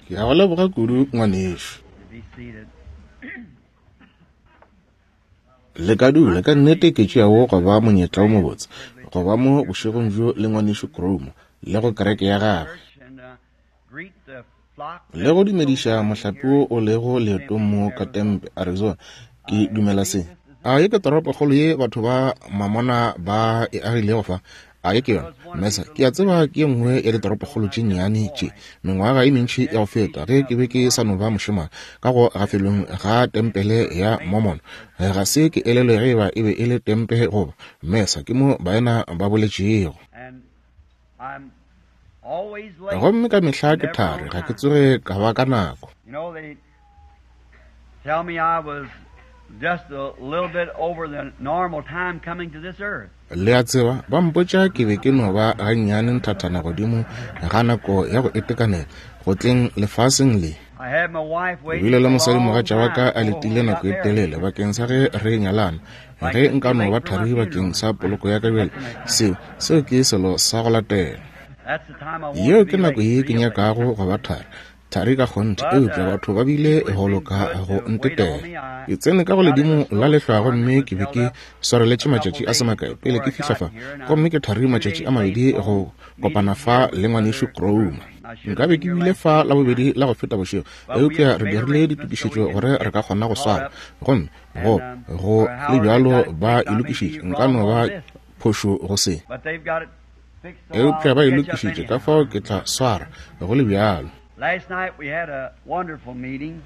Ke a go leboga kudu, ngwanešu. Le ka dula, ka nnete ke tšeago go ba monyetla wo mobotse go ba mo bošegong bjo le ngwanešu Cromo le go kereke ya gagwe, le go dumediša mohlape wo o lego leetong mo ka Tempe, Arizona. Ke dumela se. A ye ke toropokgolo ye batho ba Mamona ba e agilego fa? A ye ke yona? Mesa, ke a tseba ke ye nngwe ya ditoropokgolo tše nnyane tše. Mengwaga e mentši ya go feta, ge ke be ke sa no ba mošemane, ka go gafelong ga tempele ya Mormon, ga se ke elelwe ge eba e be e le Tempe goba Mesa, ke mo baena ba boletšego. Gomme ka mehla ke thari, ga ke tsoge ka ba ka nako. Tell me I was just a little bit over the normal time coming to this earth. Le a tseba, ba mpotša ke be ke no ba gannyane nthathana godimo ga nako ya go itekanela go tleng lefaseng le. I had my wife Ke waiting bile le a long mosadimogatša wa ka time a before letile we nako got e married. telele bakeng sa ge re nyalana. Like Ge to be nka no late ba for my thari funeral. bakeng sa poloko ya ka bjale, That's the next seo, seo ke selo sa go latela. That's the time I want Yeo to ke be nako late, ye ke real late. nyakago go ba thari. Thari ka kgonthe, But eupša batho ba bile people have go been loka good go to wait on ntetela. me. I Ke tsene ka go got in ledimo a la lehlwa snowstorm that gomme was ke be held ke up swareletše a couple matšatši a se days makae pele before ke I fihla got fa, here, and I'm gomme ke thari 2 matšatši days a late mabedi on go kopana meeting fa here with le ngwanešu Brother Cromer. Cromer. I should have Nka be been ke here bile last fa week la bobedi sometime. la go feta bošego, But we eupša have re made dirile arrangements so we ditokišetšo can gore re get ka kgona go caught swara. up Gomme go, and go or le however they bjalo got it ba fixed. e I may be lokišitše. Nka wrong no on ba this, phošo go se. but they've got it fixed so Eupša I'll ba e catch up lokišitše, ka anyhow. fao ke tla swara, go le bjalo. Last night we had a wonderful meeting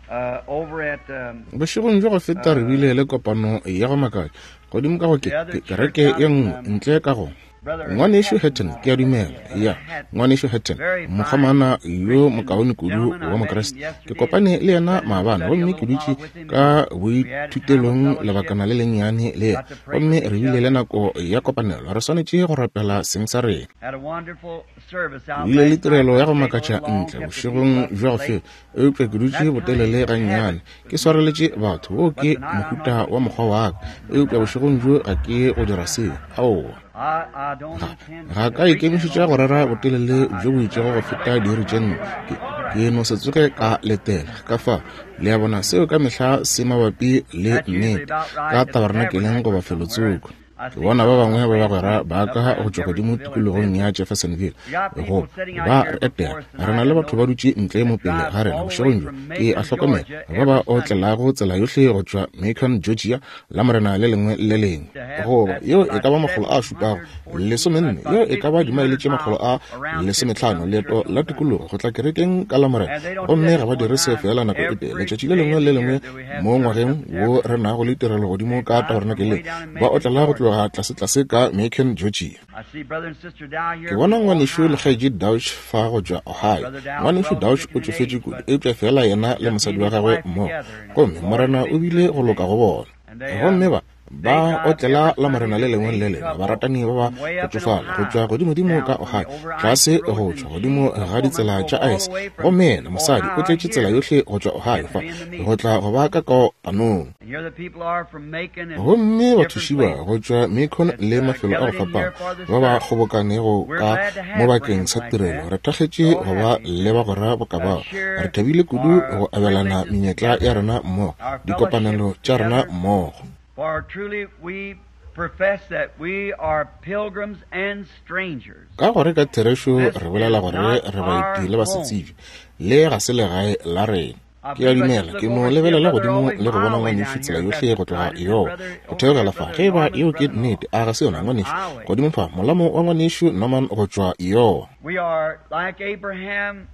uh, over at Bošegong bja go feta re bile le kopano ya go makatša godimo ka go ke, the other ke, church kereke out ye at nngwe ntle ka go Brother Ngwanešu Hatton. Hatton, ke a dumela. Brother Ya, Hatton, Ngwanešu Hatton, very fine mokgomana yo Christian mokaone kudu gentleman. I wa met him Mokriste. Ke yesterday and kopane le yena sat in the maabane study a gomme little ke dutše while with him, ka and we had a time of boithutelong fellowship. lebakana le lennyane le yena Got to pray gomme with re each bile le other. nako ya kopanelo. Re swanetše go rapela seng sa rena. Had a wonderful service Ke out bile le last night, tirelo but ya go stayed a makatša little long, ntle kept the bošegong people up bja go late. feta, eupša ke dutše That's kind botelele of a gannyane habit ke with me. swareletše batho. Woo But ke tonight I'm not mohuta going wa to do mokgwa that. wa ka, eupša bošegong bjo ga ke go dira seo. Aowa. I, I don't Ga, intend ga to ka preach any ikemišetša go longer rera than I, botelele I bjo bo just itšego go feta diiri tše nne. Ke, ke no se tsoge ka letela. Ka fao, le a bona, seo ka mehla se mabapi le That's usually nnete, about ka right at the tabernakeleng tabernacle goba somewhere. And felotsoko. I Ke see bona ba some of bangwe my ba friends bagwera from ba up ka around go tšwa godimo Jeffersonville and tikologong Memphis. ya Jeffersonville We got go people sitting out ba here re before etela. us Re na tonight, le I batho ba notice, dutše ntle mo that pele drive ga rena all the way bošegong bjo. from Ke a Macon, hlokomela Georgia, ba ba every Sunday otlelago tsela yohle go tšwa Macon, Georgia, Lamorena le lengwe le le lengwe. to have Goba that's yeo e about ka ba makgolo a šupago 714, that's lesomenne, about yeo e ka ba dimaele 1,500 tše makgolo miles a around trip to lesomehlano, come to leeto church on la Sunday. tikologo go tla kerekeng ka Lamorena. And they don't do Gomme that ga just ba one dire seo time. feela nako e tee. Every Letšatši le day lengwe of le the lengwe year that we have mo church ngwageng up at wo Tabernacle, re nago le tirelo godimo they ka drive from way tabernakeleng, down in ba Macon, otlela go Georgia. tloga tlasetlase ka Macon, Georgia. I see brother and sister Dow Ke here bona from ngwanešu le Ohio. kgaetšedi Dauch fa go tšwa Ohio. Brother Dow's Ngwanešu well Dauch stricken o in tšofetše age, kudu, but eupša feela yena le just me mosadi and wa his gagwe wife mmogo. together, and Gomme the Lord Morena has o been bile good go to loka them. go bona. And they Gomme ba, they ba drive otlela every Sunday, Lamorena le this lengwe le le aged lengwe, couple baratani ba ba from way go up in tšofala, go tšwa Ohio, godimodimo ka down from the Ohio, over icy tlase go roads tšwa and godimo she's a ga woman ditsela drove tša all aese. the way from Gomme yena, mosadi, o Ohio tletše tsela here yohle go tšwa Ohio just to fa, be in the meeting. go tla go ba ka kopanong. And here the people are from Macon and Gomme different bathuši ba places go tšwa Macon that's le mafelo a go gathered in fapana here for this ba ba service. kgobokanego We're ka glad to mo have bakeng friends sa like tirelo, that. re thakgetše So go ba happy le to bagwera boka bao. Re share thabile kudu our go abelana privileges menyetla ya together, rena mmogo, our fellowship dikopanelo tša rena together. mmogo. For truly we profess that we are pilgrims and strangers. Ka gore ka therešo This re bolela is gore not re baeti our le home. basetsebje, le ga se legae la rena. I Ke a believe I dumela just look ke no over and see a lebelela brother godimo always le go my bona way ngwanešu down tsela here. If yohle that's go tloga right, is it Iowa brother go over here, theogela fa. brother Ge e ba Norman's yeo ke brother-in-law nnete, a ga se yona from ngwanešu? Iowa? Godimo fa, molamo wa ngwanešu Norman go tšwa Iowa. We are like Abraham.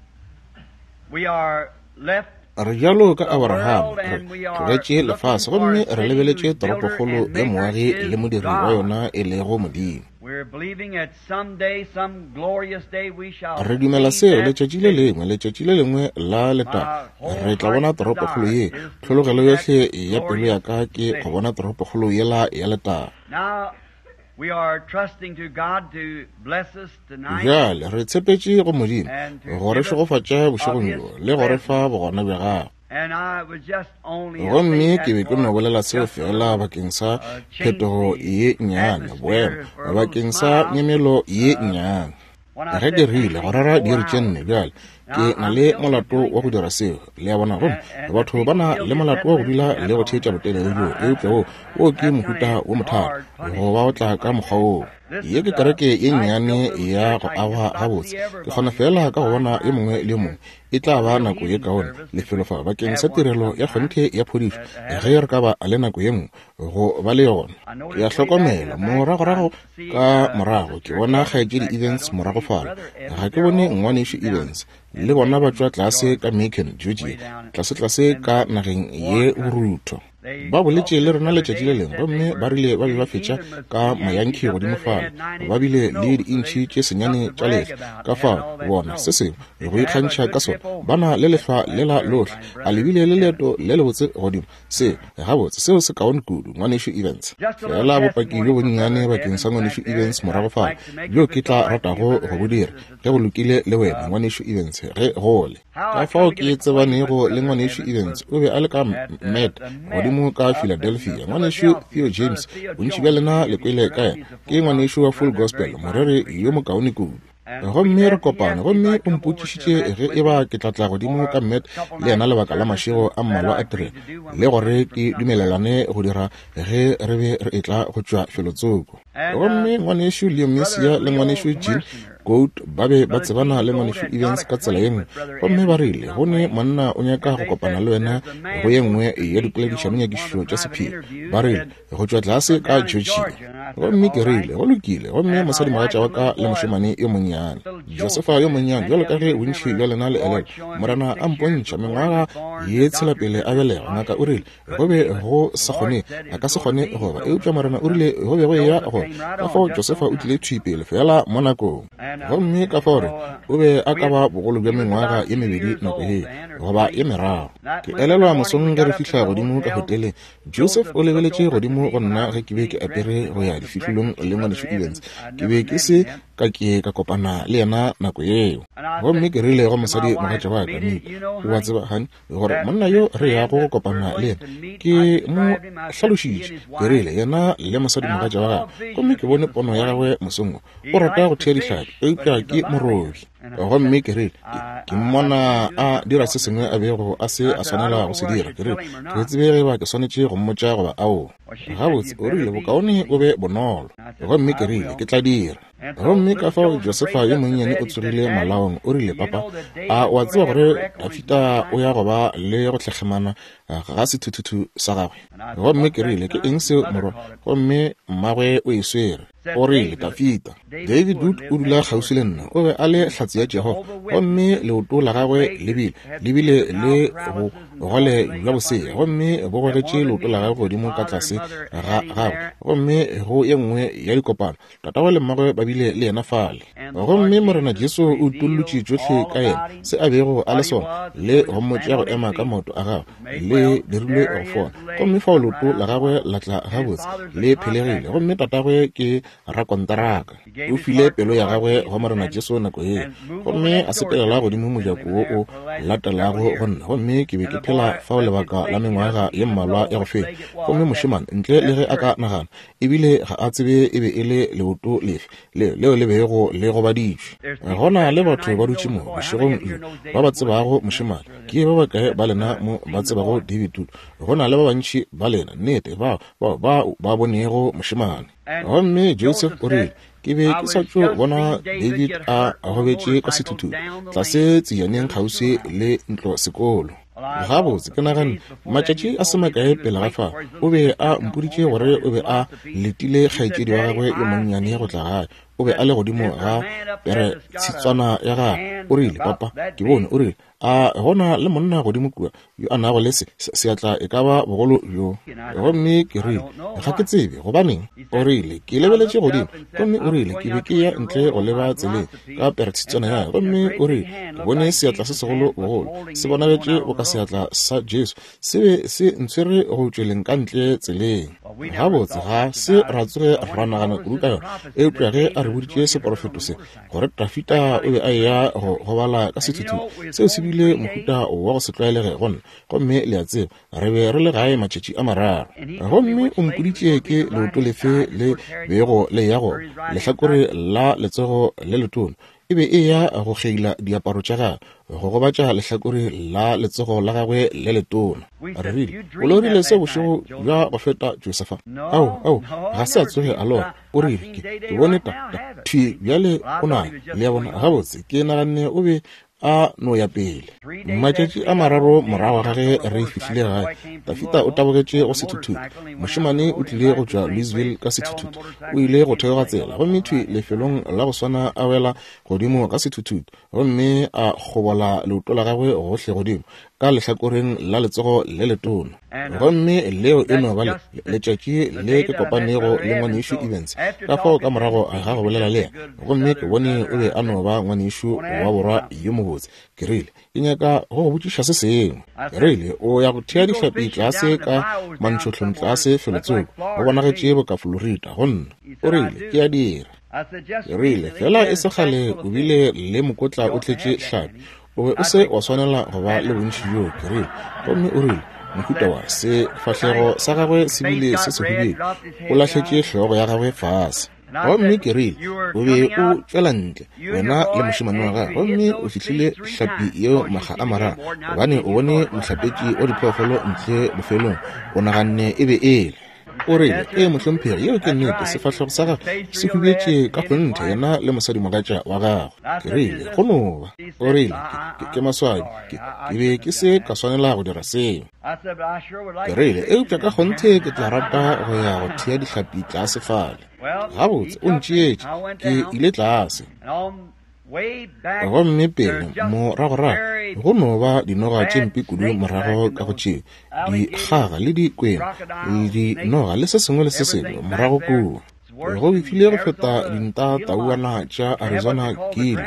We are left Re bjalo ka the Abraham, world re and we are tlogetše looking lefase for a gomme re city lebeletše whose builder toropokgolo and ya maker moagi le is modiri wa God. yona e lego Modimo. We're believing that someday, some glorious day, we shall Re dumela see seo that letšatši le city. lengwe, letšatši le lengwe la letago, My whole re tla bona heart's toropokgolo desire ye. is to see Tlhologelo that yohle ya pelo ya glorious ka ke go city. bona toropokgolo yela ya letago. Now, we are trusting to God to bless us tonight Bjale re tshepetše go Modimo and to go re give us šegofatša of bošegong His bjo le go re presence. fa bogona bja gagwe. And I was just only a say Gomme ke that be ke no for bolela seo just a feela little bakeng sa change phetogo the ye nnyane, boemo, atmosphere for a little bakeng sa smile. nyemelo ye nnyane. Ge ke rile go rera diiri tše nne bjale, ke na le molato wa go dira seo. Le a bona? Gomme batho ba na le molato wa go dula le go theetša botelele bjoo, eupša wo, wo ke mohuta wo mothata go ba o tla ka mokgwa woo. Ye ke kereke ye nnyane ya go agwa gabotse. Ke kgona feela ka go bona yo mongwe le yo mongwe. E tla ba nako ye kaone lefelo fa bakeng sa tirelo ya kgonthe ya phodišo, ge re ka ba le nako ye nngwe go ba le yona. Ke a hlokomela moragorago ka morago ke bona Kgaetšedi Evans morago fale. Ga ke bone Ngwanešu Evans. Le bona ba tšwa tlase ka Macon, Georgia, tlasetlase ka nageng ye borutho. Ba boletše le rena letšatši le lengwe, gomme ba rile ba be ba fetša ka Mayankee godimo fale, ba bile le diintšhi tše senyane tša lehlwa. Ka fao, bona, se sengwe go ikgantšha ka sona, ba na le lehlwa lela lohle. A le bile le leeto le lebotse godimo? Se, gabotse, seo se kaone kudu, Ngwanešu Evans. Feela bopaki bjo bonnyane bakeng sa Ngwanešu Evans morago fale, bjo ke tla ratago go bo dira, ge go lokile le wena, Ngwanešu Evans, ge go le. Ka fao ke tsebanego le Ngwanešu Evans, o be a le ka Met godimo ka Philadelphia. Ngwanešu Theo James, bontši bja lena le kwele ka yena, ke ngwanešu wa Full Gospel, moreri yo mokaone kudu. Gomme re kopane, gomme o mpotšišitše ge e ba ke tla tla godimo ka Met le yena lebaka la mašego a mmalwa a tirelo, le gore ke dumelelane go dira ge re be re etla go tšwa felotsoko. Gomme Ngwanešu Leo Mercier le Ngwanešu Gene Goad ba be ba tsebana le Ngwanešu Evans ka tsela ye nngwe, gomme ba rile, Go ne monna o nyaka go kopana le wena go ye nngwe ya dipoledišanonyakišišo tša sephiri, ba rile, go tšwa tlase ka Georgia. Gomme ke rile, Go lokile. Gomme mosadimogatša wa ka le mošemane yo monnyane, Josefa yo monnyane, bjalo ka ge bontši bja lena le elelwa, Morena a mpontšha mengwaga ye tshela pele a belegwa, ngaka o rile, Go be go sa kgone, a ka se kgone go ba, eupša Morena o rile go be go eya go. Ka fao Josefa o tlile thwi pele feela mo nakong. Gomme ka fao re, o be a ka ba bogolo bja mengwaga ye mebedi nako yeo, goba ye meraro. Ke elelwa mosong ge re fihla godimo ka hoteleng, Joseph o lebeletše godimo go nna ge ke be ke apere go ya difihlolong le Ngwanešu Evans. Ke be ke se ka ke ka kopana le yena nako yeo. Gomme ke rile go mosadi mogatša wa ka, Mika, o a tseba, honey, gore monna yo re yago go kopana le yena, ke mo hlalošitše, ke rile, yena le mosadimogatša wa gagwe, gomme ke bone pono ya gagwe mosong wo. O rata go thea dihlapi, eupša ke morobi. Gomme ke rile, ke, ke mmona a dira se sengwe a bego a se a swanela go se dira. Ke rile, Ke tsebe ge ba ke swanetše go mmotša goba aowa. Gabotse, o rile, bokaone o be bonolo. Gomme ke rile, Ke tla dira. Gomme ka fao Josefa yo monnyane o tsogile malaong, o rile, Papa, a o a tseba gore Dafida o ya go ba le go hlekgemana ga sethuthuthu sa gagwe? Gomme ke rile, Ke eng seo, morwa? Gomme mmagwe o e swere. O rile, Dafida. David Wood o dula kgauswi le nna, o be a le Hlatse ya Jehofa, gomme leoto la gagwe le bile, le bile le bogole bja bosea, gomme bo gogetše leoto la gagwe godimo ka tlase ga gagwe. Gomme go ye nngwe ya dikopano, Tatagwe le mmagwe ba bile le yena fale. Gomme Morena Jesu o utollotše tšohle ka yena, se a bego a le sona, le go mmotša go ema ka maoto a gagwe, le dirilwe go fola. Gomme fao leoto la gagwe la tla gabotse, le phelegile. Gomme tatagwe ke rakonteraka. O file pelo ya gagwe go Morena Jesu nako yeo, gomme a sepelela godimo mojako wo o latelago go nna. Gomme ke be ke phela fao lebaka la mengwaga ye mmalwa ya go feta. Gomme mošemane, ntle le ge a ka nagana, ebile ga a tsebe e be e le leoto lefe leo leo le bego le gobaditšwe. Go na le batho ba dutše mo bošegong bjo ba ba tsebago mošemane. Ke ba bakae ba lena mo ba tsebago David Wood? Go na le ba bantši ba lena, nnete, bao, bao ba ba bonego mošemane. Gomme Joseph o rile, Ke be ke sa tšo bona David a gobetše ka sethuthutu tlase tsejaneng kgauswi le ntlo sekolo. Gabotse, ke naganne, matšatši a se makae pele ga fao, o be a mpoditše gore o be a letile kgaetšedi wa gagwe yo monnyane go tla gae. O be a le godimo ga pere tshitswana ya gagwe. O rile, Papa, ke bone, o rile, a go na le monna godimo kua yo a nago le se, seatla e ka ba bogolo bjo. Gomme ke rile, Ga ke tsebe gobaneng. O rile, Ke lebeletše godimo, gomme o rile, ke be ke ya ntle go leba tseleng ka peretshitswana ya, gomme o rile, Ke bone seatla se segolo bogolo, se bonagetše boka seatla sa Jesu, se be se ntshwere go tšweleng ka ntle tseleng. Gabotse, ga se ra tsoge ra nagana kudu ka yona, eupša ge a re boditše seporofeto se, gore Dafida o be a eya go gobala ka sethuthutu, seo se bile mohuta wa go se tlwaelege go nna. Gomme le a tseba, re be re le gae matšatši a mararo. Gomme o mpoditše ke leoto lefe le bego le ya go lehlakore la letsogo le letona. E be e ya go kgeila diaparo tša gagwe, go gobatša lehlakore la letsogo la gagwe le letona. Re rile, O lorile se bošego bja go feta, Josefa? Ao, ao, ga se a tsoge a lora. O rile, Ke, ke bone ta, ta, thwi bjale o nayo. Le a bona? Gabotse, ke naganne o be a no ya pele. Matšatši a mararo morago ga ge re fihlile gae, Tafita o tabogetše go sethuthutu. Mošemane o tlile go tšwa Louisville ka sethuthutu. O ile go theoga tsela, gomme thwi lefelong la go swana a wela godimo ka sethuthutu, gomme a kgobola leoto la gagwe gohle godimo ka lehlakoreng la letsogo le letona. Gomme leo e no ba le, letšatši le ke kopanego le Ngwanešu Evans. Ka fao ka morago ga go bolela le yena, gomme ke bone o be a no ba ngwanešu wa borwa yo mobotse, ke rile, Ke nyaka go go botšiša se sengwe. Ke rile, O ya go thea dihlapi tlase ka mantšhohlong tlase felotsoko, go bonagetše boka Florida go nna. O rile, Ke a dira. Ke rile, Fela e se kgale o bile le mokotla o tletše hlapi. O be o se wa swanela go ba le bontši bjoo, ke rile. Gomme o rile, Mohuta wa sefahlego sa gagwe se bile se sehubedu, o lahletše hlogo ya gagwe fase. Gomme ke rile, O be o tšwela ntle, wena le mošemane wa gago, gomme o fihlile hlapi yeo makga a mararo, gobane o bone mohlapetši wa diphoofolo ntle bofelong, o naganne e be e le. O rile, Ee, mohlomphegi, yeo ke nnete, sefahlego sa gagwe se hubetše ka kgonthe, yena le mosadimogatša wa gagwe. Ke rile, Go no ba. O rile, Ke, ke, ke maswabi, ke, ke be ke se ka swanela go dira seo. Ke rile, Eupša ka kgonthe ke tla rata go ya go thea dihlapi tlase fale. Gabotse, o ntšeetše, ke ile tlase. Gomme pele moragorago go no ba dinoga tše mpe kudu morago ka go tšeo, dikgaga le dikwena le dinoga le se sengwe le se sengwe morago kua. Go befile go feta dinta tauana tša Arizona kile.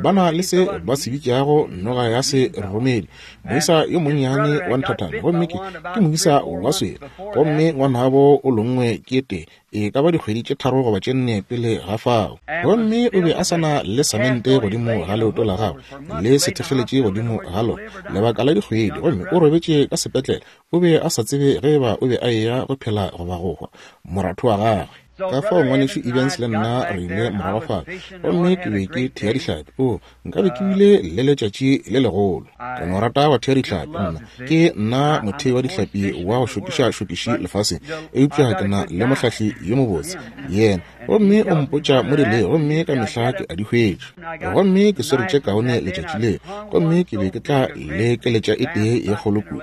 Ba na le se ba se bitšago noga ya se romedi, moisa yo monnyane wa nthathana, gomme ke, ke moisa wa swele, gomme ngwanabo o longwe ke te, e ka ba dikgwedi tše tharo goba tše nne pele ga fao. Gomme o be a sa na le samente godimo ga leoto la gagwe, le sethekgeletše godimo ga lona, lebaka la dikgwedi, gomme o robetše ka sepetlele. O be a sa tsebe ge eba o be a eya go phela goba go hwa, moratho wa gagwe. Ka fao Ngwanešu Evans le nna re ile morago fale, gomme ke be ke thea dihlapi. Oo, nkabe ke bile le letšatši le legolo. Ke no rata go thea dihlapi. Nna, ke nna mothei wa dihlapi wa go šokiša-šokiši lefaseng, eupša ke na le mohlahli yo mobotse, yena, gomme o mpotša mo di lego, gomme ka mehla ke a di hwetša. Gomme ke swere tše kaone letšatši leo, gomme ke be ke tla le keletša e tee ye kgolo kudu,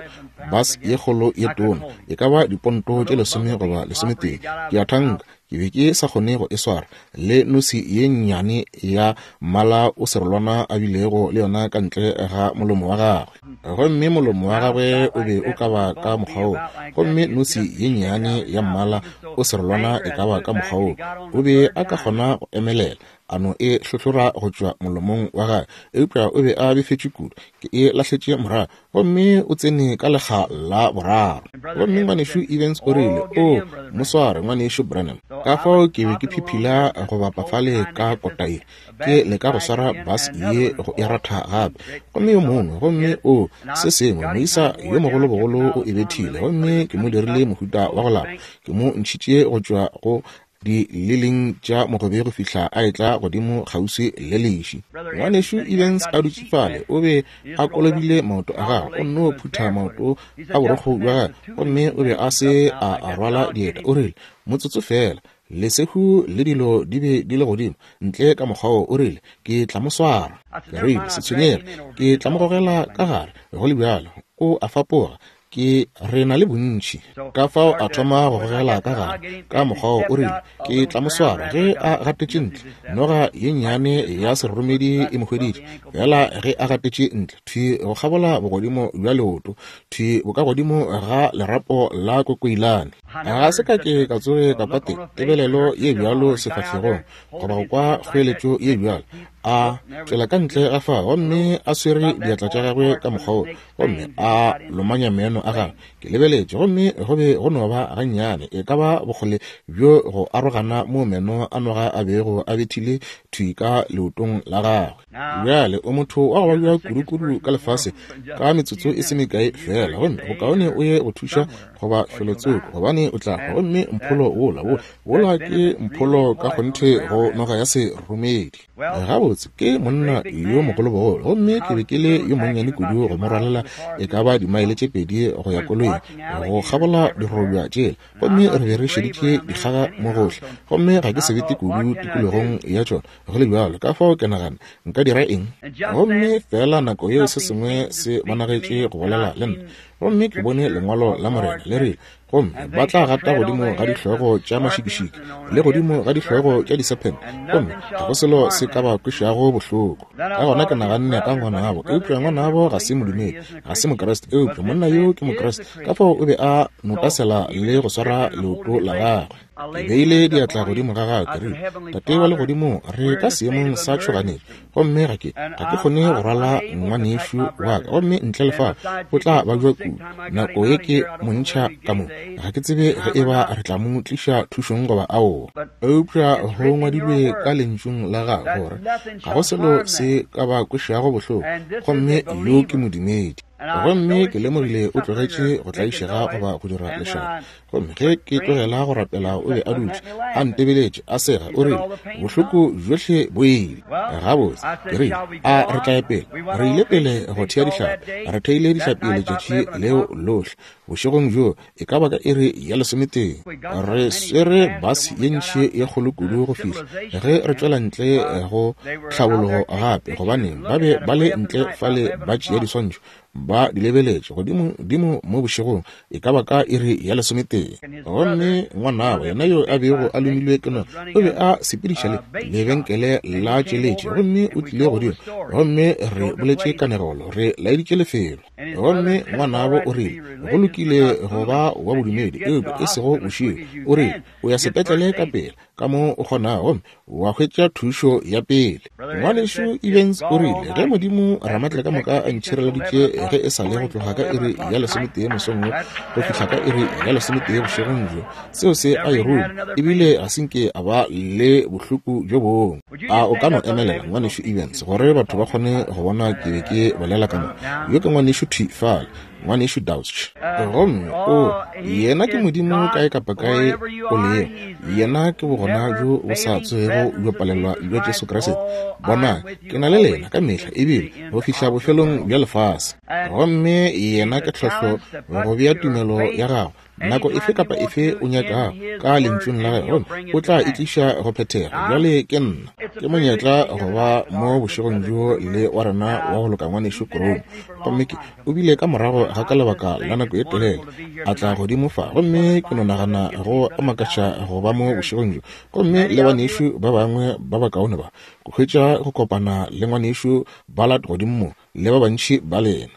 bas ye kgolo ye tona, e ka ba diponto tše lesome goba lesometee, ke a thanka. Ke be ke sa kgone go e swara, le nosi ye nnyane ya mmala o serolwana a bilego le yona ka ntle ga molomo wa gagwe. Gomme molomo wa gagwe o be o ka ba ka mokgwa wo, gomme nosi ye nnyane ya mmala o serolwana e ka ba ka mokgwa wo. O be a ka kgona go emelela, a no e hlohlora go tšwa molomong wa gagwe, eupša o be a befetšwe kudu. Ke e lahletše morago, gomme o tsene ka lekga la boraro. Gomme Ngwanešu Evans o rile, O mo sware, Ngwanešu Branham. Ka fao ke be ke phiphila go bapa fale ka kota ye, ke leka go swara bus ye go e ratha gape. Gomme yo mongwe, gomme o, se sengwe, moisa yo mogolo bogolo o e bethile, gomme ke mo dirile mohuta wa go lapa. Ke mo ntšhitše go tšwa go di lileng tša mogobe go fihla a etla godimo kgauswi le leši. Ngwanešu Evans a dutše fale, o be a kolobile maoto a gagwe, o nno phutha maoto a borokgo bja gagwe, gomme o be a se a a rwala dieta. O rile, Motsotso feela, lesehu le dilo di be di le godimo ntle ka mokgwa wo. O rile, Ke tla mo swara. Ke rile, Se tshwenyege, ke tla mo gogela ka gare, go le bjalo. O a fapoga, Ke re na le bontši. Ka fao a thoma go gogela ka gare ka mokgwa wo, o rile, Ke tla mo swara ge a gatetše ntle. Noga ye nnyane ya seroromedi e mo hweditše, feela ge a gatetše ntle, thwi go kgabola bogodimo bja leoto, thwi bokagodimo ga lerapo la kokoilane. Ga se ka ke ka tsoge ka kwa te, tebelelo ye bjalo sefahlegong, goba go kwa kgoeletšo ye bjalo. A tšwela ka ntle ga fao gomme a swere diatla tša gagwe ka mokgwa wo, gomme a lomanya meno a gagwe. Ke lebeletše, gomme go be go no ba gannyane, e ka ba bokgole bjo go arogana moo meno a noga a bego a bethile thwi ka leotong la gagwe. Bjale, o motho wa go babja kudukudu ka lefase ka metsotso e se mekae feela, gomme bokaone o ye go thuša goba felotsoko, gobane o tla hwa. Gomme mpholo wola, wola, wola ke mpholo ka kgonthe go noga ya seromedi. Gabotse, ke monna yo mogolobogolo, gomme ke be ke le yo monnyane kudu go mo rwalela e ka ba dimaele tše 2 go ya koloing, go kgabola dirobja tšela. Gomme re be re šeditše dikgaga mo gohle, gomme ga ke sebete kudu tikologong ya tšona, go le bjalo. Ka fao ke nagana, nka dira eng? Gomme feela nako yeo se sengwe se bonagetše go bolela le nna, gomme ke bone lengwalo la Morena le rile, Gomme ba tla gata godimo ga dihlogo tša mašikišiki le godimo ga dihlogo tša disephente, gomme ga go selo se ka ba kwešago bohloko. Ka gona ke naganne ka ngwanabo, eupša ngwanabo ga se modumedi, ga se Mokriste, eupša monna yo ke Mokriste. Ka fao o be a nokasela le go swara leoto la gagwe. Ke beile diatla godimo ga gagwe, ke rile, Tate wa Legodimong, re ka seemong sa tšhoganetšo, gomme ga ke, ga ke kgone go rwala ngwanešu wa ka, gomme ntle le fao o tla babja kudu. Nako ye ke mo ntšha ka mo, ga ke tsebe ge e ba re tla mo tliša thušong goba aowa. Eupša go ngwadilwe ka Lentšung la Gago gore ga go selo se ka ba kwešago bohloko, gomme yo ke modumedi. Gomme ke lemogile o tlogetše go tlaišega goba go dira lešata. Gomme ge ke tlogela go rapela, o be a dutše a ntebeletše, a sega, o rile, Bohloko bjohle bo ile. Gabotse, ke rile, a re tla ya pele? Re ile pele go thea dihlapi. Re theile dihlapi letšatši leo lohle. Bošegong bjoo, e ka ba ka iri ya lesometee, re swere bus ye ntši ye kgolo kudu go fihla ge re tšwela ntle go tlhabologo gape, gobane ba be ba le ntle fale ba tšea diswantšho, ba di lebeletše godimo dimo mo bošegong e ka ba ka iri ya lesometee. Gomme ngwanabo yena yo a bego a lomilwe ke noga o be a sepediša le lebenkele la tšeletše, gomme o tlile godimo, gomme re boletše kanegelo, re laeditše lefelo. Gomme ngwanabo o rile, Go lokile go ba wa bodumedi, eupša e sego bošego. O rile, O ya sepetlele ka pela ka mo o kgonago, gomme wa hwetša thušo ya pele. Ngwanešu Evans o rile, Ge Modimo Ramatlakamoka a ntšhireleditše ge e sa le go tloga ka iri ya lesometee mosong wo go fihla ka iri ya lesometee bošegong bjo, seo se a e ruma, ebile ga se nke a ba le bohloko bjo bongwe. A o ka no emelela, Ngwanešu Evans, gore batho ba kgone go bona ke be ke bolela ka mo? Yo ke ngwanešu thwi fale, Ngwanešu Dauch. Gomme, o, Yena ke Modimo kae kapa kae o lego. Yena ke Bogona bjo bo sa tsogego bjo palelwa bja Jesu Kriste. Bonang, ke na le lena ka mehla, ebile go fihla bofelong bja lefase. Gomme Yena ke tlhohlo go bea tumelo ya gago nako efe kapa efe o nyakago ka Lentšung la Gagwe, gomme o tla e tliša go phethega. Bjale ke nna, ke monyetla go ba mo bošegong bjo le wa rena wa go loka Ngwanešu Kromo. Gomme ke, o bile ka morago ga ka lebaka la nako e telele, a tla godimo fa, gomme ke no nagana go a makatša go ba mo bošegong bjo, gomme le banešu ba bangwe ba bakaone ba, go hwetša go kopana le Ngwanešu Ballard godimo mo, le ba bantši ba lena.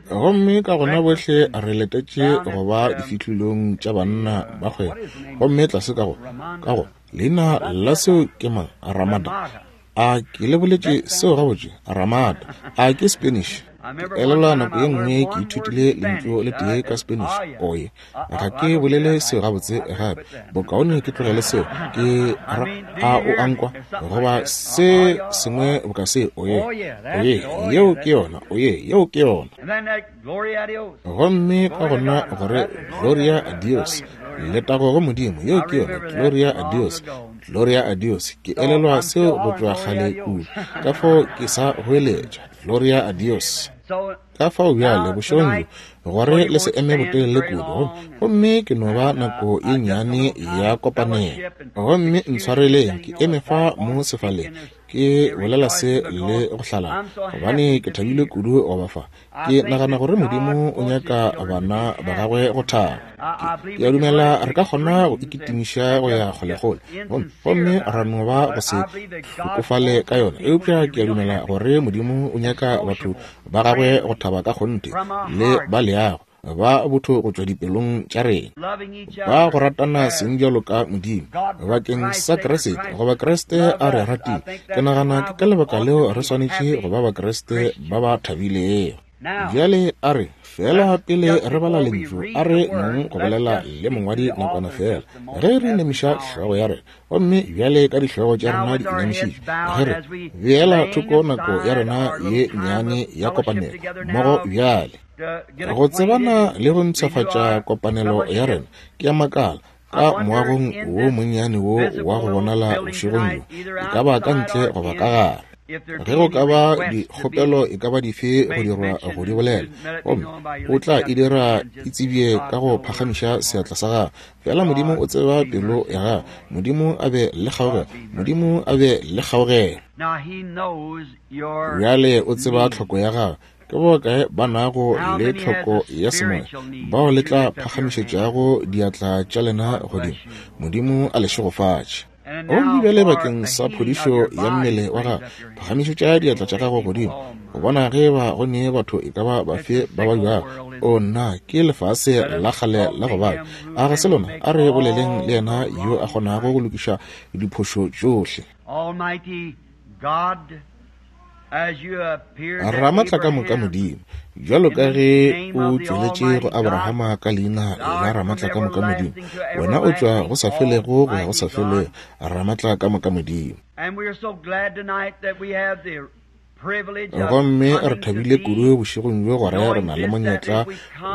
Gomme ka gona bohle re letetše go ba difihlolong tša banna ba kgwebo. Gomme tlase ka go, ka go, leina la seo ke mang? Ramada. A ke le boletše seo gabotse? Ramada. A ke Spanish? Ke elelwa nako ye nngwe ke ithutile lentšu le tee ka Spanish, oye. Ga ke bolele seo gabotse gape. Bokaone ke tlogele seo. Ke ra, a o a nkwa? Goba se sengwe boka se, oye. Oye, yeo ke yona. Oye, yeo ke yona. Gomme ka gona gore Gloria a Dios, letago go Modimo, yeo ke yona, Gloria a Dios, Gloria a Dios. Ke elelwa seo go tšwa kgale kudu, ka fao ke sa goeletša, Gloria a Dios. Ka fao bjale, bošegong bjo, gore le se eme botelele kudu, gomme ke no ba nako ye nnyane ya kopanelo. Gomme ntshwareleng ke eme fa mo sefaleng, ke bolela se le go hlalala, gobane ke thabile kudu go ba fa. Ke nagana gore Modimo o nyaka bana ba gagwe go thaba. Ke, ke a dumela re ka kgona go ikitimiša go ya kgolekgole, gomme, gomme ra no ba go se hlokofale ka yona. Eupša ke a dumela gore Modimo o nyaka batho ba gagwe go thaba ka kgonthe le ba leago, ba botho go tšwa dipelong tša rena, ba go ratana seng bjalo ka Modimo bakeng sa Kriste, goba Kriste a re ratile. Ke nagana ke ka lebaka leo re swanetše go ba Bakriste ba ba thabilego. Bjale a re feela pele re bala Lentšu, a re nong go bolela le mongwadi nakwana feela, ge re inamiša hlogo ya rena. Gomme bjale ka dihlogo tša rena di inamišitšwe, ge re beela thoko nako ya rena ye nnyane ya kopanelo mmogo bjale. Go tsebana le go mpshafatša kopanelo ya rena, ke a makala, ka moagong wo monnyane wo wa go bonala bošegong bjo, e ka ba ka ntle goba ka gare, ge go ka ba dikgopelo e ka ba dife go dirwa go di bolela, gomme o tla e dira e tsebje ka go phagamiša seatla sa gago. Fela Modimo o tseba pelo ya gago. Modimo a be le kgaogelo. Modimo a be le kgaogelo. Bjale o tseba tlhoko ya gago. Ke bokae ba nago le tlhoko ya semoya bao le tla phagamišetšago diatla tša lena godimo? Modimo a le šegofatše. Gomme bjale bakeng sa phodišo ya mmele wa gago, phagamišetša diatla tša gago godimo go bona ge ba go ne batho e ka ba bafe ba ba bjago. O nna, ke lefase la kgale la go baba. A ga se lona? A re boleleng le yena yo a kgonago go lokiša diphošo tšohle. Ramatlakamoka Modimo, bjalo ka ge o tšweletše go Abrahama ka leina la Ramatlakamoka Modimo, wena o tšwa go sa felego go ya go sa felego, Ramatlakamoka Modimo. Gomme re thabile kudu bošegong bjo gore re na le monyetla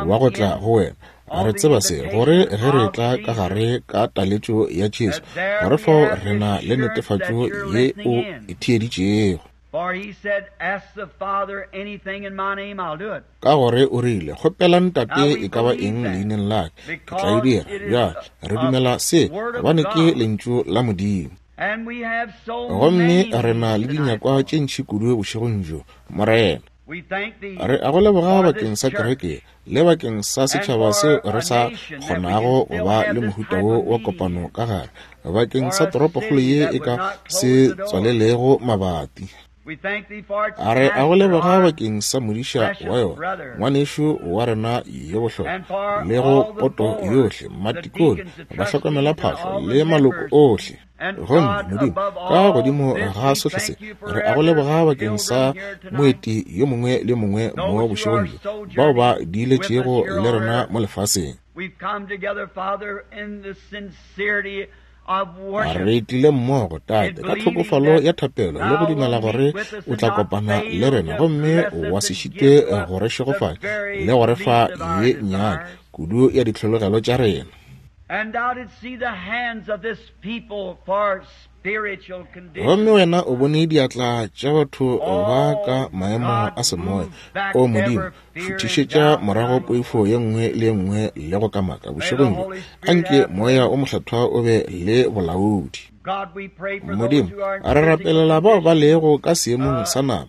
wa go tla go wena. Re tseba se, gore ge re tla ka gare ka taletšo ya Jesu, gore fao re na le netefatšo ye o e theeditšego. Ka gore o rile, Kgopelang Tate e ka ba eng leineng la ka, ke tla e dira. Bjale, re dumela se, gobane ke Lentšu la Modimo. Gomme re na le dinyakwa tše ntši kudu bošegong bjo, Morena. Re a go leboga bakeng sa kereke le bakeng sa setšhaba seo re sa kgonago go ba le mohuta wo wa kopano ka gare, bakeng sa toropokgolo ye e ka se tswalelego mabati. A re a go leboga bakeng sa modiša wa yona, ngwanešu wa rena yo bohlokwa, le go poto yohle, matikone, bahlokomelaphahlo le maloko ohle. Gomme Modimo, ka godimo ga sohle se, re a go leboga bakeng sa moeti yo mongwe le yo mongwe mo bošegong bjo, bao ba diiletšego le rena mo lefaseng. Re tlile mmogo, Tate, ka tlhokofalo ya thapelo le go dumela gore o tla kopana le rena gomme wa se šitwe go re šegofatša le go re fa ye nnyane kudu ya ditlhologelo tša rena. Gomme wena o bone diatla tša batho ba ka maemo a semoya. O Modimo, šuthišetša morago poifo ye nngwe le ye nngwe le go kamaka bošegong bjo. Anke Moya o Mokgethwa o be le bolaodi. Modimo, re rapelela bao ba lego ka seemong sa nama,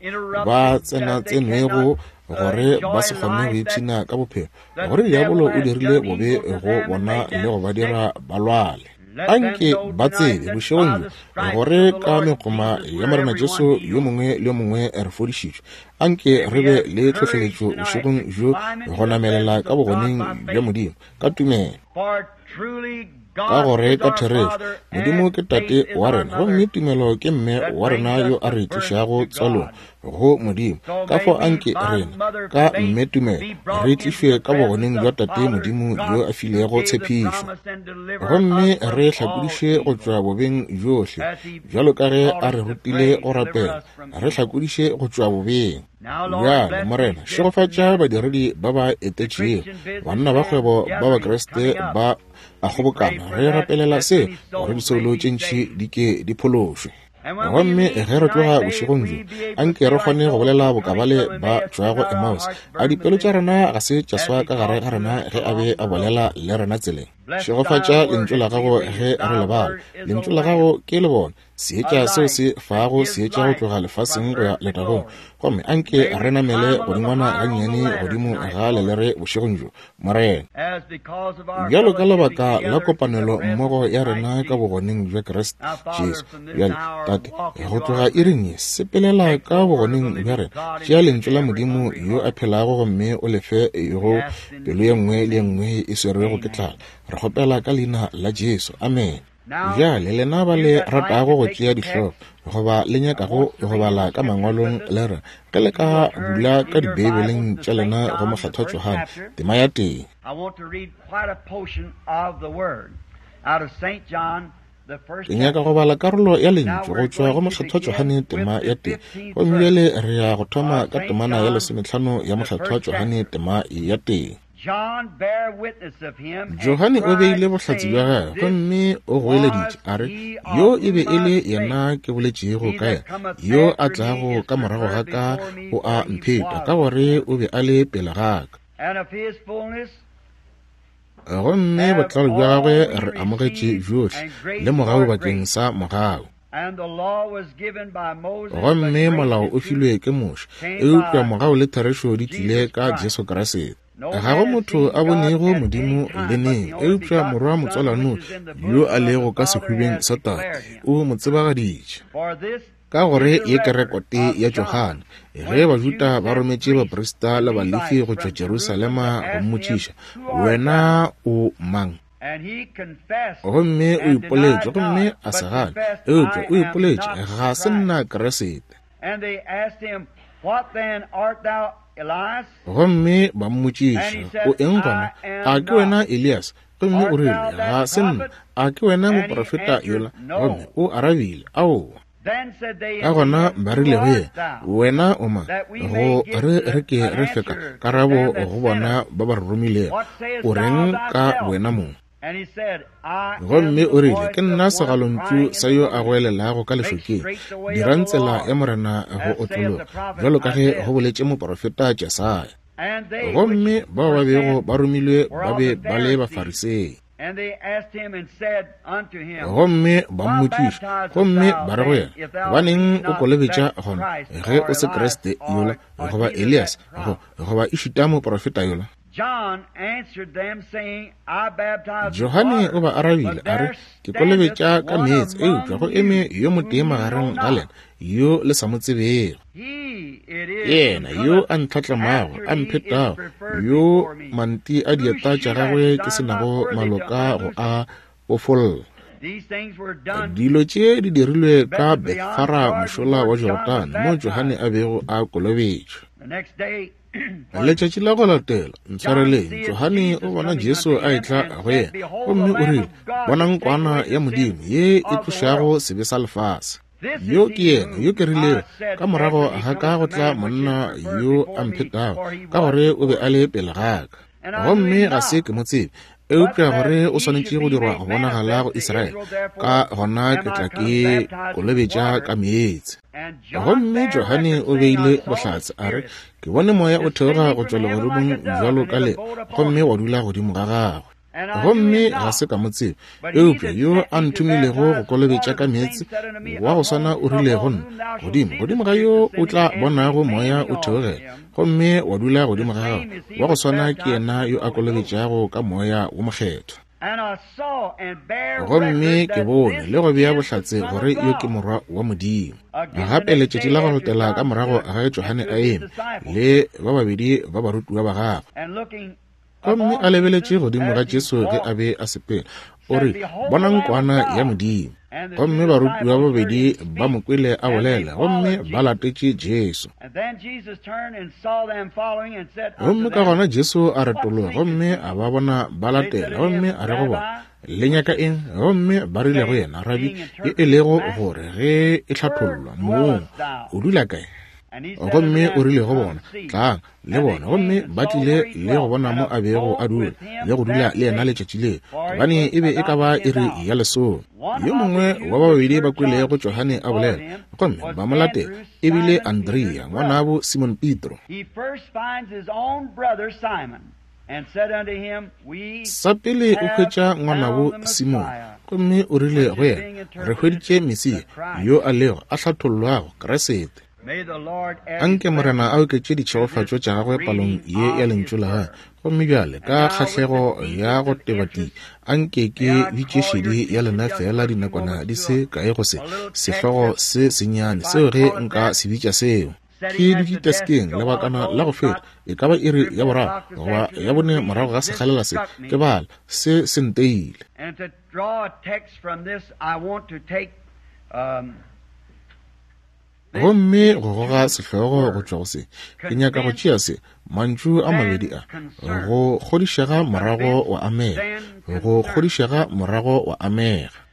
ba tsenatsenwego gore ba se kgone go ipshina ka bophelo, gore diabolo o dirile bobe go bona le go ba dira ba lwale. Anke ba tsebe bošegong bjo gore ka megoma ya Morena Jesu yo mongwe le yo mongwe re fodišitšwe. Anke re be le tlhohleletšo bošegong bjo go namelela ka bogoneng bja Modimo ka tumelo. Ka gore ka therešo Modimo ke Tate wa rena, gomme tumelo ke mme wa rena yo a re tlišago tswalong go Modimo. Ka fao anke rena ka mme tumelo re tlišwe ka bogoneng bja Tate Modimo yo a filego tshepišo, gomme re hlakodiše go tšwa bobeng bjohle, bjalo ka ge a re rutile go rapela, re hlakodiše go tšwa bobeng. Bjale, Morena, šegofatša badiredi ba ba etetšego, banna ba kgwebo ba Bakriste ba a kgobokana. Re rapelela se gore disoulo tše ntši di ke di phološwe. Gomme ge re tloga bošegong bjo, anke re kgone go bolela boka bale ba tšwago Emmaus. A dipelo tša rena ga se tša swa ka gare ga rena ge a be a bolela le rena tseleng? Šegofatša Lentšu la Gago ge re le bala. Lentšu la Gago ke lebone, seetša seo se fago seetša go tloga lefaseng go ya letagong. Gomme anke re namele godingwana gannyane godimo ga lelere bošegong bjo, Morena. Bjalo ka lebaka la kopanelo mmogo ya rena ka bogoneng bja Kriste Jesu. Bjale, Tate, go tloga iring ye, sepelela ka bogoneng bja rena. Tšea Lentšu la Modimo yo a phelago gomme o le fe go pelo ye nngwe le ye nngwe e swerwego ke tlala. Re kgopela ka Leina la Jesu. Amene. Bjale lena ba le ratago go tšea dihlogo goba le nyakago go bala ka mangwalong, le re ge le ka bula ka Dibeibeleng tša lena go Mokgethwa Johane tema ya tee. Ke nyaka go bala karolo ya Lentšu go tšwa go Mokgethwa Johane tema ya tee. Gomme bjale re ya go thoma ka temana ya 15 ya Mokgethwa Johane tema ya tee. Johane o beile bohlatse bja gagwe gomme o goeleditše a re, Yo e be e le yena ke boletšego ka yena, yo a tlago ka morago ga ka o a mpheta, ka gore o be a le pele ga ka. Gomme botlalo bja gagwe re amogetše bjohle, le mogau bakeng sa mogau. Gomme molao o filwe ke Moshe, eupša mogau le therešo di tlile ka Jesu Kriste. Ga go motho a bonego Modimo le neng, eupša Morwa motswalano yo a lego ka sehubeng sa Tate o mo tsebagaditše. Ka gore ye ke rekote ya Johane, ge Bajuda ba rometše baprista le Balefi go tšwa Jerusalema go mmotšiša, Wena o mang? Gomme o ipoletše, gomme a se gane, eupša o ipoletše, Ga se nna Kriste. Gomme ba mmotšiša, O eng gona? A ke wena Elias? Gomme o rile, Ga se nna. A ke wena moprofeta yola? Gomme o arabile, Aowa. Ka gona ba rile go yena, Wena o mang? Go re re ke re fe ka karabo go bona ba ba re romilego. O reng ka wena mong? Gomme o rile, Ke nna segalontšu sa yo a goelelago ka lešokeng, dirang tsela ya Morena go otlologa, bjalo ka ge go boletše moprofeta Jesaya. Gomme bao ba bego ba romilwe ba be ba le Bafarisei. Gomme ba mmotšiša, gomme ba re go yena, Gobaneng o kolobetša gona, ge o se Kriste yola, goba Elias, goba ešita moprofeta yola? Johane o ba arabile a re, Ke kolobetša ka meetse, eupša go eme yo motee magareng ga lena yo le sa mo tsebego. Yena yo a ntlhatlamago, a mphetago, yo manti a dieta tša gagwe ke se nago maloka go a bofolla. Dilo tše di dirilwe ka Bethfara mošola wa Jorodane, mo Johane a bego a kolobetšwa. Letšatši la go latela, ntshwareleng, Johane o bona Jesu a etla go yena, gomme o rile, Bonang Kwana ya Modimo ye e tlošago sebe sa lefase. Yo ke yena yo ke rilego, ka morago ga ka go tla monna yo a mphetago, ka gore o be a le pele ga ka. Gomme ga se ke mo tsebe, eupša gore o swanetše go dirwa go bonagala go Israele, ka gona ke tla ke kolobetša ka meetse. Gomme Johane o beile bohlatse, a re, Ke bone moya o theoga go tšwa legodimong bjalo ka le, gomme wa dula godimo ga gagwe. Gomme ga se ka mo tseba, eupša yo a nthomilego go kolobetša ka meetse, wa go swana o rile go nna, Godimo, godimo ga yo o tla bonago moya o theogela, gomme wa dula godimo ga gagwe, wa go swana ke yena yo a kolobetšago ka Moya wo Mokgethwa. Gomme ke bone le go bea bohlatse gore yo ke Morwa wa Modimo. Gape letšatši la go latela ka morago ga ge Johane a eme le ba babedi ba barutiwa ba gagwe, gomme a lebeletše godimo ga Jesu ge a be a sepela, o re, Bonang Kwana ya Modimo. Gomme barutiwa ba babedi ba mo kwele a bolela, gomme ba latetše Jesu. Gomme ka gona Jesu a retologa gomme a ba bona ba latela, gomme a re go bona, Le nyaka eng? Gomme ba rile go yena, Rabi, ye e lego gore ge e hlathollwa, Mong, o dula kae? Gomme o rile go bona, Tlang le bona. Gomme ba tlile le go bona mo a bego a dula, le go dula le yena letšatši leo, gobane e be e ka ba iri ya lesome. Yo mongwe wa ba babedi ba kwelego Johane a bolela, gomme ba mo latela, e bile Andrea, ngwanabo Simon Petro. Sa pele o hwetša ngwanabo Simon, gomme o rile go yena, Re hweditše Mesia, yo a lego, a hlathollwago, Kriste. Anke Morena a oketše ditšhegofatšo tša gagwe palong ye ya Lentšu la gagwe. Gomme bjale, ka kgahlego ya go tebati, anke ke bitše šedi ya lena feela dinakwana di se kae go se, sehlogo se sennyane seo ge nka se bitša seo. Ke dutše teskeng lebakana la go feta, e ka ba iri ya boraro goba ya bone morago ga sekgalela se, ke bala, se se nteile. Gomme go goga sehlogo go tšwa go se, ke nyaka go tšea se, mantšu a mabedi a, go kgodišega morago wa amega, go kgodišega morago wa amega.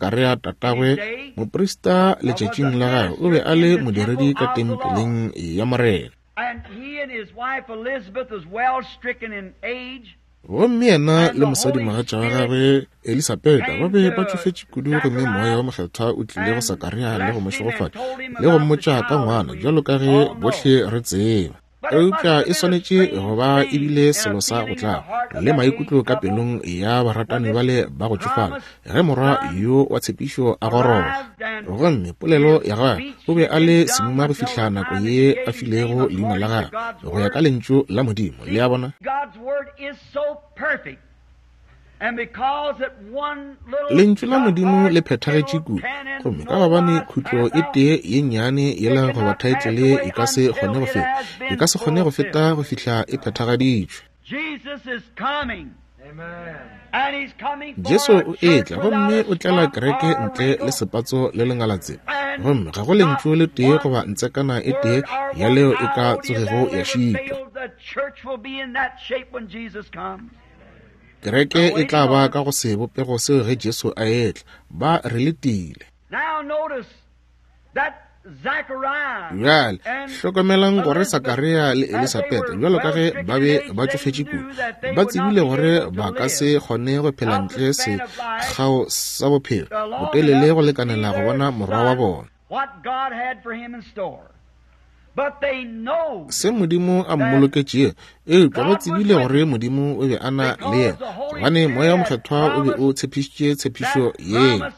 Sakaria tatagwe, moprista letšatšing la gagwe, o be a le modiredi ka tempeleng ya Morena. And he and his wife Elizabeth was well stricken in age. Gomme yena le mosadimogatša wa gagwe Elisabeta ba be ba tšofetše kudu, gomme Moya wo Mokgethwa o tlile go Sakaria le go mo šegofatša le go mmotša ka ngwana, bjalo ka ge bohle re tseba. Eupša e swanetše go ba e bile selo sa go tlaba le maikutlo ka pelong ya baratani bale ba go tšofala ge morwa yo wa tshepišo a goroga. Gomme polelo ya gagwe, o be a le semuma go fihla nako ye a filego leina la gagwe go ya ka Lentšu la Modimo. Le a bona? Lentšu la Modimo le phethagetše kudu, gomme ka gobane khutlo e tee ye nnyane yela goba thaetlele e ka se kgone go feta, e ka se kgone go feta go fihla e phethagaditšwe. Jesu o etla gomme o tlela kereke ntle le sepatso le lengalatsela, gomme ga go lentšu le tee goba ntsekana e tee ya leo e ka tsogego ya šitwa. Kereke e tla ba ka go sebopego seo ge Jesu a etla. Ba re letile. Bjale, hlokomelang gore Sakaria le Elisabeta, bjalo ka ge ba be ba tšofetše kudu, ba tsebile gore ba ka se kgone go phela ntle sekgao sa bophelo botelele go lekanela go bona morwa wa bona. Se Modimo a mmoloketšego, eupša ba tsebile gore Modimo o be a na le yena, gobane Moya wo Mokgethwa o be o tshepišitše tshepišo yeo.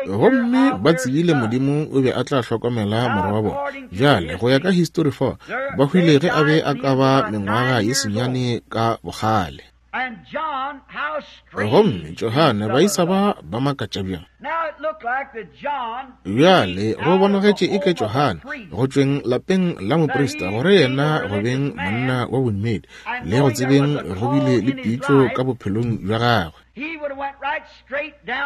Gomme ba tsebile Modimo o be a tla hlokomela morwa wa bona. Bjale, go ya ka histori fa, ba hwile ge a be a ka ba mengwaga ye senyane ka bokgale. Gomme Johane, baisa ba ba makatša bjang. Bjale go bonagetše eke Johane, go tšweng lapeng la moprista, gore yena go beng monna wa bodumedi, le go tsebeng go bile le pitšo ka bophelong bja gagwe,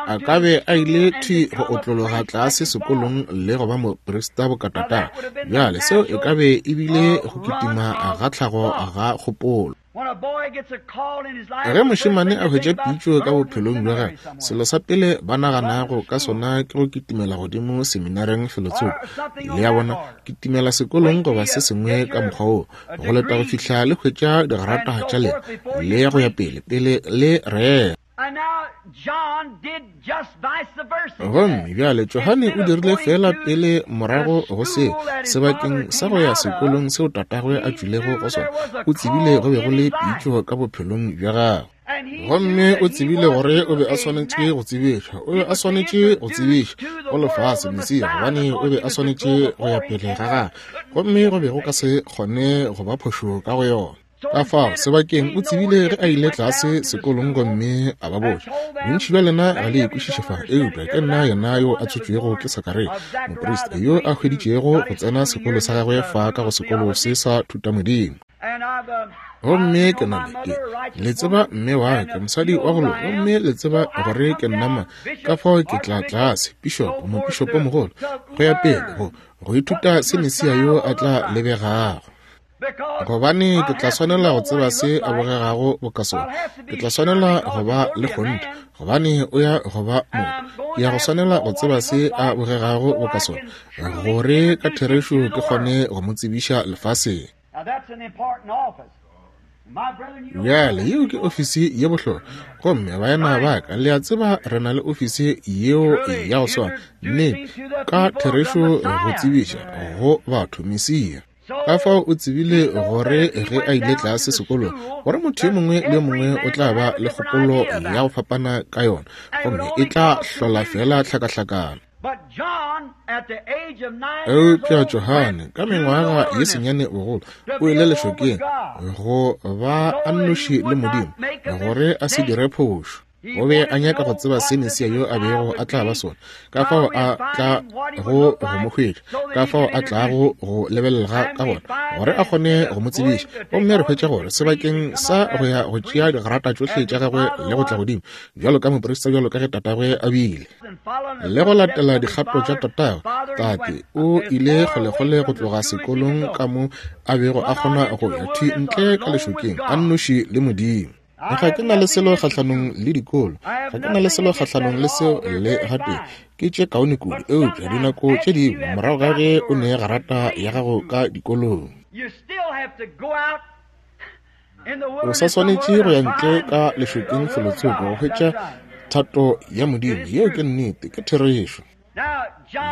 a ka be a ile thwi go otlologa tlase sekolong le go ba moprista bokatatagwe. Bjale seo e ka be e bile go kitima ga tlhago ga kgopolo. Ge mošemane a hwetša pitšo ka bophelong bja gagwe, selo sa pele ba naganago ka sona ke go kitimela godimo seminareng felotsoko, le a bona, kitimela sekolong goba se sengwe ka mokgwa woo, go leta go fihla le hwetša digrata tša lena le go ya pele, pele le rera. Gomme bjale Johane o dirile feela pele morago go seo, sebakeng sa go ya sekolong seo tatagwe a tšwilego go sona, o tsebile go be go le pitšo ka bophelong bja gagwe. Gomme o tsebile gore o be a swanetše go tsebišwa, o be a swanetše go tsebišwa go lefase Mesia, gobane o be a swanetše go ya pele ga gagwe, gomme go be go ka se kgone go ba phošo ka go yona. Ka fao, sebakeng o tsebile ge a ile tlase sekolong gomme a ba botša, Bontši bja lena ga le e kwešiše fa, eupša ke nna yena yo a tswetšwego ke Sakaria, moprista yo a hweditšego go tsena sekolo sa gagwe fa ka go sekolo se sa thutamodimo. Gomme ke na le, ke, le tseba mme wa ka, mosadi wa go loka, gomme le tseba gore ke nna mang. Ka fao ke tla tlase, pišopo, mopišopomogolo, go ya pele, go, go ithuta se Mesia yo a tla lebegago. Gobane ke tla swanela go tseba se a bogegago boka sona. Ke tla swanela go ba le kgonthe, gobane o ya go ba motho. Ke ya go swanela go tseba se a bogegago boka sona, gore ka therešo ke kgone go mo tsebiša lefaseng. Bjale, yeo ke ofisi ye bohlokwa. Gomme baena ba ka, le a tseba re na le ofisi yeo ya go swana, nnete, ka therešo go tsebiša go batho Mesia. Ka fao o tsebile gore ge a ile tlase sekolong, gore motho yo mongwe le yo mongwe o tla ba le kgopolo ya go fapana ka yona, gomme e tla hlola feela tlhakahlakano. Eupša Johane, ka mengwaga ye senyane bogolo, o ile lešokeng go ba a nnoši le Modimo, gore a se dire phošo. O be a nyaka go tseba se Mesia yo a bego a tla ba sona, ka fao a tla go go mo hwetša, ka fao a tlago go lebelega ka gona, gore a kgone go mo tsebiša. Gomme re hwetša gore sebakeng sa go ya go tšea digrata tšohle tša gagwe le go tla godimo, bjalo ka moprista bjalo ka ge tatagwe a bile, le go latela dikgato tša tatagwe, tate o ile kgolekgole go tloga sekolong ka mo a bego a kgona go ya thwi ntle ka lešokeng a nnoši le Modimo. Ga ke na le selo kgahlanong le dikolo, ga ke na le selo kgahlanong le seo le gatee, ke tše kaone kudu, eupša dinako tše dingwe morago ga ge o ne garata ya gago ka dikolong. O sa swanetše go ya ntle ka lešokeng felotsoko go hwetša thato ya Modimo. Yeo ke nnete, ke therešo.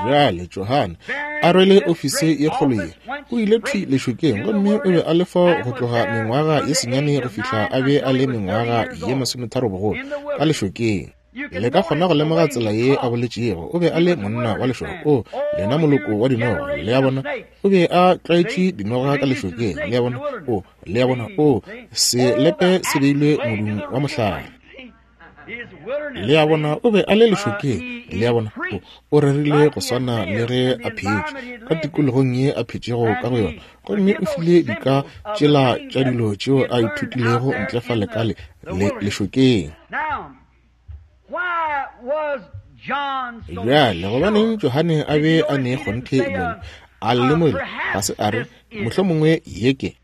Bjale Johane, a rwele ofisi ye kgolo ye, o ile thwi lešokeng, gomme o be a le fao go tloga mengwaga ye senyane go fihla a be a le mengwaga ye 30 bogolo, ka lešokeng. Le ka kgona go lemoga tsela ye a boletšego. O be a le monna wa lešoka. O, lena moloko wa dinoga, le a bona. O be a tlwaetše dinoga ka lešokeng, le a bona. O, le a bona, o, selepe se beilwe modung wa mohlare. Le a bona, o be a le lešokeng, le a bona. O, o rerile go swana le ge a phetše, ka tikologong ye a phetšego ka go yona. Gomme o file dika tšela tša dilo tšeo a ithutilego ntle fale ka le, le lešokeng. Bjale, gobaneng Johane a be a ne kgonthe bjalo? A lemogile, ga se a re, mohlomongwe ye ke.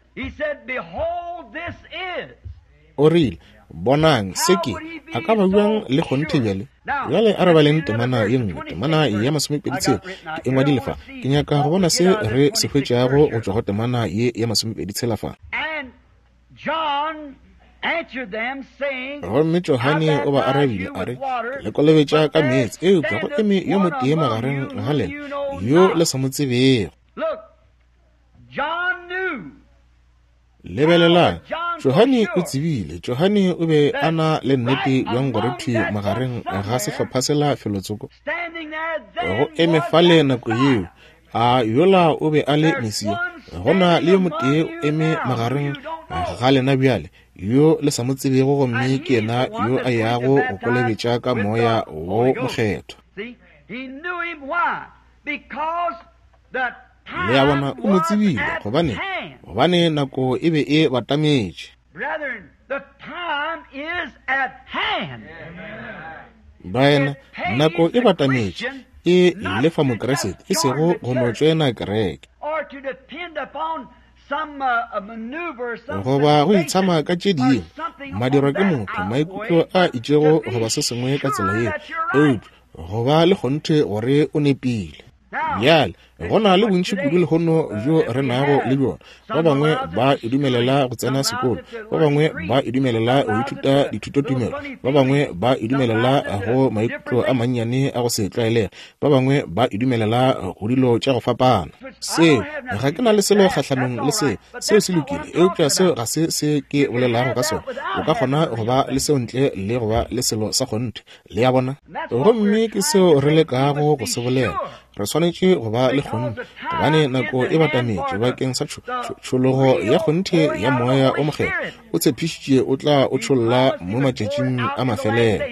O rile, Bonang, se ke. A ka ba bjang le kgonthe bjale? Bjale a re baleng temana ye nngwe, temana ya 26. Ke e ngwadile fa. Ke nyaka go bona se re se hwetšago go tšwa go temana ye ya 26 fa. Gomme Johane o ba arabile a re, Ke le kolobetša ka meetse, eupša go eme yo motee magareng ga lena yo le sa mo tsebego. Lebelelang, Johane o tsebile. Johane o be a na le nnete bjang gore thwi magareng ga sehlopha sela felotsoko, go eme fale nako yeo, a yola o be a le Mesia. Go na le yo motee o eme magareng ga lena bjale, yo le sa mo tsebego, gomme ke yena yo a yago go kolobetša ka Moya wo Mokgethwa. Le a bona, o mo tsebile. Gobane, gobane nako e be e batametše. Baena, nako e batametše. E lefa Mokriste, e sego go no tšoena kereke, goba go itshama ka tše dingwe, madirwa ke motho, maikutlo a itšego goba se sengwe ka tsela yeo, eupša go ba le kgonthe gore o nepile. Bjale, go na le bontši kudu lehono bjo re nago le bjona. Ba bangwe ba e dumelela go tsena sekolo, ba bangwe ba e dumelela go ithuta dithutotumelo, ba bangwe ba e dumelela go maikutlo a mannyane a go se tlwaelege, ba bangwe ba e dumelela go dilo tša go fapana. Seo, ga ke na le selo kgahlanong le seo, seo se lokile, eupša seo ga se se ke bolelago ka sona. O ka kgona go ba le seo ntle le go ba le selo sa kgonthe. Le a bona? Gomme ke seo re lekago go se bolela. Re swanetše go ba le kgonthe, gobane nako e batametše bakeng sa tšhologo ya kgonthe ya Moya o Mokgethwa. O tshepišitše o tla o tšholla mo matšatšing a mafelelo.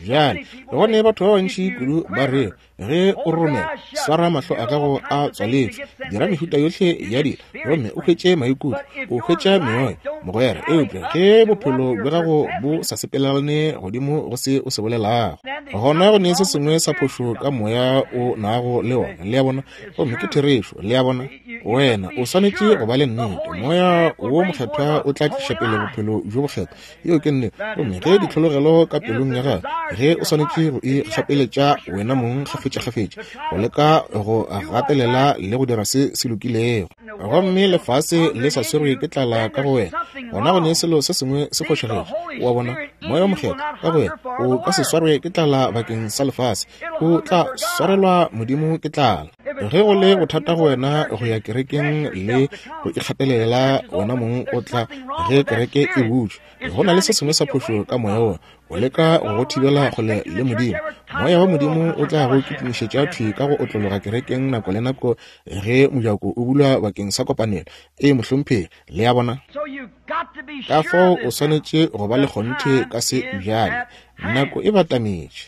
Bjale, go ne batho ba bantši kudu ba re, Ge o roromela, swara mahlo a gago a tswaletšwe, dira mehuta yohle ya dilo, gomme o hwetše maikutlo, o hwetša meoya, mogwera. Eupša ge bophelo bja gago bo sa sepelelane godimo go se o se bolelago, gona go ne se sengwe sa phošo ka moya o nago le wona. Le a bona? Gomme ke therešo. Le a bona? Wena o swanetše go ba le nnete. Moya wo Mokgethwa o tla tliša pele bophelo bjo bokgethwa. Yeo ke nnete. Gomme ge ditlhologelo ka pelong ya gago, ge o swanetše go ikgapeletša wena mong kgafetšakgafetša, go leka go gatelela le go dira se se lokilego, gomme lefase le sa swerwe ke tlala ka go wena, gona go ne selo se sengwe se fošagetše. O a bona? Moya wo Mokgethwa ka go wena o ka se swarwe ke tlala bakeng sa lefase, o tla swarelwa Modimo ke tlala. Ge go le bothata go wena go ya kerekeng le go ikgatelela wena mong o tla ge kereke e butšwe, go na le se sengwe sa phošo ka moya wona, o leka go go thibela kgole le Modimo. Moya wa Modimo o tla go kitimišetša thwi ka go otlologa kerekeng nako le nako ge mojako o bulwa bakeng sa kopanelo. Ee, mohlomphegi, le a bona? Ka fao o swanetše go ba le kgonthe ka se bjale. Nako e batametše.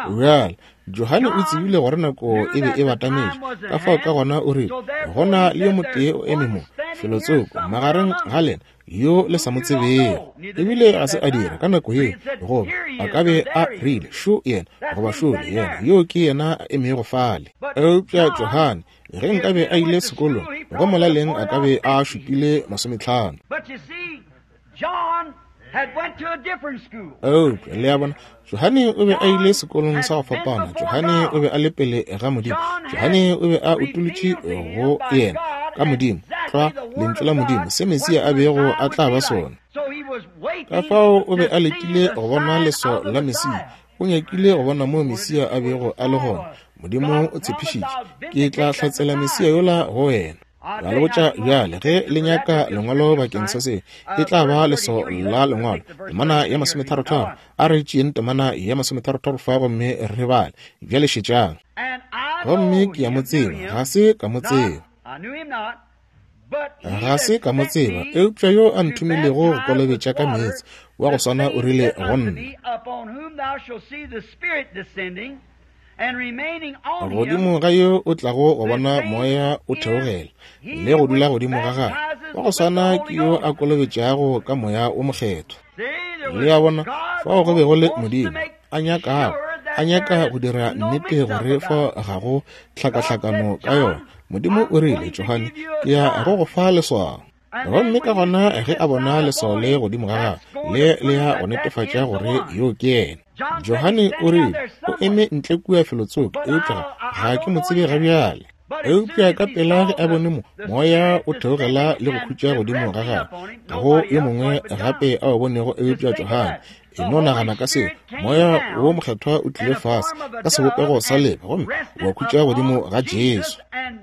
Bjale, Johane o tsebile gore nako e be e batametše, ka fao ka gona o rile, Go na le yo motee o eme mo, felotsoko, magareng ga lena, yo le sa mo tsebego. Ebile ga se a dira ka nako yeo, goba a ka be a rile, Šo yena, goba šole yena, yoo ke yena a emego fale. Eupša Johane, ge nkabe a ile sekolong, go molaleng a ka be a šupile 50. Eupša, le a bona, Johane o be a ile sekolong sa go fapana. Johane o be a le pele ga Modimo. Johane o be a utolotše go yena, ka Modimo, tlwa Lentšu la Modimo, se Mesia a bego a tla ba sona. Ka fao o be a letile go bona leswao la Mesia. O nyakile go bona moo Mesia a bego a le gona. Modimo o tshepišitše, Ke tla hlatsela Mesia yola go wena. Ra le botša bjale, ge le nyaka lengwalo bakeng sa se, e tla ba leswao la lengwalo, temana ya masometharotharo. A re tšeeng temana ya masometharotharo fa gomme re bale. Bjale šetšang. Gomme ke a mo tseba, ga se ka mo tseba. Ga se ka mo tseba, eupša yo a nthomilego go kolobetša ka meetse, wa go swana o rile go nna, Godimo ga yo o tlago go bona moya o theogela le go dula godimo ga gagwe, wa go swana ke yo a kolobetšago ka moya o mokgethwa. Le a bona, fao go be go le Modimo a nyakago, a nyaka go dira nnete gore fao ga go tlhakahlakano ka yona. Modimo o rile, Johane, ke ya go go fa leswao. Gomme ka gona ge a bona leswao le godimo ga gagwe, le le ya go netefatša gore yo ke yena. Johane o rile, O eme ntle kua felotsoko, eupša ga ke mo tsebe ga bjale. Eupša ka pela ge a bone mo, moya o theogela le go khutša godimo ga gagwe, ga go yo mongwe gape a o bonego eupša Johane. E no nagana ka seo, moya wo mokgethwa o tlile fase ka sebopego sa leba gomme wa khutša godimo ga Jesu.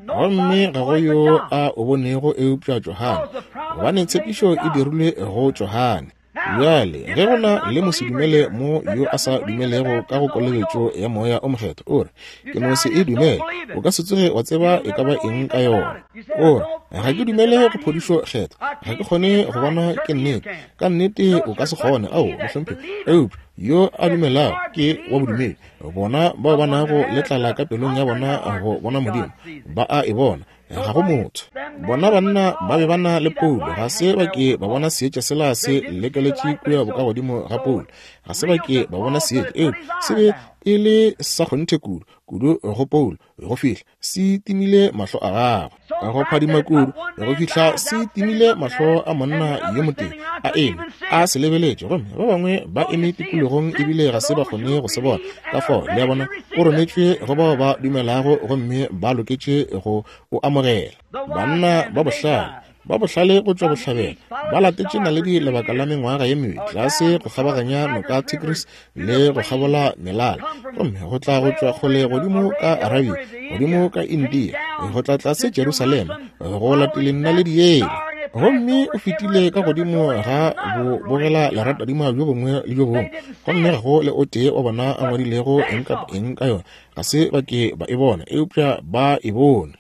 Gomme ga go yo a o bonego eupša Johane, gobane tshepišo e dirilwe go Johane. Bjale, ge go na le mosedumele mo yo a sa dumelego ka go kolobetšo ya Moya o Mokgethwa, o re, Ke no se e dumele. O ka se tsoge wa tseba e ka ba eng ka yona. O re, Ga ke dumele go phodišo kgethwa. Ga ke kgone go bona ke nnete. Ka nnete o ka se kgone. Ao, mohlomphegi. Eupša yo a dumelago ke wa bodumedi. Bona bao ba nago le tlala ka pelong ya bona go bona Modimo, ba a e bona. Ga go motho. Bona banna ba be ba na le Paulo, ga se ba ke ba bona seetša sela se lekeletše kua bokagodimo ga Paulo. Ga se ba ke ba bona seetša, eupša se be e le sa kgonthe kudu, kudu go Paulo, go fihla se timile mahlo a gagwe. Go phadima kudu, go fihla se timile mahlo a monna yo motee a eme a se lebeletše, gomme ba bangwe ba eme tikologong ebile ga se ba kgone go se bona. Ka fao, le a bona, o rometšwe go bao ba dumelago gomme ba loketše go o amogela. Banna ba bohlale, ba bohlale go tšwa bohlabela, ba latetše naledi lebaka la mengwaga ye mebedi, tlase go kgabaganya noka Tigris le go kgabola melala, gomme go tla go tšwa kgole godimo ka Arabia, godimo ka India, go tla tlase Jerusalema, go lateleng naledi yela. Gomme o fetile ka godimo ga bo bogela leratadima bjo bongwe le bjo bongwe, gomme ga go le o tee wa bona a ngwadilego eng kapa eng ka yona. Ga se ba ke ba e bona, eupša ba e bone.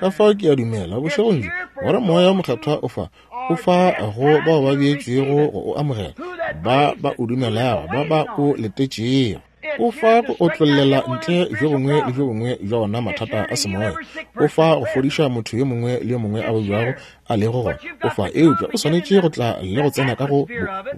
Ka fao ke a dumela bošegong bjo gore Moya wo Mokgethwa o fa, o fa go bao ba beetšwego go o amogela, ba ba o dumelago, ba ba o letetšego. O fa go otlollela ntle bjo bongwe le bjo bongwe bja ona mathata a semoya. O fa go fodiša motho yo mongwe le yo mongwe a babjago a lego gona. O fa, eupša o swanetše go tla le go tsena ka go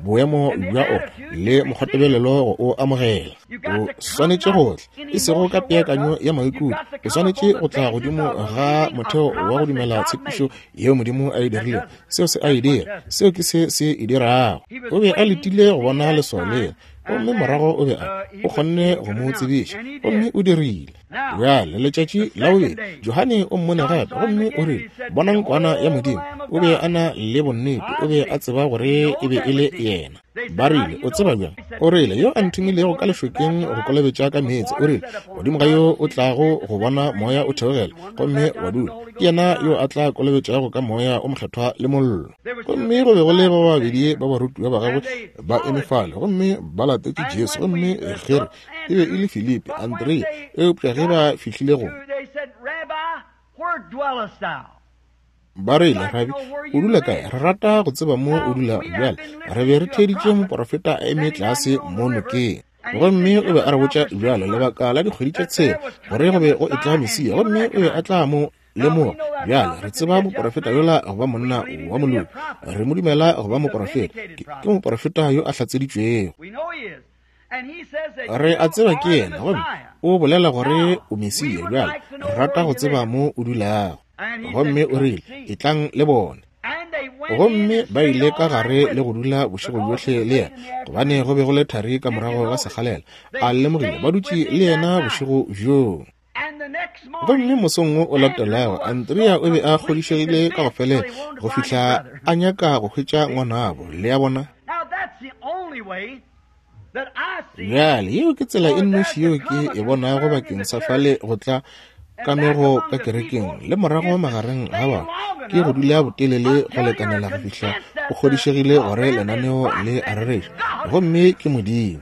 boemo bja o le mokgwatebelelo go o amogela. O swanetše go tla, e sego ka peakanyo ya maikutlo. O swanetše go tla godimo ga motheo wa go dumela tshepišo yeo Modimo a e dirilego. Seo se a e dira. Seo ke se se e dirago. O be a letile go bona leswao lela. Gomme morago o be a, o kgonne go mo tsebiša, gomme o dirile. Bjale, letšatši la bobedi, Johane o mmone gape, gomme o rile, Bonang Kwana ya Modimo. O be a na le bonnete, o be a tseba gore e be e le yena. Ba rile, O tseba bjang? O rile, Yo a nthomilego ka lešokeng go kolobetša ka meetse, o rile, godimo ga yo o tlago go bona Moya o theogela gomme wa dula, ke yena yo a tla kolobetšago ka Moya o Mokgethwa le mollo. Gomme go be go le ba babedi ba barutiwa ba gagwe ba eme fale, gomme ba latetše Jesu, gomme ge re, e be e le Filipi, Andrea, eupša ge ba fihlile go, ba rile, Rabi, o dula kae? Re rata go tseba mo o dulago. Bjale, re be re theeditše moporofeta a eme tlase mo nokeng. Gomme o be a re botša bjalo lebaka la dikgwedi tše tshela gore go be go etla Mesia, gomme o be a tla mo lemoga. Bjale re tseba moporofeta yola go ba monna wa moloki. Re mo dumela go ba moporofeta. Ke moporofeta yo a hlatseditšwego. Re a tseba ke yena, gomme o bolela gore o Mesia. Bjale re rata go tseba mo o dulago. Gomme o rile, Etlang le bone. Gomme ba ile ka gare le go dula bošego bjohle le yena, gobane go be go le thari ka morago ga sekgalela. A lemogile ba dutše le yena bošego bjoo. Gomme mosong wo o latelago, Andrea o be a kgodišegile ka go felela go fihla a nyaka go hwetša ngwanabo. Le a bona? Bjale, yeo ke tsela e nnoši yeo ke e bonago bakeng sa fale go tla kamego ka kerekeng le morago magareng ga batho, ke go dula botelele go lekanela go fihla o kgodišegile gore lenaneo le a rereša, gomme ke Modimo.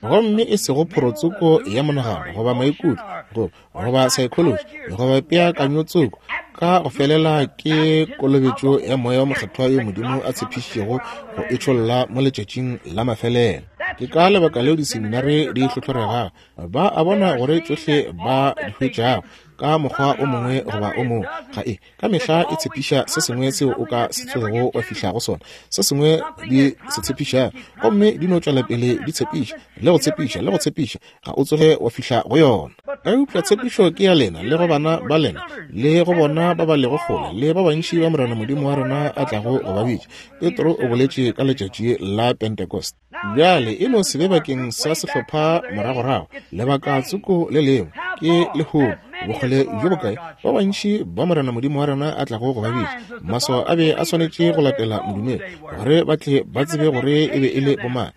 Gomme e sego phorotsoko ya monagano goba maikutlo goba, goba psychology goba peakanyotsoko, ka go felela ke kolobetšo ya Moya wo Mokgethwa yo Modimo a tshepišitšego go e tšholla mo letšatšing la mafelelo. Ke ka lebaka leo diseminare di hlohloregago. Ba a bona gore tšohle ba di hwetšago ka mokgwa o mongwe goba o mongwe ga e ka mehla e tshepiša se sengwe seo o ka se tsogego wa fihla go sona, se sengwe di se tshepišago, gomme di no tšwela pele di tshepiša le go tshepiša le go tshepiša, ga o tsoge wa fihla go yona. Eupša tshepišo ke ya lena le go bana ba lena le go bona ba ba lego kgole le ba bantši ba Morena Modimo wa rena a tlago go ba bitša. Petro o boletše ka letšatši la Pentecost. Bjale e no se be bakeng sa sehlopha moragorago, lebaka tsoko le lengwe ke lehono, bokgole bjo bokae ba bantši ba Morena Modimo wa rena a tlago go ba bitša. Maswao a be a swanetše go latela modumedi gore ba tle ba tsebe gore e be e le bomang,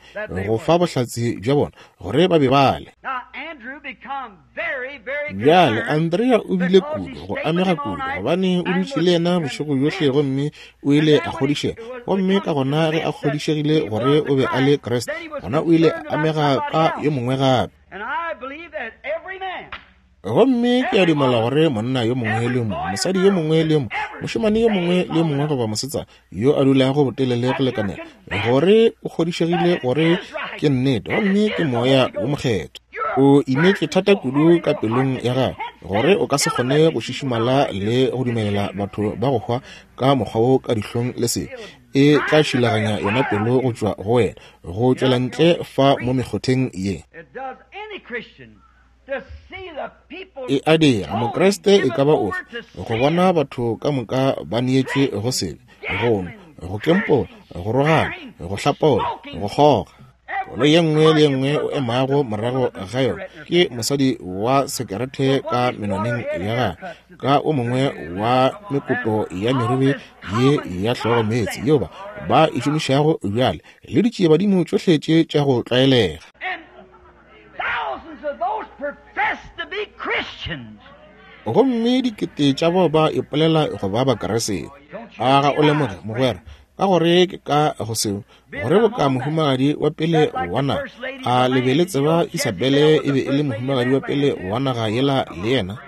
go fa bohlatse bja bona gore ba be ba le. Bjale Andrea o bile kudu go amega kudu gobane o dutše le yena bošego bjohle gomme o ile a kgodišega. Gomme ka gona ge a kgodišegile gore o be a le Kriste, gona o ile a amega ka yo mongwe gape. Gomme ke a dumela gore monna yo mongwe le yo mongwe, mosadi yo mongwe le yo mongwe, mošemane yo mongwe le yo mongwe goba mosetsana yo a dulago botelele go lekanela gore o kgodišegile gore ke nnete gomme ke Moya wo Mokgethwa. O imetšwe thata kudu ka pelong ya gago gore o ka se kgone go šišimala le go dumelela batho ba go hwa ka mokgwa wo ka dihlong le sebe. E tla šilaganya yona pelo go tšwa go wena, go tšwela ntle fa mo mekgotheng ye. E a dira Mokriste e ka ba ofe go bona batho ka moka ba neetšwe go sebe, go nwa, go kempola, go rogana, go hlapaola, go kgoga. Koloi ye nngwe le ye nngwe o emago morago ga yona ke mosadi wa sekerete ka menwaneng ya gagwe, ka o mongwe wa mekoto ya meriri ye ya hlogo meetse yeo ba ba e šomišago bjale, le ditšiebadimo tšohle tše tša go tlwaelega. Gomme dikete tša bao ba ipolela go ba Bakriste. A ga o lemoge, mogwera, ka gore ke ka go seo, gore boka mohumagadi wa pele wa naga, a le be le tseba Isabele e be e le mohumagadi wa pele wa naga yela le yena?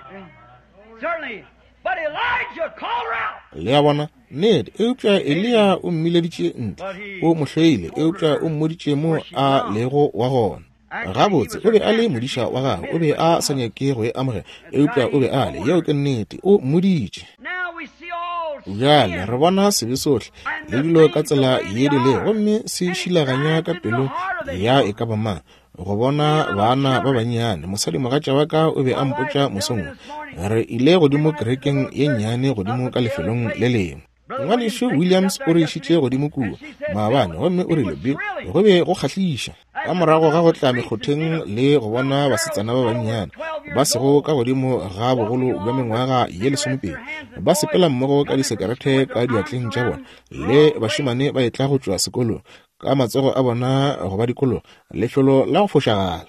Le a bona? Nnete. Eupša Eliya o mmileditše ntle. O mo hloile, eupša o mmoditše mo a lego wa gona. Gabotse, o be a le modiša wa gagwe. O be a sa nyake go e amogela, eupša o be a le. Yeo ke nnete. O mmoditše. Bjale re bona sebe sohle le dilo ka tsela ye di lego, gomme se šilaganya ka pelong ya e ka ba mang. Go bona baana ba bannyane, mosadimogatša wa ka o be a mpotša mosong wo, re ile godimo kerekeng ye nnyane godimo ka lefelong le lengwe. Ngwanešu Williams o re išitše godimo kua maabane, gomme o rile, Bill, go be go kgahliša. Ka morago ga go tla mekgotheng le go bona basetsana ba bannyane ba sego ka godimo ga bogolo bja mengwaga ye lesomepedi ba sepela mmogo ka disekerete ka diatleng tša bona, le bašemane ba etla go tšwa sekolong ka matsogo a bona go ba dikologa, lefelo la go fošagala.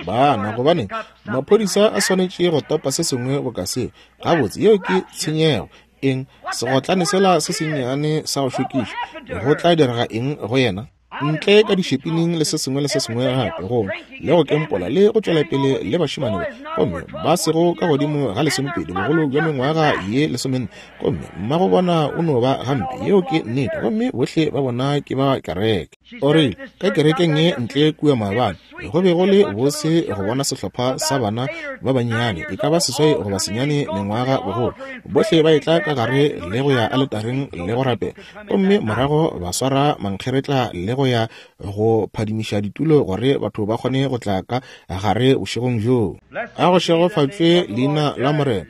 Bana, gobane maphodisa a swanetše go topa se sengwe boka seo. Gabotse, yeo ke tshenyego. Eng? Segotlane sela se sennyane sa go šokiša, go tla direga eng go yena? Ntle ka dišepining le se sengwe le se sengwe gape, gomme le go kempola le go tšwela pele le bašemane ba, gomme ba sego ka godimo ga lesomepedi, bogolo bja mengwaga ye lesomenne, gomme mmago bona o no ba gampe. Yeo ke nnete. Gomme bohle ba bona ke ba kereke. O rile, ka kerekeng ye ntle kua maabane, go be go le bose go bona sehlopha sa bana ba bannyane, e ka ba seswai goba senyane mengwaga bogolo, bohle ba etla ka gare le go ya aletareng le go rapela, gomme morago ba swara mankgeretla le go ya go phadimiša ditulo gore batho ba kgone go tla ka gare bošegong bjoo. A go šegofatšwe leina la Morena,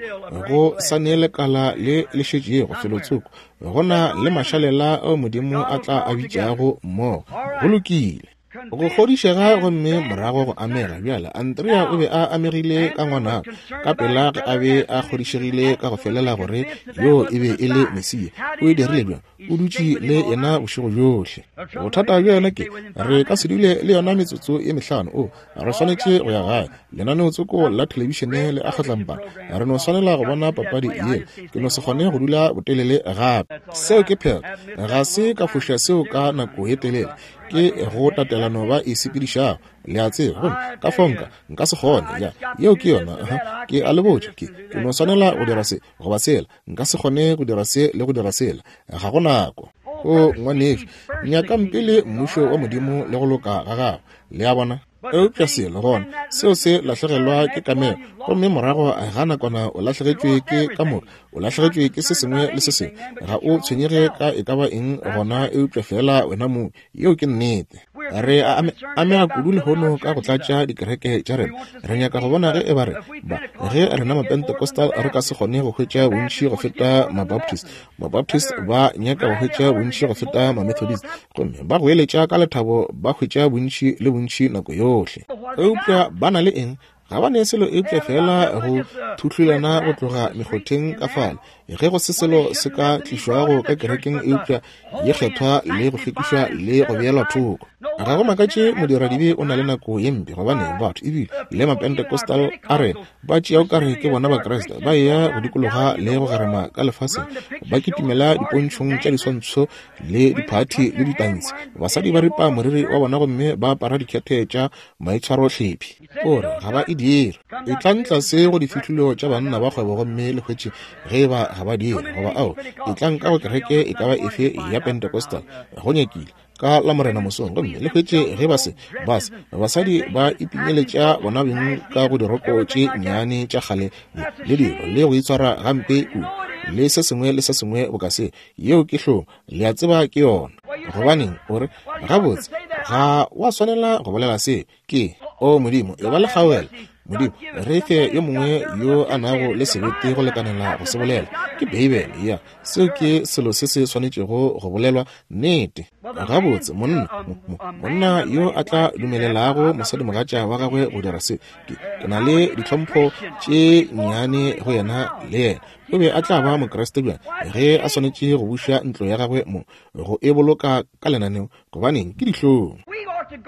go sa ne lekala le le šetšego felotsoko, go na le mašalela ao Modimo a tla a bitšago mmogo. Go lokile. Go kgodišega gomme morago go amega. Bjale, Andrea o be a amegile ka ngwanabo ka pela ge a be a kgodišegile ka go felela gore yoo e be e le Mesia. O e dirile bjang? O dutše le yena bošego bjohle. Bothata bja yona ke, re ka se dule le yona metsotso ye mehlano. O, re swanetše go ya gae. Lenaneotsoko la thelebišene le a kgatlampana. Re no swanela go bona papadi yela. Ke no se kgone go dula botelele gape. Seo ke phetho. Ga se ka foša seo ka nako ye telele. Ke go tatelano ba e sepedišago, le a tseba. Gomme ka fao nka, nka se kgone. Ya, yeo ke yona. Uh-huh. Ke a le botša, ke, ke no swanela go dira se goba sela. Nka se kgone go dira se le go dira sela. Ga go nako. O, ngwanešu, nyakang pele Mmušo wa Modimo le go loka ga Gagwe. Le a bona? Eupša selo gona, seo se lahlegelwa ke kamego, gomme morago ga nakwana o lahlegetšwe ke ka moka, o lahlegetšwe ke se sengwe le se sengwe. Ga o tshwenyege ka e ka ba eng gona eupša feela wena mong. Yeo ke nnete. Re a amega kudu lehono ka go tlatša dikereke tša rena. Re nyaka go bona ge e ba re ba, ge rena Mapentecostal re ka se kgone go hwetša bontši go feta Mabaptist. Mabaptist ba nyaka go hwetša bontši go feta Mamethodist, gomme ba goeletša ka lethabo ba hwetša bontši le bontši nako yohle. Eupša ba na le eng? Ga ba ne selo eupša feela go thuhlulana go tloga mekgotheng ka fale. Ge go se selo se ka tlišwago ka kerekeng eupša ye kgethwa le go hlwekišwa le go beelwa thoko. Ga go makatše modiradibe o na le nako ye mpe, gobane batho ebile le Mapentecostal a rena ba tšea o ka re ke bona Bakriste, ba eya go dikologa le go gerema ka lefaseng, ba kitimela dipontšhong tša diswantšho le diphathi le ditansi. Basadi ba ripa moriri wa bona gomme ba apara dikhethe tša maitshwarohlephi. O re ga ba e dire. Etlang tlase go difihlolo tša banna ba kgwebo gomme le hwetše ge e ba ga ba dire, goba ao, etlang ka go kereke e ka ba efe ya Pentecostal, go nyakile, ka Lamorena mosong, gomme le hwetše ge ba se, ba se, basadi ba ipinyeletša bona beng ka go diroko tše nnyane tša kgale le, le dilo, le go itshwara gampe kudu, le se sengwe le se sengwe boka se. Yeo ke hlong, le a tseba ke yona. Gobaneng, o re, gabotse, ga wa swanela go bolela se. Ke, o Modimo, e ba le kgaogelo. Modimo, re fe yo mongwe yo a nago le sebete go lekanela go se bolela. Ke Beibele, ya. Seo ke selo se se swanetšego go bolelwa, nnete. Gabotse, monna, mo, monna yo a tla dumelelago mosadimogatša wa gagwe go dira se, ke, ke na le ditlhompho tše nnyane go yena le yena. O be a tla ba Mokriste bjang ge a swanetše go buša ntlo ya gagwe mo, go e boloka ka lenaneo? Gobaneng, ke dihlong.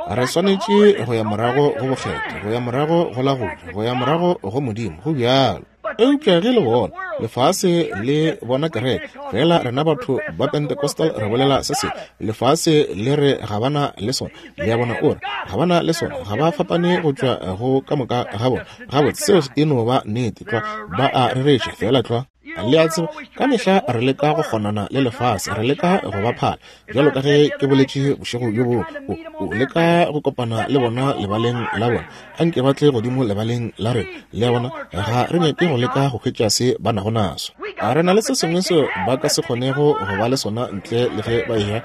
Re swanetše go ya morago go bokgethwa, go ya morago go la go ja, go ya morago go Modimo. Go bjalo. Eupša ge le bona lefase le bona kereke, fela rena batho ba Pentecostal re bolela se sengwe, lefase le re ga ba na le sona. Le a bona, o re ga ba na le sona, ga ba fapane go tšwa go ka moka ga bona. Gabotse, seo e no ba nnete tlwa. Ba a rereša feela tlwa. Le a tseba, ka mehla re leka go kgonana le lefase, re leka go ba phala. Bjalo ka ge ke boletše bošego bjo bongwe, o, o leka go kopana le bona lebaleng la bona. A nke ba tle godimo lebaleng la rena. Le a bona, ga re nyake go leka go hwetša se ba nago naso. A re na le se sengwe seo ba ka se kgonego go ba le sona ntle le ge ba eya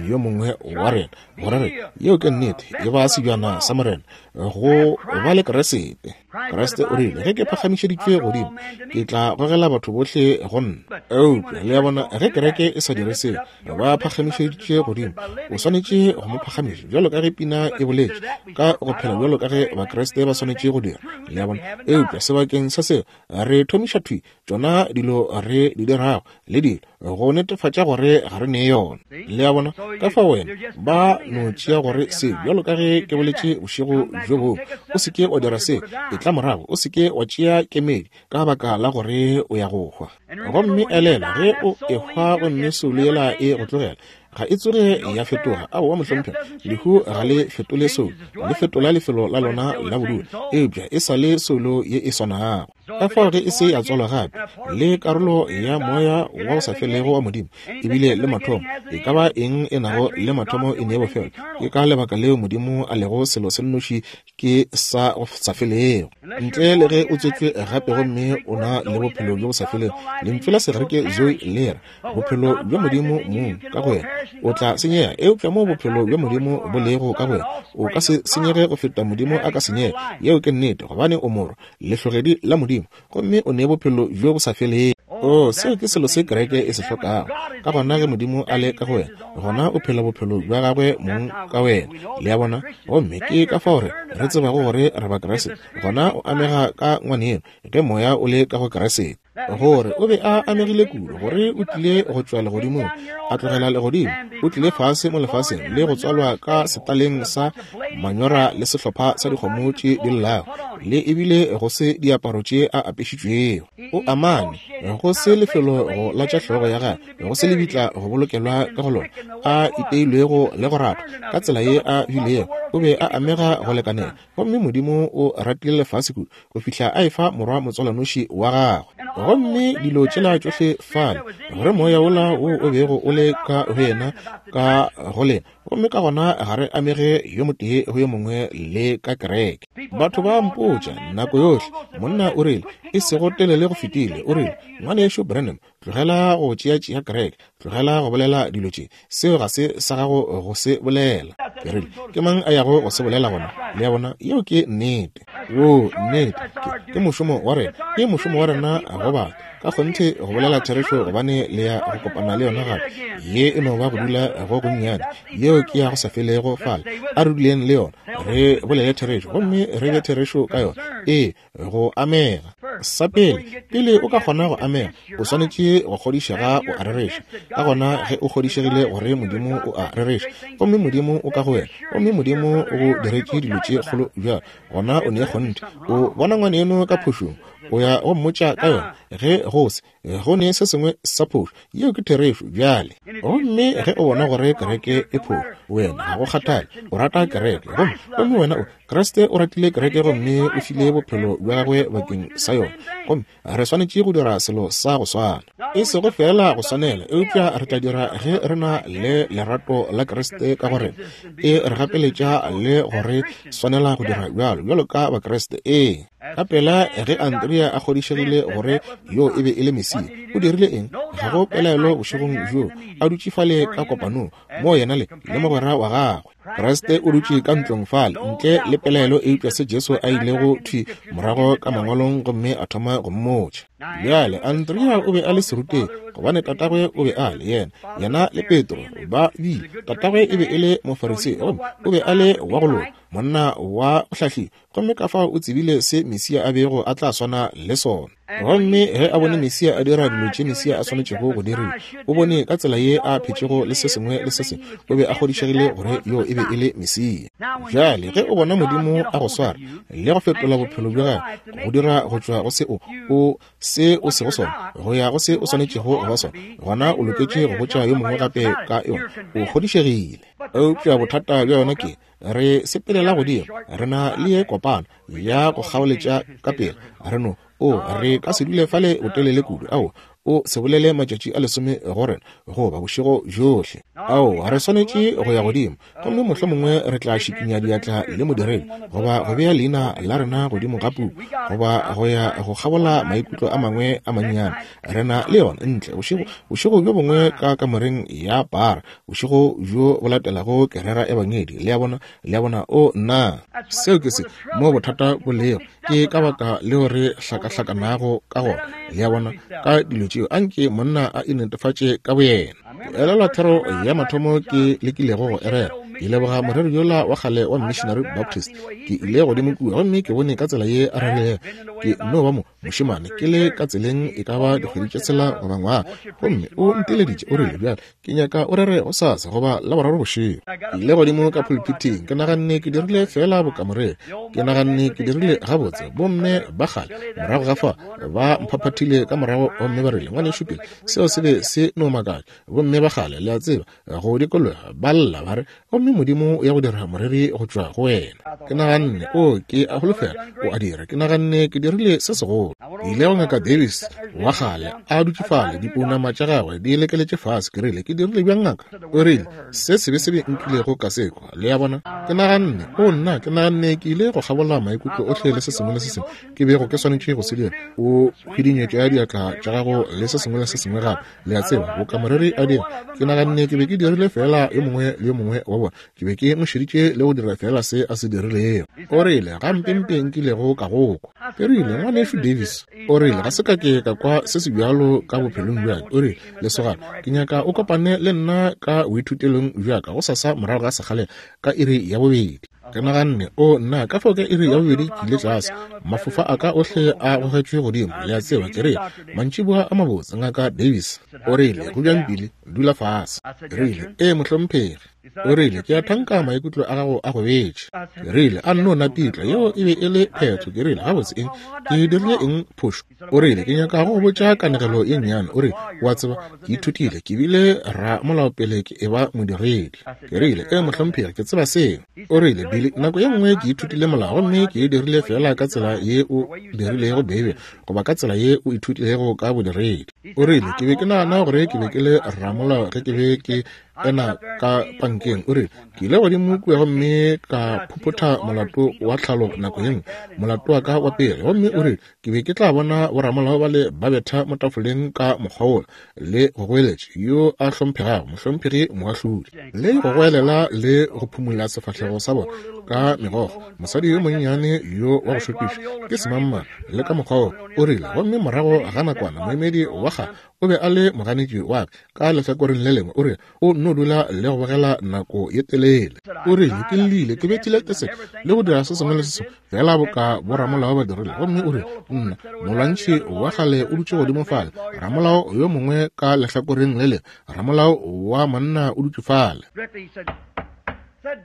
yo mongwe wa rena. Gore re, yeo ke nnete, e ba sebjana sa Morena, go ba le Keresete. Kriste o rile, ge ke phagamišeditšwe godimo, ke tla gogela batho bohle go nna. Eupša, le a bona, ge kereke e sa dire seo, ba phagamišeditšwe godimo, o swanetše go mo phagamiša, bjalo ka ge pina e boletše, ka go phela bjalo ka ge Bakriste ba swanetše go dira. Le a bona? Eupša sebakeng sa seo, re thomiša thwi tšona dilo re di dirago le dilo go netefatša gore ga re ne yona. Le a bona? Ka fao wena, ba no tšea gore se, bjalo ka ge ke boletše bošego bjo bongwe, o se ke wa dira se, etla morago, o se ke wa tšea kemedi ka baka la gore o ya go hwa. Gomme elelwa, ge o ehwa gomme soulo yela e go tlogela, ga e tsoge ya fetoga. Aowa, mohlomphegi, lehu ga le fetole soulo, le fetola lefelo la lona la bodulo, eupša e sa le soulo ye e swanago. Ka fao ge e se ya tswalwa gape, le karolo ya moya wa go sa felego wa Modimo, ebile le mathomo, e ka ba eng e nago le mathomo e ne bofelo. Ke ka lebaka leo Modimo a lego selo se nnoši ke sa go sa felego. Ntle le ge o tswetšwe gape gomme o na le bophelo bjo bo sa felego, lentšu la Segerike zoe le re bophelo bja Modimo mong ka go wena, o tla senyega. Eupša moo bophelo bja Modimo bo lego ka go wena, o ka se senyege go feta Modimo a ka senyega. Yeo ke nnete, gobane o morwa, lehlogedi la Modimo, gomme o ne bophelo bjo bo sa felego. Oo, seo ke selo se kereke e se hlokago. Ka gona ge Modimo a le ka go wena, gona o phela bophelo bja gagwe mong ka wena. Le a bona? Gomme ke ka fao re, re tsebago gore re Bakriste. Gona o amega ka ngwaneno, ge Moya o le ka go Kriste. Gore o be a amegile kudu, gore o tlile go tšwa legodimong, a tlogela legodimo, o tlile fase mo lefaseng le go tswalwa ka setaleng sa manyora le sehlopha sa dikgomo tše di llago, le ebile go se diaparo tše a apešitšwego. O amane, go se lefelo go latša hlogo ya gagwe, go se lebitla go bolokelwa ka go lona, a iteilwego le go ratwa ka tsela ye a bilego, o be a amega go lekanela. Gomme Modimo o ratile lefase kudu go fihla a efa Morwa motswalwanoši wa gagwe. Gomme dilo tšela tšohle fale, gore Moya wola wo o bego o le ka go yena, ka go lena, gomme ka gona ga re amege yo motee go yo mongwe le ka kereke. Batho ba mpotša nako yohle, monna o rile, e sego telele go fetile, o rile, Ngwanešu Branham, tlogela go tšeatšea kereke, tlogela go bolela dilo tše, seo ga se sa gago go se bolela. Ke rile, ke mang a yago go se bolela gona? Le a bona, yeo ke nnete. Oo, nnete, ke, ke mošomo wa rena, ke mošomo wa rena go batho, ka kgonthe go bolela therešo, gobane le ya go kopana le yona gape. Ye e no ba go dula go gonnyane, yeo ke ya go sa felego fale. A re duleng le yona, re bolele therešo, gomme re be therešo ka yona. Ee, go amega. Sa pele, pele o ka kgona go amega, o swanetše go kgodišega o a rereša. Ka gona ge o kgodišegile gore Modimo o a rereša, gomme Modimo o ka go wena, gomme Modimo o go diretše dilo tše kgolo bjalo, gona o ne kgonthe. O bona ngwaneno ka phošong, o ya go mmotša ka yona. Ge go se, go ne se sengwe sa phošo, yeo ke therešo bjale. Gomme ge o bona gore kereke e phošo, wena ga go kgathale, o rata kereke, gomme, gomme wena o, Kriste o ratile kereke gomme o file bophelo bja gagwe bakeng sa yona, gomme re swanetše go dira selo sa go swana. E sego feela go swanela, eupša re tla dira ge re na le lerato la Kriste ka go rena, e re gapeletša le go re swanela go dira bjalo, bjalo ka Bakriste. Ee. Ka pela ge Andrea a kgodišegile gore yo e be e le Mesia, o dirile eng? Ga go pelaelo bošegong bjoo a dutše fale ka kopanong, moo yena le, le mogwera wa gagwe. Kriste o dutše ka ntlong fale, ntle le pelaelo eupša se Jesu a ilego thwi morago ka Mangwalong gomme a thoma go mmotša. Bjale, Andrea o be a le serutegi, gobane tatagwe o be a le, yena, yena le Petro ba bile. Tatagwe e be e le Mofarisei, gomme o be a le wa go loka, monna wa go hlahliwa, gomme ka fao o tsebile se Mesia a bego a tla swana le sona. Gomme ge a bone Mesia a dira dilo tše Mesia a swanetšego go diriwa, o bone ka tsela ye a phetšego le se sengwe le se sengwe, o be a kgodišegile gore yo e be e le Mesia. Bjale, ge o bona Modimo a go swara le go fetola bophelo bja gago, go dira go tšwa go se o, o, se o sego sona, go ya go se o swanetšego go ba sona, gona o loketše go botša yo mongwe gape ka yona. O kgodišegile. Eupša bothata bja yona ke, re sepelela godimo, re na le ye kopano ya go kgaoletša ka pela, re no, o, re ka se dule fale botelele kudu, ao, o se bolele matšatši a lesome go rena, goba bošego bjohle. Ao, re swanetše go ya godimo, gomme mohlomongwe re tla šikinya diatla le modiredi, goba go bea leina la rena godimo ga puku, goba go ya go kgabola maikutlo a mangwe a mannyane. Re na le yona ntle bošego, bošego bjo bongwe ka kamoreng ya para, bošego bjo bo latelago ke rera ebangedi. Le a bona? Le a bona? O, nna! Seo ke se mo bothata bo lego. Ke ka baka leo re hlakahlakanago ka gona, le a bona, ka dilo tšeo. Anke monna a inetefatše ka boyena. Ke elelwa thero ya mathomo ke lekilego go e rera. Ke leboga moreri yola wa kgale wa Missionary Baptist. Ke ile godimo kua gomme ke bone ka tsela ye a rerilego. Ke no ba mo, mošemane, ke le ka tseleng e ka ba dikgwedi tše tshela goba ngwaga. Gomme o nteleditše, o rile, Bjale, Ke nyaka o rere gosasa goba Laboraro bošego. Ke ile godimo ka pulpithing, ke naganne ke dirile feela boka moreri. Ke naganne ke dirile gabotse. Bomme ba kgale morago ga fa ba mphaphathile ka morago gomme ba rile, Ngwanešu Bill, seo se be se no makatša. Bomme ba kgale, le a tseba, go dikologa, ba lla, ba re, Gomme Modimo o ya go dira moreri go tšwa go wena. Ke naganne, O, ke a holofela O a dira. Ke naganne ke dirile se segolo. Ke ile go Ngaka Davis wa kgale, a dutše fale, dipounama tša gagwe di lekeletše fase. Ke rile, Ke dirile bjang, ngaka? O rile, Se sebesebe nkilego ka se kwa. Le a bona? Ke naganne, O, nna! Ke naganne ke ile go kgabola maikutlo ohle le se sengwe le se sengwe ke bego ke swanetše go se dira. O hwidinyetša diatla tša gago le se sengwe le se sengwe gape, le a tseba, boka moreri a dira. Ke naganne ke be ke dirile feela yo mongwe le yo mongwe wa bona. Ke be ke mo šeditše le go dira feela se a se dirilego. O rile, Gampempe nkilego ka go kwa. Ke rile, Ngwanešu Davis, o rile, ga se ka ke ka kwa se se bjalo ka bophelong bja ka. O rile, Lesogana, ke nyaka o kopane le nna ka boithutelong bja ka gosasa morago ga sekgalela ka iri ya bobedi. Ke naganne, O nna, ka fao ka iri ya bobedi ke ile tlase, mafofa a ka ohle a gogetšwe godimo, le a tseba. Ke rile, Mantšiboa a mabotse, Ngaka Davis. O rile, Go bjang, Billy? Dula fase. Ke rile, Ee, mohlomphegi. O rile, Ke a thanka maikutlo a gago a gobetše. Ke rile, A nno napitla, yeo e be e le phetho. Ke rile, Gabotse eng? Ke dirile eng phošo? O rile, Ke nyaka go go botša kanegelo ye nnyane. O rile, O a tseba, ke ithutile, ke bile ramolao pele ke eba modiredi. Ke rile, Ee, mohlomphegi, ke tseba seo. O rile, Billy, nako ye nngwe ke ithutile molao gomme ke e dirile feela ka tsela ye o dirilego Beibele, goba ka tsela ye o ithutilego ka bodiredi. O rile, Ke be ke nagana gore ke be ke le ramolao ge ke be ke ena ka pankeng. O rile, Ke ile godimo kua gomme ka phophotha molato wa tlhalo nako ye nngwe, molato wa ka wa pele. Gomme o rile, Ke be ke tla bona boramolao bale ba betha mo tafoleng ka mokgwa wola, le go goeletša, Yo a hlomphegago, mohlomphegi moahlodi, le go goelela le go phumola sefahlego sa bona ka megokgo, mosadi yo monnyane yo wa go šokiša ke semangmang, le ka mokgwa wo. O rile, Gomme morago ga nakwana moemedi wa kgale o be a le moganetši wa ka ka lehlakoreng le lengwe, o rile, O nno dula le go bogela nako ye telele. O rile, Ke llile, ke bethile teseke le go dira se sengwe le se sengwe feela boka boramolao ba dirile. Gomme o rile, Nna, molwantšhi wa kgale o dutše godimo fale, ramolao yo mongwe ka lehlakoreng le lengwe, ramolao wa monna o dutše fale.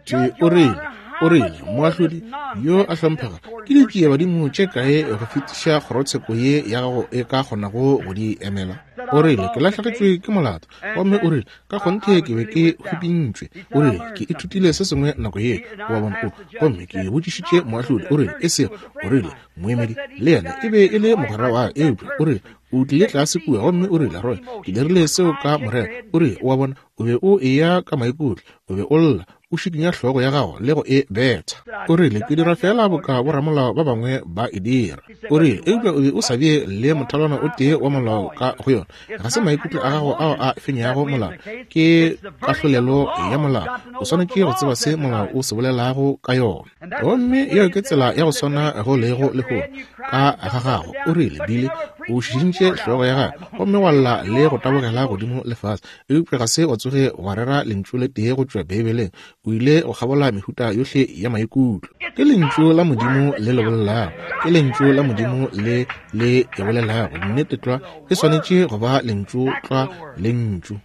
Thwi o rile, o rile, Moahlodi yo a hlomphega, ke ditšiebadimo tše kae go fetiša kgorotsheko ye ya gago e ka kgonago go di emela? O rile, Ke lahlegetšwe ke molato. Gomme o rile, Ka kgonthe ke be ke hwipintšwe. O rile, Ke ithutile se sengwe nako ye, wa bona. O, gomme ke botšišitše moahlodi. O rile, E sego, o rile, moemedi le yena e be e le mogwera wa ka, eupša o rile, o tlile tlase kua gomme o rile, Roy, ke dirile seo ka morero. O rile, O a bona, o be o eya ka maikutlo, o be o lla, o šikinya hlogo ya gago le go e betha. O rile, Ke dira feela boka boramolao ba bangwe ba e dira. O rile, Eupša o be o sa bee le mothalwana o tee wa molao ka go yona. Ga se maikutlo a gago ao a fenyago molao, ke kahlolelo ya molao. O swanetše go tseba se molao o se bolelago ka yona. Gomme yeo ke tsela ya go swana go lego lehono ka ga gago. O rile, Billy, o šišintše hlogo ya gago gomme wa lla le go tabogela godimo le fase, eupša ga se wa tsoge wa rera lentšu le tee go tšwa Beibeleng. O ile go kgabola mehuta yohle ya maikutlo. Ke lentšu la Modimo le le bolelago. Ke lentšu la Modimo le le e bolelago. Nnete tlwa, e swanetše go ba lentšu tlwa, lentšu.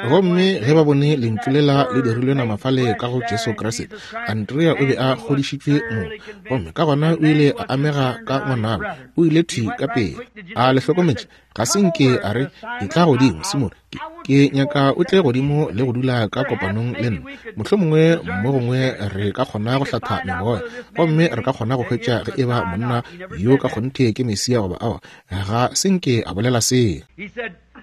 Gomme ge ba bone lentšu lela le dirilwe nama fale ka go Jesu Kriste, Andrea o be a kgodišitšwe mo. Gomme ka gona o ile a amega ka ngwanabo. O ile thwi ka pele. A le hlokometše? Ga se nke a re, Etla godimo, Simone. Ke, ke nyaka o tle godimo le go dula ka kopanong le nna. Mohlomongwe mo gongwe re ka kgona go hlatha memoya, gomme re ka kgona go hwetša ge eba monna yo ka kgonthe ke Mesia goba aowa. Ga se nke a bolela seo.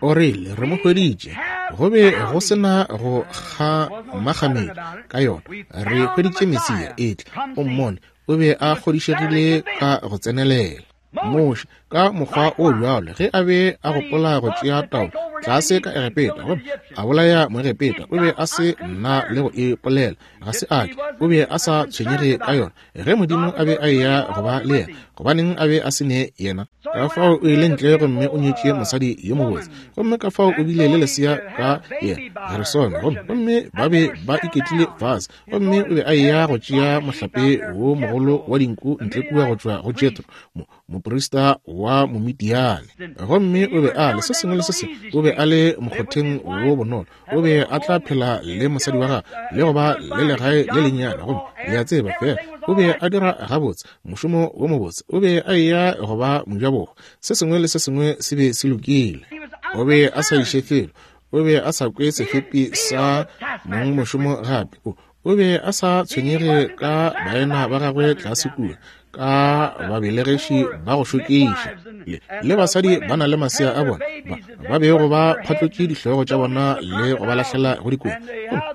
O rile, Re mo hweditše. Go be go se na go kgamakgamedi ka yona. Re hweditše Mesia. Etla o mmone. O be a kgodišegile ka go tsenelela. Moshe, ka mokgwa o bjalo, ge a be a gopola go tšea taolo tlase ka Egepeta gomme a bolaya Moegepeta, o be a se na le go ipolela. Ga se a ke. O be a sa tshwenyege ka yona. Ge Modimo a be a eya go ba le yena, gobaneng a be a se ne yena? Ka fao o ile ntle gomme o nyetše mosadi yo mobotse, gomme ka fao o bile le lesea ka yena, Gersome, gomme, gomme ba be ba iketlile fase. Gomme o be a eya go tšea mohlape wo mogolo wa dinku ntle kua go tšwa go Jethro, mo, moprista wa Momidiane. Gomme o be a le se sengwe le se sengwe, o be a le mokgotheng wo bonolo, o be a tla phela le mosadi wa gagwe le go ba le legae le lennyane. Gomme le a tseba, fela o be a dira gabotse, mošomo wo mobotse, o be a eya go ba mojabohwa, se sengwe le se sengwe se be se lokile. O be a sa iše felo, o be a sa kwe sefepi sa mongmošomo gape. O, o be a sa tshwenyege ka baena ba gagwe tlase kua, ka babelegeši ba go šokiša le, le basadi ba na le masea a bona ba, ba bego ba phatlotše dihlogo tša bona le go ba lahlela go dikong.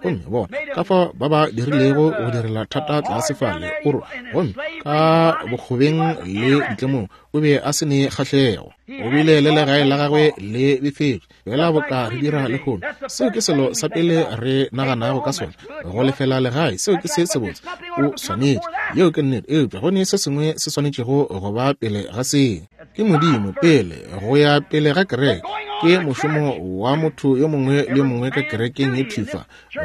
Gomme bona ka fao ba ba dirilego go direla thata tlase fale, oro, gomme ka bokgobeng le ditlemong, o be a se ne kgahlego. O bile le legae la gagwe le befetšwe, fela boka re dira lehono. Seo ke selo sa pele re naganago ka sona, go lefela legae. Seo ke se sebotse, o swanetše, yeo ke nnete. Eupša go ne se sengwe se swanetšego go ba pele ga seo. Ke Modimo pele, go ya pele ga kereke. Ke mošomo wa motho yo mongwe le yo mongwe ka kerekeng ye thwi fa,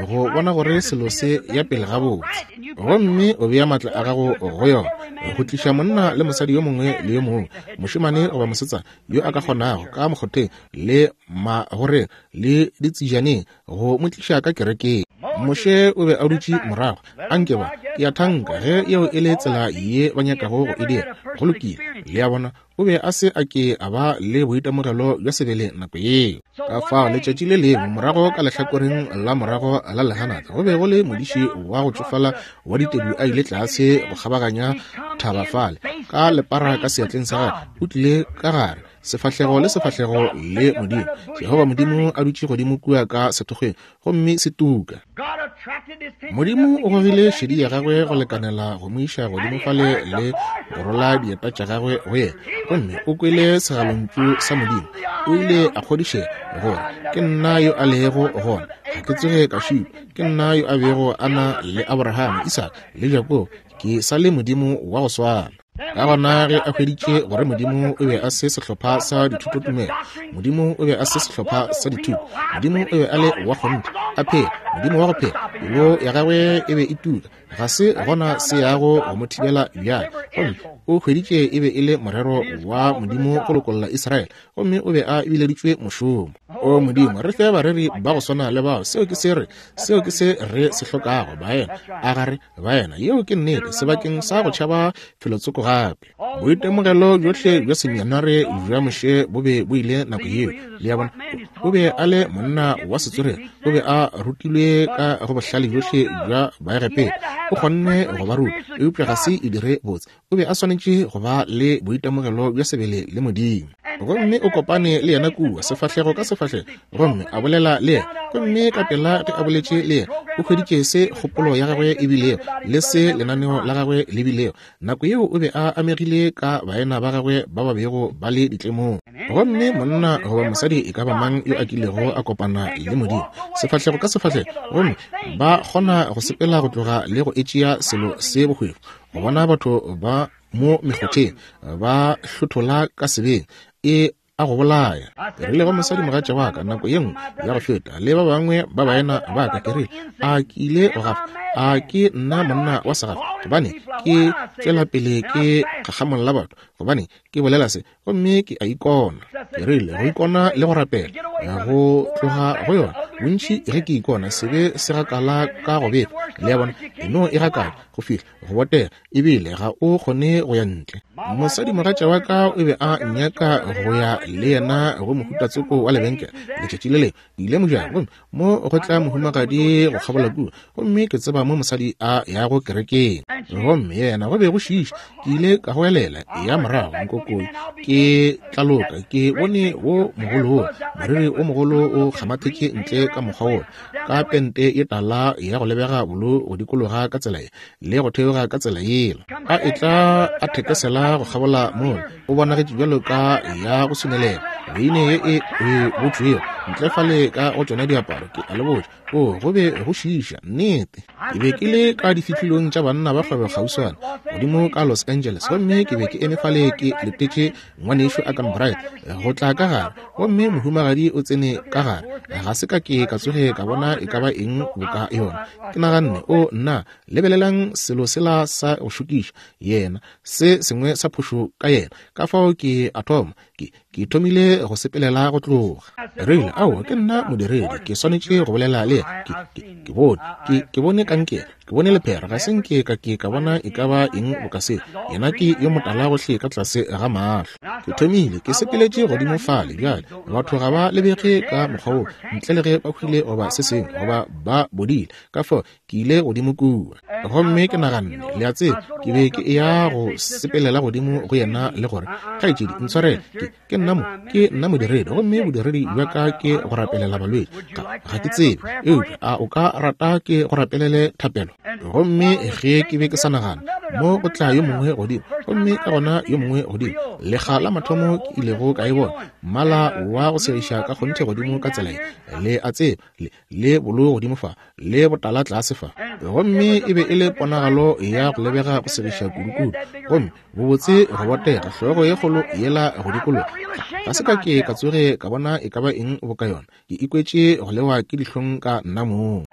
go bona gore selo se ya pele gabotse. Gomme o bea maatla a gago go yona, go tliša monna le mosadi yo mongwe le yo mongwe, mošemane goba mosetsana yo a ka kgonago ka mokgotheng le magoreng le ditsejaneng, go mo tliša ka kerekeng. Moshe o be a dutše morago. A nke ba, ke a thanka, ge yeo e le tsela ye ba nyakago go e dira, go lokile. Le a bona, o be a se a ke a ba le boitemogelo bja sebele nako yeo. Ka fao letšatši le lengwe morago ka lehlakoreng la morago la lehanata go be go le modiši wa go tšofala wa ditedu a ile tlase go kgabaganya thaba fale ka lepara ka seatleng sa gagwe. O tlile ka gare sefahlego le sefahlego le Modimo, Jehova Modimo a dutše godimo kua ka sethokgweng gomme se tuka. Modimo o gogile šedi ya gagwe go lekanela go mo iša godimo fale le go rola dieta tša gagwe go yena, gomme o kwele segalontšu sa Modimo. O ile a kgodišega gore ke nna yo a lego gona, ga ke tsoge ka šitwa, ke nna yo a bego a na le Abraham, Isaka le Jakobo, ke sa le Modimo wa go swana. Ka gona ge a hweditše gore Modimo o be a se sehlopha sa dithutotumelo, Modimo o be a se sehlopha sa dithuto, Modimo o be a le wa kgonthe, a phela, Modimo wa go phela, pelo ya gagwe e be e tuka, ga se gona se yago go mo thibela bjale. Gomme o hweditše e be e le morero wa Modimo go lokolla Israele, gomme o be a bileditšwe mošomo. O Modimo, re fe bareri ba go swana le bao. Seo ke se re, seo ke se re se hlokago, baena. A ga re baena? Yeo ke nnete, sebakeng sa go tšhaba felotsoko gape. Boitemogelo bjohle bja seminare bja Moshe bo be bo ile nako yeo. Le a bona, o be a le monna wa setswerere, o be a rutilwe ka go bohlale bjohle bja Baegepeta, o kgonne go ba ruta, eupša ga se e dire botse. O be a swanetše go ba le boitemogelo bja sebele le Modimo. Gomme o kopane le yena kua, sefahlego ka sefahlego, gomme a bolela le yena. Gomme ka pela ge a boletše le yena, o hweditše se kgopolo ya gagwe e bilego, le se lenaneo la gagwe le bilego. Nako yeo o be a amegile ka baena ba gagwe ba ba bego ba le ditlemong. Gomme monna goba mosadi e ka ba mang yo a kilego a kopana le Modimo, sefahlego ka sefahlego, gomme ba kgona go sepela go tloga le go etšea selo se bohwefo, go bona batho ba mo mekgotheng ba hlothola ka sebeng, e a go bolaya. Ke rile go mosadi mogatša wa ka nako ye nngwe ya go feta, le ba bangwe ba baena ba ka, ke rile, a ke ile go gafa? A ke nna monna wa segafa? Gobane ke tšwela pele ke kgakgamolla batho, gobane ke bolela se, gomme ke a ikona. Ke rile, go ikona le go rapela, go tloga go yona. Bontši ge ke ikona, sebe se gakala ka go befa. Le a bona, e no e gakala go fihla go botega, ebile ga o kgone go ya ntle. Mosadimogatša wa ka o be a nnyaka go ya le yena go mohutatsoko wa lebenkele letšatši le lengwe. Ke ile mojako, gomme mo go tla mohumagadi go kgabola kua, gomme ke tseba mo mosadi a yago kerekeng, gomme yena go be go šiiša. Ke ile ka goelela ya morago nkokoi, ke tlaloka, ke bone wo mogolo wo, moriri o mogolo o kgamathetše ntle ka mokgwa wola, ka pente ye tala ya go lebega bolo go dikologa ka tsela ye le go theoga ka tsela yela, a etla a thekesela go kgabola mola, o bonagetše bjalo ka ya go swinelela beine ye e e botšwego ntle fale ka go tšona diaparo. Ke a le botša, o go be go šiiša, nnete. Ke be ke le ka difihlilong tša banna ba kgwebo kgauswana godimo ka Los Angeles, gomme ke be ke eme fale ke letetše ngwanešu Arganbright go tla ka gare, gomme mohumagadi o tsene ka gare. Ga se ka ke ka tsoge ka bona e ka ba eng boka yona. Ke naganne, o nna, lebelelang selo sela sa go šokiša, yena, se sengwe sa phošo ka yena. Ka fao ke a thoma, ke, ke thomile go sepelela go tloga. Rile, aowa, ke nna modiredi, ke swanetše go bolela le yena. Ke, ke, ke bone, ke, ke bone kankere, ke bone lephera, ga se nke ka ke ka bona e ka ba eng boka seo. Yena ke yo motala gohle ka tlase ga mahlo. Ke thomile, ke sepeletše godimo fale. Bjale, batho ga ba lebege ka mokgwa woo ntle le ge ba hwile goba se sengwe, goba ba bodile. Ka fao ke ile godimo kua, gomme ke naganne, le a tseba, ke be ke eya go sepelela godimo go yena le gore, Kgaetšedi, ntshwarele, ke, ke nna mo, ke Ke nna modiredi, gomme bodiredi bja ka ke go rapelela balwetši. Ga, ga ke tsebe, eupša a o ka rata ke go rapelele thapelo? Gomme ge ke be ke sa nagana, mo go tla yo mongwe godimo, gomme ka gona yo mongwe godimo. Lekga la mathomo ke ilego ka e bona, mmala wa go segiša ka kgonthe godimo ka tsela ye, le a tseba, le, le bolou godimo fa, le botala tlase fa. Gomme e be e le ponagalo ya go lebega go segiša kudukudu, gomme bobotse go botega, hlogo ye kgolo yela go dikologa. Ga se ka ke ka tsoge ka bona e ka ba eng boka yona. Ke ikwetše go lewa ke dihlong ka nna mong.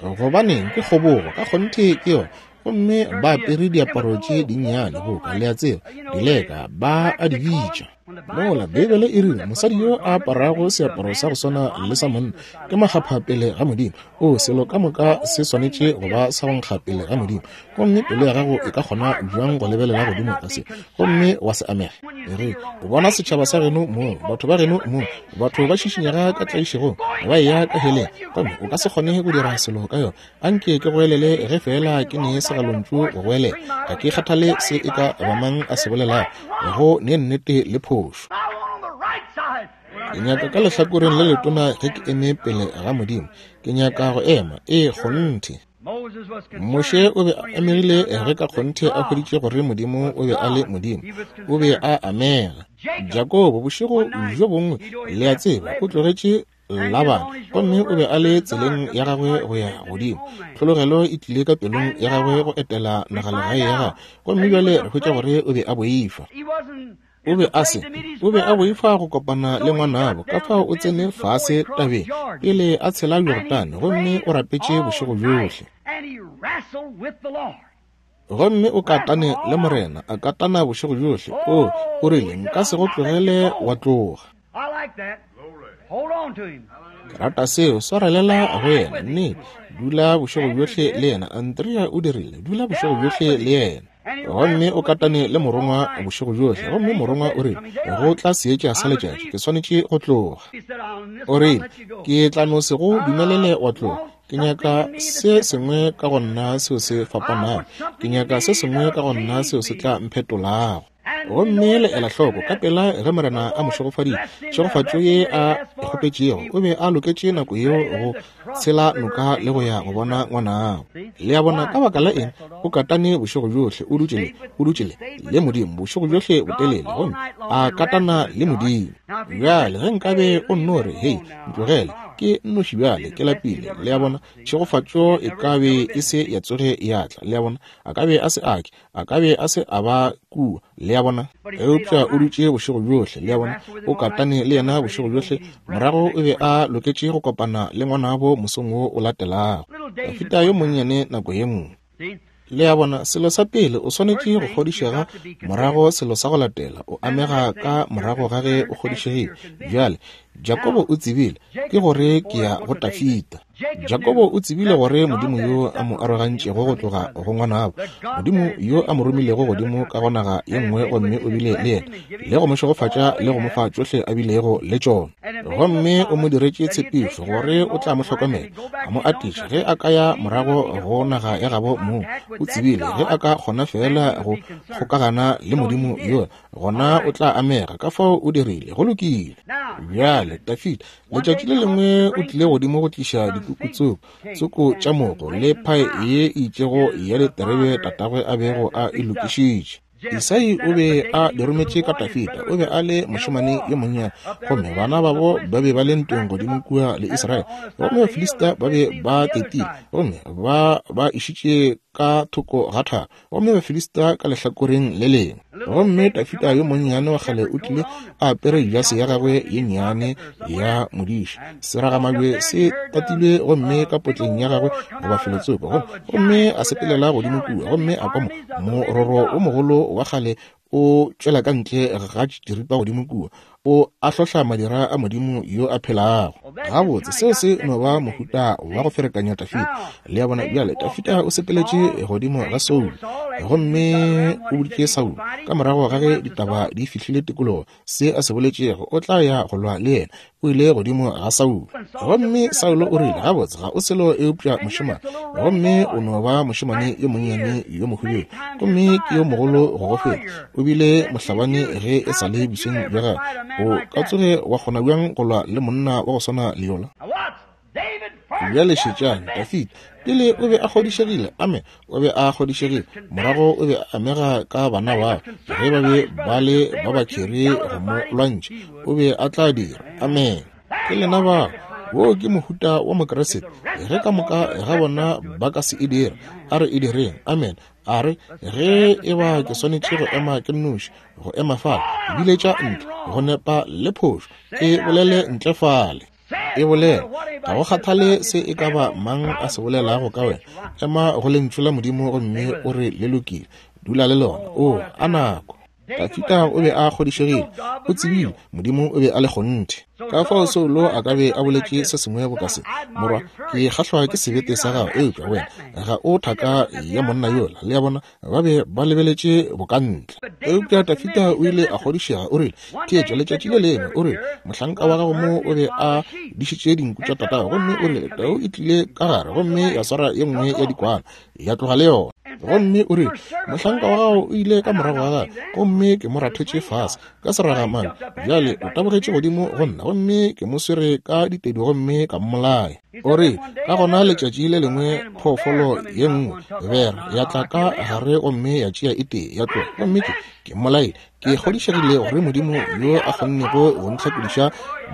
Gobaneng, ke kgobogo, ka kgonthe ke yona. Gomme ba apere diaparo tše dinnyane boka, le a tseba, dileka, ba a di bitša. Mola, Beibele e rile, mosadi yo a aparago seaparo sa go swana le sa monna ke makgapha pele ga Modimo. O, selo ka moka se swanetše go ba sa go nkga pele ga Modimo. Gomme pelo ya gago e ka kgona bjang go lebelela godimo ga se gomme wa se amega? Ge o bona setšhaba sa geno mong, batho ba geno mong, batho ba šišinyega ka tlaišegong, ba eya ka heleng, gomme o ka se kgone go dira selo ka yona. Anke ke goelele ge feela ke ne segalontšu go goelela. Ga ke kgathale se e ka ba mang a se bolelago, go ne nnete le phošo. Ke nyaka ka lehlakoreng le letona ge ke eme pele ga Modimo. Ke nyaka go ema. Ee, kgonthe. Moshe o be a amegile ge ka kgonthe a hweditše gore Modimo o be a le Modimo. O be a amega. Jakobo, bošego bjo bongwe, le a tseba, o tlogetše Labane, gomme o be a le tseleng ya gagwe go ya godimo. Tlhologelo e tlile ka pelong ya gagwe go etela nagalegae ya gagwe, gomme bjale re hwetša gore o be a boifa. O be a se, o be a boifa go kopana le ngwanabo, ka fao o tsene fase tabeng pele a tshela Jorodane, gomme o rapetše bošego bjohle. Gomme o katane le Morena, a katana bošego bjohle. O, o rile, nka se go tlogele wa tloga. Ke rata seo, swarelela go yena, nnete. Dula bošego bjohle le yena. Andrea o dirile, dula bošego bjohle le yena. Gomme o katane le morongwa bošego bjohle, gomme morongwa o rile, go tla seetša sa letšatši, ke swanetše go tloga. O rile, ke tla no se go dumelele wa tloga. Ke nyaka se sengwe ka go nna seo se fapanago. Ke nyaka se sengwe ka go nna seo se tla mphetolago. Gomme le ela hloko, ka pela ge Morena a mo šegofaditše, tšhegofatšo ye a e kgopetšego, o be a loketše nako yeo go tshela noka le go ya go bona ngwanabo. Le a bona, ka baka la eng? O katane bošego bjohle, o dutše le, o dutše le, le Modimo bošego bjohle botelele, gomme a katana le Modimo. Bjale, ge nkabe o nno re, Hei, ntlogele, ke nnoši bjale, ke lapile, le a bona, tšhegofatšo e ka be e se ya tsoge ya tla, le a bona, a ka be a se a ke, a ka be a se a ba kua, le a bona. Eupša o dutše bošego bjohle, le a bona, o katane le yena bošego bjohle, morago o be a loketše go kopana le ngwanabo mosong wo o latelago. Dafida yo monnyane nako ye nngwe. Le a bona, selo sa pele o swanetše go kgodišega, morago selo sa go latela o amega ka morago ga ge o kgodišegile. Bjale, Jakobo o tsebile, ke gore ke ya go Tafita. Jakobo o tsebile gore Modimo yo a mo arogantšego go tloga go ngwanabo, Modimo yo a mo romilego godimo ka go naga ye nngwe gomme o bile le yena, le go mo šegofatša le go mo fa tšohle a bilego le tšona. Gomme o mo diretše tshepišo gore o tla mo hlokomela, a mo atiša ge a ka ya morago go naga ya gabo mong. O tsebile ge a ka kgona feela go kgokagana le Modimo yola, gona o tla amega. Ka fao o dirile. Go lokile. Bjale, Dafida, letšatši le lengwe o tlile godimo go tliša dikuku tsoko, tsoko tša mogo le phae ye e itšego ya diterebe tatagwe a bego a e lokišitše. Isai o be a di rometše ka Dafida. O be a le mošemane yo monnyane, gomme bana babo ba be ba le ntweng godimo kua le Israele, gomme Bafilista ba be ba tetile gomme ba ba išitše ka thoko ga thaba, gomme Bafilista ka lehlakoreng le lengwe. Gomme Dafida yo monnyane wa kgale o tlile a apere jase ya gagwe ye nnyane ya modiši, seragamabje se tatilwe gomme ka potleng ya gagwe goba felotsoko, gomme a sepelela godimo kua, gomme a kwa mororo o mogolo wa kgale o tšwela ka ntle ga diripa godimo kua. O a hlohla madira a Modimo yo a phelago. Gabotse, seo se no ba mohuta wa go ferekanya Dafida. Le a bona? Bjale, Dafida o sepeletše godimo ga Saulo, gomme o boditše Saulo, ka morago ga ge ditaba di fihlile tikologo, se a se boletšego, o tla ya go lwa le yena. O ile godimo ga Saulo. Gomme Saulo o rile, Gabotse, ga o selo eupša mošemane, gomme o no ba mošemane yo monnyane yo mohubedu, gomme ke yo mogolo go go feta. O bile mohlabani ge e sa le bosweng bja gagwe. O ka tsoge wa kgona bjang go lwa le monna wa go swana le yola? Bjale šetšang, Dafida, pele o be a kgodišegile, amen, o be a kgodišegile, morago o be a amega ka bana bao, ge ba be ba le ba ba kheri go mo lwantšha, o be a tla dira, amen. Ke lena bao, woo ke mohuta wa Mokriste, ge ka moka ga bona ba ka se e dira, a re e direng, amen, a re, ge e ba ke swanetše go ema ke nnoši, go ema fale, biletša ntle, go nepa le phošo, ke bolele ntle fale. E bolela, ga go kgathale se e ka ba mang a se bolelago ka wena, ema go Lentšu la Modimo gomme o re le lokile, dula le lona. Oo, a nako! Dafida o be a kgodišegile, o tsebile Modimo o be a le kgonthe. Ka fao Saulo a ka be a boletše se sengwe boka se, Morwa, ke kgahlwa ke sebete sa gago, eupša wena ga o thaka ya monna yola. Le a bona, ba be ba lebeletše bokantle. Eupša Dafida o ile a kgodišega, o rile, Theetša, letšatši le lengwe, o rile, mohlanka wa gago mo o be a dišitše dinku tša tatago, gomme o rile, tau e tlile ka gare gomme ya swara ye nngwe ya dikwana, ya tloga le yona. Gomme o rile, mohlanka wa gago o ile ka morago ga gagwe, gomme ke mo rathetše fase ka seragamane. Bjale o tabogetše godimo go nna, gomme ke mo swere ka ditedu gomme ka mmolaya. O re, ka gona letšatši le lengwe phoofolo ye nngwe, bere, ya tla ka gare gomme ya tšea e tee ya tloga, gomme ke, ke mmolaile. Ke kgodišegile gore Modimo yo a kgonnego go ntlhakodiša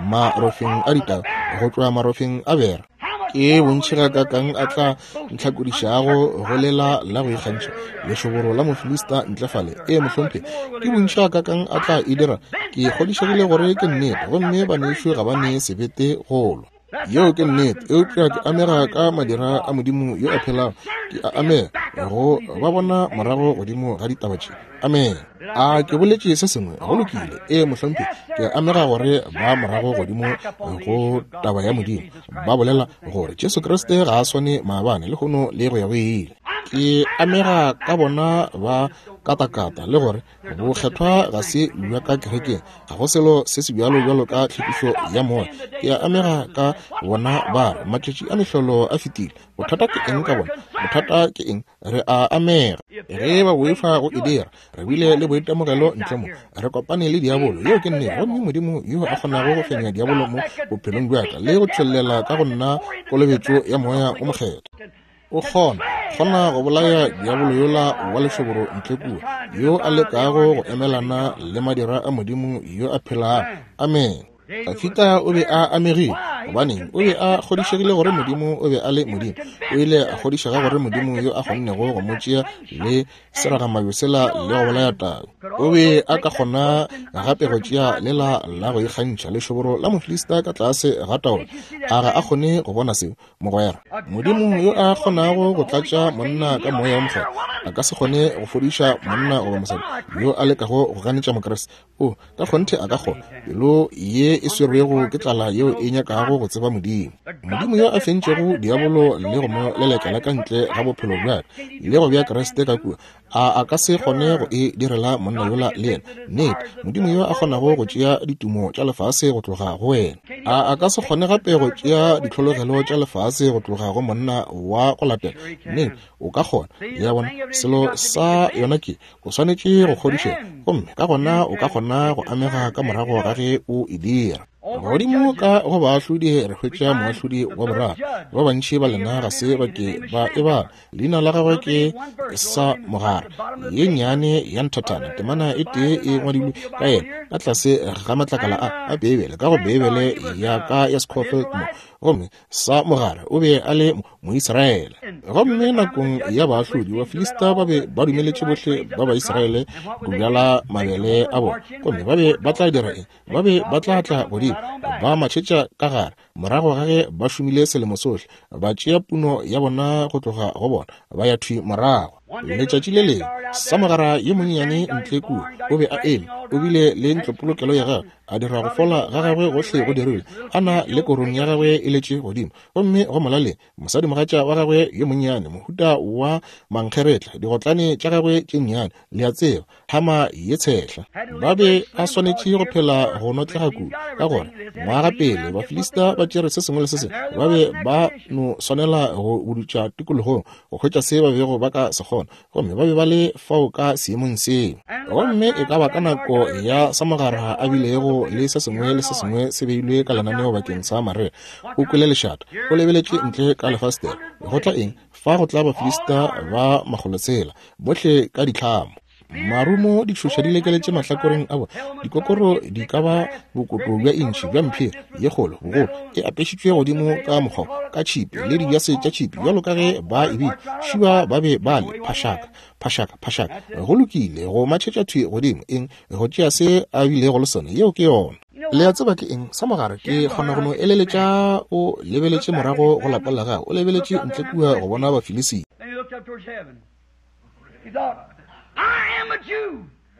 marofeng a ditau, go tšwa marofeng a bere, ke bontši gakaakang a tla ntlhakodišago go lela la go ikgantšha lešoboro la Mofilista ntle fale. Ee, mohlomphegi, ke bontši gakaakang a tla e dira. Ke kgodišegile gore ke nnete, gomme banešu ga ba ne sebete go lwa. Yeo ke nnete, eupša ke amega ka madira a Modimo yo a phelago. Ke a amega go ba bona morago godimo ga ditaba tše. Amen. A ke boletše se sengwe? Go lokile. Ee, mohlomphegi, ke a amega gore ba morago godimo go taba ya Modimo, ba bolela gore Jesu Kriste ga a swane maabane, lehono le go ya go ile. Ke amega ka bona ba katakata le gore Bokgethwa ga se bja ka kerekeng, ga go selo se se bjalo bjalo ka tlhwekišo ya moya. Ke a amega ka bona ba re matšatši a mehlolo a fetile. Bothata ke eng ka bona? Bothata ke eng? Re a amega. Ge ba boifa go e dira, re bile le boitemogelo ntle mo. Re kopane le diabolo, yeo ke nnete, gomme Modimo yo a kgonago go fenya diabolo mo bophelong bja ka le go tšhollela ka go nna kolobetšo ya Moya wo Mokgethwa. O kgona, kgona go bolaya diabolo yola wa lešoboro ntle kua, yo a lekago go emelana le madira a Modimo yo a phelago. Amene. Dafida o be a amegile. Gobaneng? O be a kgodišegile gore Modimo o be a le Modimo. O ile a kgodišega gore Modimo yo a kgonnego go mo tšea le seragamabje sela le go bolaya tau, o be a ka kgona gape go tšea lela la go ikgantšha lešoboro la Mofilista ka tlase ga taolo. A ga a kgone go bona seo? Mogwera, Modimo yo a kgonago go tlatša monna ka Moya wo Mokgethwa a ka se kgone go fodiša monna goba mosadi yo a lekago go ganetša Mokriste. O, ka kgonthe a ka kgona. Pelo ye e swerwego ke tlala yeo e nyakago go tseba Modimo. Modimo yo a fentšego diabolo le go mo lelekela ka ntle ga bophelo bja ka le go bea Kriste ka kua, a a ka se kgone go e direla monna yola le yena? Nnete. Modimo yo a kgonago go tšea ditumo tša lefase go tloga go wena, a a ka se kgone gape go tšea ditlhologelo tša lefase go tloga go monna wa go latela? Nnete, o ka kgona. Le a bona? Selo sa yona ke, o swanetše go kgodišega, gomme ka gona o ka kgona go amega ka morago ga ge o e dira. Godimo ka go baahlodi re hwetša moahlodi wa boraro. Ba bantši ba lena ga se ba ke ba e bala. Leina la gagwe ke sa Mogare, ye nnyane ya nthathana, temana e tee e ngwadilwe ka yena ka tlase ga matlakala a a Beibele, ka go Beibele ya ka ya Scofield mo. Gomme sa Mogare o be a le Moisraele. Gomme nakong ya baahlodi, Bafilista ba be ba dumeletše bohle ba Baisraele go bjala mabele a bona. Gomme ba be ba tla dira eng? Ba be ba tla tla godimo, ba matšhetša ka gare, morago ga ge ba šomile selemo sohle, ba tšea puno ya bona go tloga go bona, ba ya thwi morago. Letšatši le lengwe, Samogara yo monnyane ntle kua, o be a eme, O bile le ntlopolokelo ya gagwe, a dira go fola ga gagwe gohle go dirilwe, a na le korong ya gagwe e letše godimo. Gomme go molaleng, mosadimogatša wa gagwe yo monnyane, mohuta wa mankgeretla, digotlane tša gagwe tše nnyane, le a tseba, hama ye tshehla. Ba be a swanetše go phela go notlega kudu, ka gore ngwaga pele Bafilista ba tšere se sengwe le se sengwe, ba be ba no swanela go budutša tikologong go hwetša se ba bego ba ka se kgona, gomme ba be ba le fao ka seemong seo. Gomme e ka ba ka nako ya samogara a bilego le se sengwe le se sengwe se beilwe ka lenaneo bakeng sa marega, o kwele lešata, o lebeletše ntle ka lefastere, go tla eng? Fa go tla Bafilista ba makgolotshela, bohle ka ditlhamo, marumo, ditšhoša di lekeletše mahlakoreng a bona, dikokoro di ka ba bokoto bja intšhi bja mphiri ye kgolo bogolo e apešitšwe godimo ka mokgwa ka tšhipi le dijase tša tšhipi bjalo ka ge ba e bile šiba ba be ba le phašaka phašaka phašaka. Go lokile, go matšhetša thwi godimo eng go tšea se a bilego le sona. Yeo ke yona. Le a tseba ke eng sa mogare? Ke kgona go no eleletša o lebeletše morago go lapa la gago, o lebeletše ntle kua go bona Bafilisita.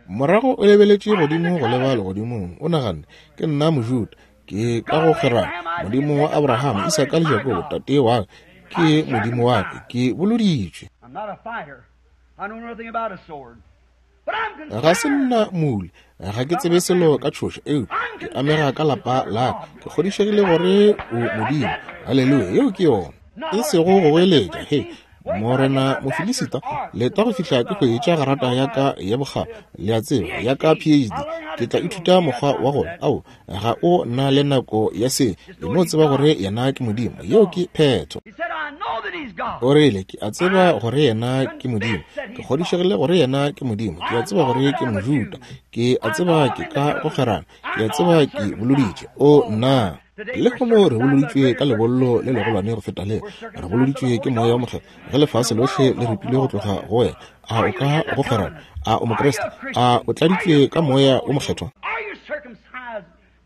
Morago o lebeletše godimo go leba legodimong, o naganne, Ke nna Mojuda, ke ka go kgerana. Modimo wa Abraham, Isaka le Jakobo, tate wa ka, ke Modimo wa ka, ke boloditšwe. Ga se nna mole, ga ke tsebe selo ka tšhoša, eupša ke amega ka lapa la ka. Ke kgodišegile gore o Modimo. Haleluya, yeo ke yona. E sego go goeletša, he, Morena Mofilisita, leta go fihla ke hwetša garata ya ka ya bokgabo, le a tseba, ya ka PhD. Ke tla ithuta mokgwa wa gona. Ao, ga o na le nako ya se. E no tseba gore yena ke Modimo. Yeo ke phetho. O rile, ke a tseba gore yena ke Modimo. Ke kgodišegile gore yena ke Modimo. Ke a tseba gore ke Mojuda. Ke a tseba ke ka go kgerana. Ke a tseba ke boloditše. O, nna! Lehono re boloditšwe ka lebollo le legolwane go feta le. Re boloditšwe ke Moya wo Mokgethwa. Ge lefase lohle le ripilwe go tloga go wena, a o ka go kgwerano? A o Mokriste? A o tladitšwe ka Moya wo Mokgethwa?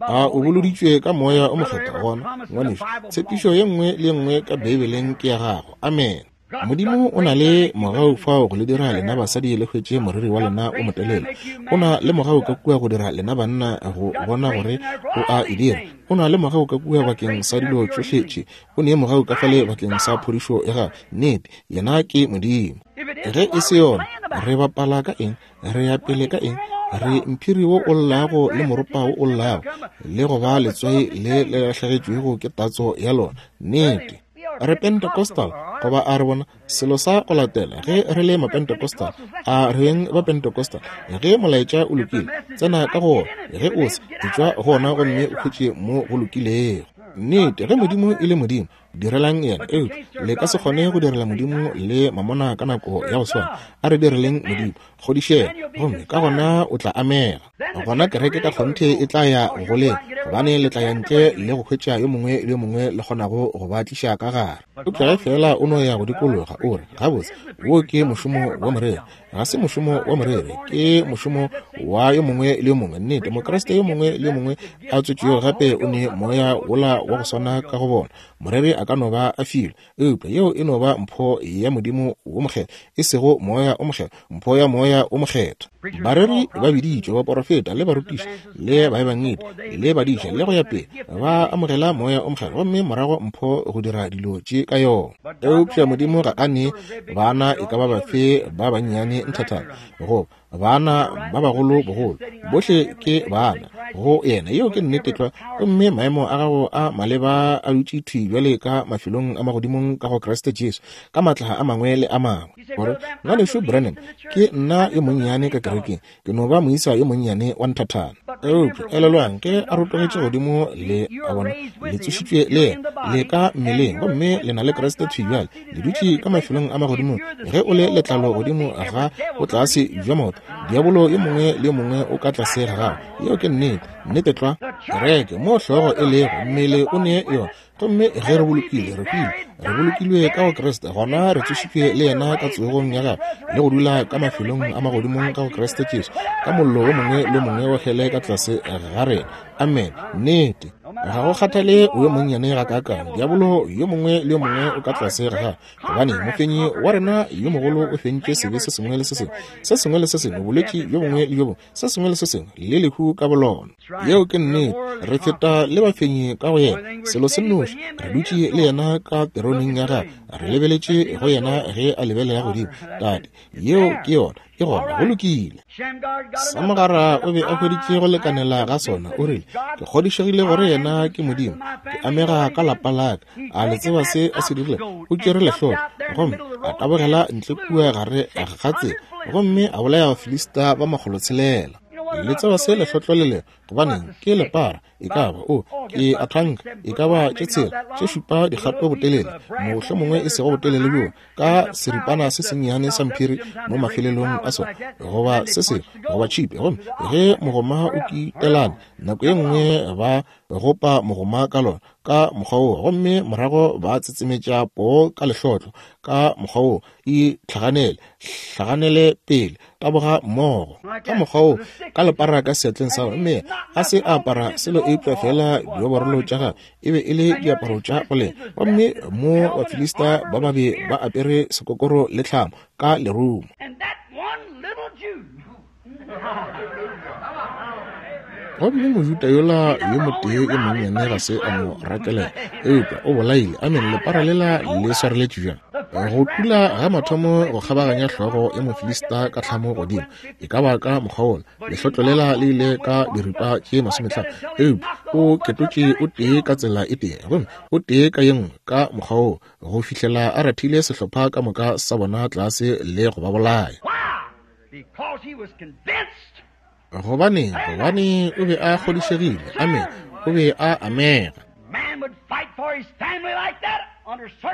A o boloditšwe ka Moya wo Mokgethwa? Gona, ngwanešu, tshepišo ye nngwe le ye nngwe ka Beibeleng ke ya gago. Amene. Modimo o na le mogau fao go le dira lena basadi le hwetše moriri wa lena o motelele. O na le mogau ka kua go dira lena banna go bona gore o a e dira. O na le mogau ka kua bakeng sa dilo tšohle tše. O ne mogau ka fale bakeng sa phodišo ya gago. Nnete, yena ke Modimo. Ge e se yona, re bapala ka eng? Re ya pele ka eng? Re mphiri wo o llago le moropa wo o llago, le go ba letswai le le lahlegetšwego ke tatso ya lona. Nnete. Re Pentecostal, goba a re bona selo sa go latela ge re le Mapentecostal, a re beng ba Pentecostal. Ge molaetša o lokile, tsena ka go wona. Ge o se, etšwa go wona gomme o hwetše mo go lokilego. Nnete, ge Modimo e le Modimo, direlang yena. Eupša le ka se kgone go direla Modimo le mamona ka nako ya go swana. A re direleng Modimo. Kgodišega, gomme ka gona o tla amega. Gona kereke ka kgonthe e tla ya go lena, gobane le tla ya ntle le go hwetša yo mongwe le yo mongwe le kgonago go ba tliša ka gare. Eupša ge feela o no ya go dikologa, o re, Gabotse, wo ke mošomo wa moreri. Ga se mošomo wa moreri, ke mošomo wa yo mongwe le yo mongwe. Nnete, Mokriste yo mongwe le yo mongwe a tswetšwego gape o ne moya wola wa go swana ka go bona. Moreri a ka no ba a filwe, Eupša yeo e no ba mpho ya Modimo wo Mokgethwa, e sego Moya wo Mokgethwa, mpho ya Moya wo Mokgethwa. Bareri ba biditšwe, baporofeta, le barutiši, le baebangedi, le badiša, le go ya pele, ba amogela Moya wo Mokgethwa, gomme morago mpho go dira dilo tše ka yona. Eupša Modimo ga a nee bana e ka ba bafe ba bannyane nthathana, goba Baana ba bagolo bogolo, bohle ke baana go yena. Yeo ke nnete tlwa. Gomme maemo a gago a maleba a dutše thwi bjale ka mafelong a magodimong ka go Kriste Jesu, ka maatla a mangwe le a mangwe. Gore, Ngwanešu Branham, ke nna yo monnyane ka kerekeng. Ke no ba moisa yo monnyane wa nthathana. Eupša elelwang, ge a rotogetše godimo, le a bona, le tsošitšwe le yena, le ka mmeleng, gomme le na le Kriste thwi bjale. Le dutše ka mafelong a magodimong. Ge o le letlalo godimo ga botlase bja maoto, diabolo yo mongwe le yo mongwe o ka tlase ga gago. Yeo ke nnete, nnete tlwa. Kereke, moo hlogo e lego, mmele o ne yona. Gomme ge re bolokile, re hwile, re bolokilwe ka go Kriste, gona re tsošitšwe le yena ka tsogong ya gagwe, le go dula ka mafelong a magodimong ka go Kriste Jesu, ka mollo wo mongwe le mongwe wa hele ka tlase ga rena. Amen. Nnete. Ga go kgathale o yo monnyane gakaakang, diabolo yo mongwe le yo mongwe o ka tlase ga gagwe, gobane mofenyi wa rena yo mogolo o fentše sebe se sengwe le se sengwe, se sengwe le se sengwe, bolwetši bjo bongwe le bjo bongwe, se sengwe le se sengwe, le lehu ka bolona. Yeo ke nnete. Re feta le bafenyi ka go yena. Selo se nnoši, re dutše le yena ka teroneng ya gagwe, re lebeletše go yena ge a lebelela godimo. Tate, yeo ke yona. E gona, go lokile. Samogara o be a hweditše go lekanela ga sona. O rile, Ke kgodišegile gore yena ke Modimo. Ke amega ka lapa la ka. A le tseba se a se dirile? O tšere lehlotlo gomme a tabogela ntle kua gare ga tsela gomme a bolaya Bafilista ba 600. Le tseba se lehlotlo le lego? Gobaneng, ke lepara. E ka ba, o, ke a thanka, e ka ba tše tshela, tše šupa dikgato botelele, mohlomongwe e sego botelele bjoo, ka seripana se sennyane sa mphiri mo mafelelong a sona, goba se sengwe, goba tšhipi. Gomme ge mogoma o kitelane, nako ye nngwe ba gopa mogoma ka lona, ka mokgwa woo, gomme morago ba tsetsemetša poo ka lehlotlo, ka mokgwa woo, itlhaganele, hlaganele pele, taboga mmogo, ka mokgwa woo, ka lepara ka seatleng sa gagwe. Mme a se a apara selo eupša feela dioborolo tša gagwe, e be e le diaparo tša go lema. Gomme mo Bafilista ba ba be ba apere sekokoro le tlhamo ka lerumo. Gomme Mojuda yola yo motee yo monnyane ga se a mo rakelela, eupša o bolaile, amene, lepara lela le swareletše bjang? Go tula ga mathomo go kgabaganya hlogo ya Mofilista ka tlhamo godimo, e ka ba ka mokgwa wola, lehlotlo lela le ile ka diripa tše 50, eupša o ketotše o tee ka tsela e tee, gomme o tee ka ye nngwe, ka mokgwa woo, go fihlela a rathile sehlopha ka moka sa bona tlase le go ba bolaya. Gobaneng? Gobane o be a kgodišegile. Amene. O be a amega.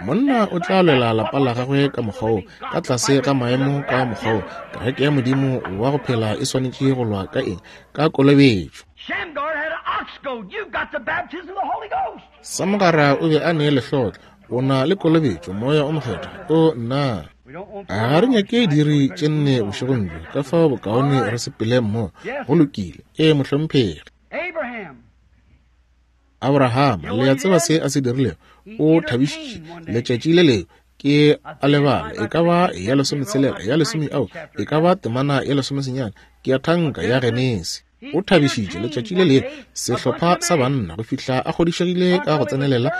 Monna o tla lwela lapa la gagwe ka mokgwa wo, ka tlase ga maemo ka mokgwa wo. Kereke ya Modimo wa go phela e swanetše go lwa ka eng? Ka kolobetšo. Samogara o be a ne lehlotlo. O na le kolobetšo, Moya o Mokgethwa. O nna. Ga re nyake diiri tše nne bošegong bjo, ka fao bokaone re sepele mmogo. Go lokile. Ee, mohlomphegi. Abrahama, le a tseba se a se dirilego? O thabišitše letšatši le lengwe, ke a lebala, e ka ba ya lesometshela, ya lesome, ao, e ka ba temana ya lesomesenyane, ke a thanka, ya Genesi. O thabišitše letšatši le lengwe sehlopha sa banna go fihla a kgodišegile ka go tsenelela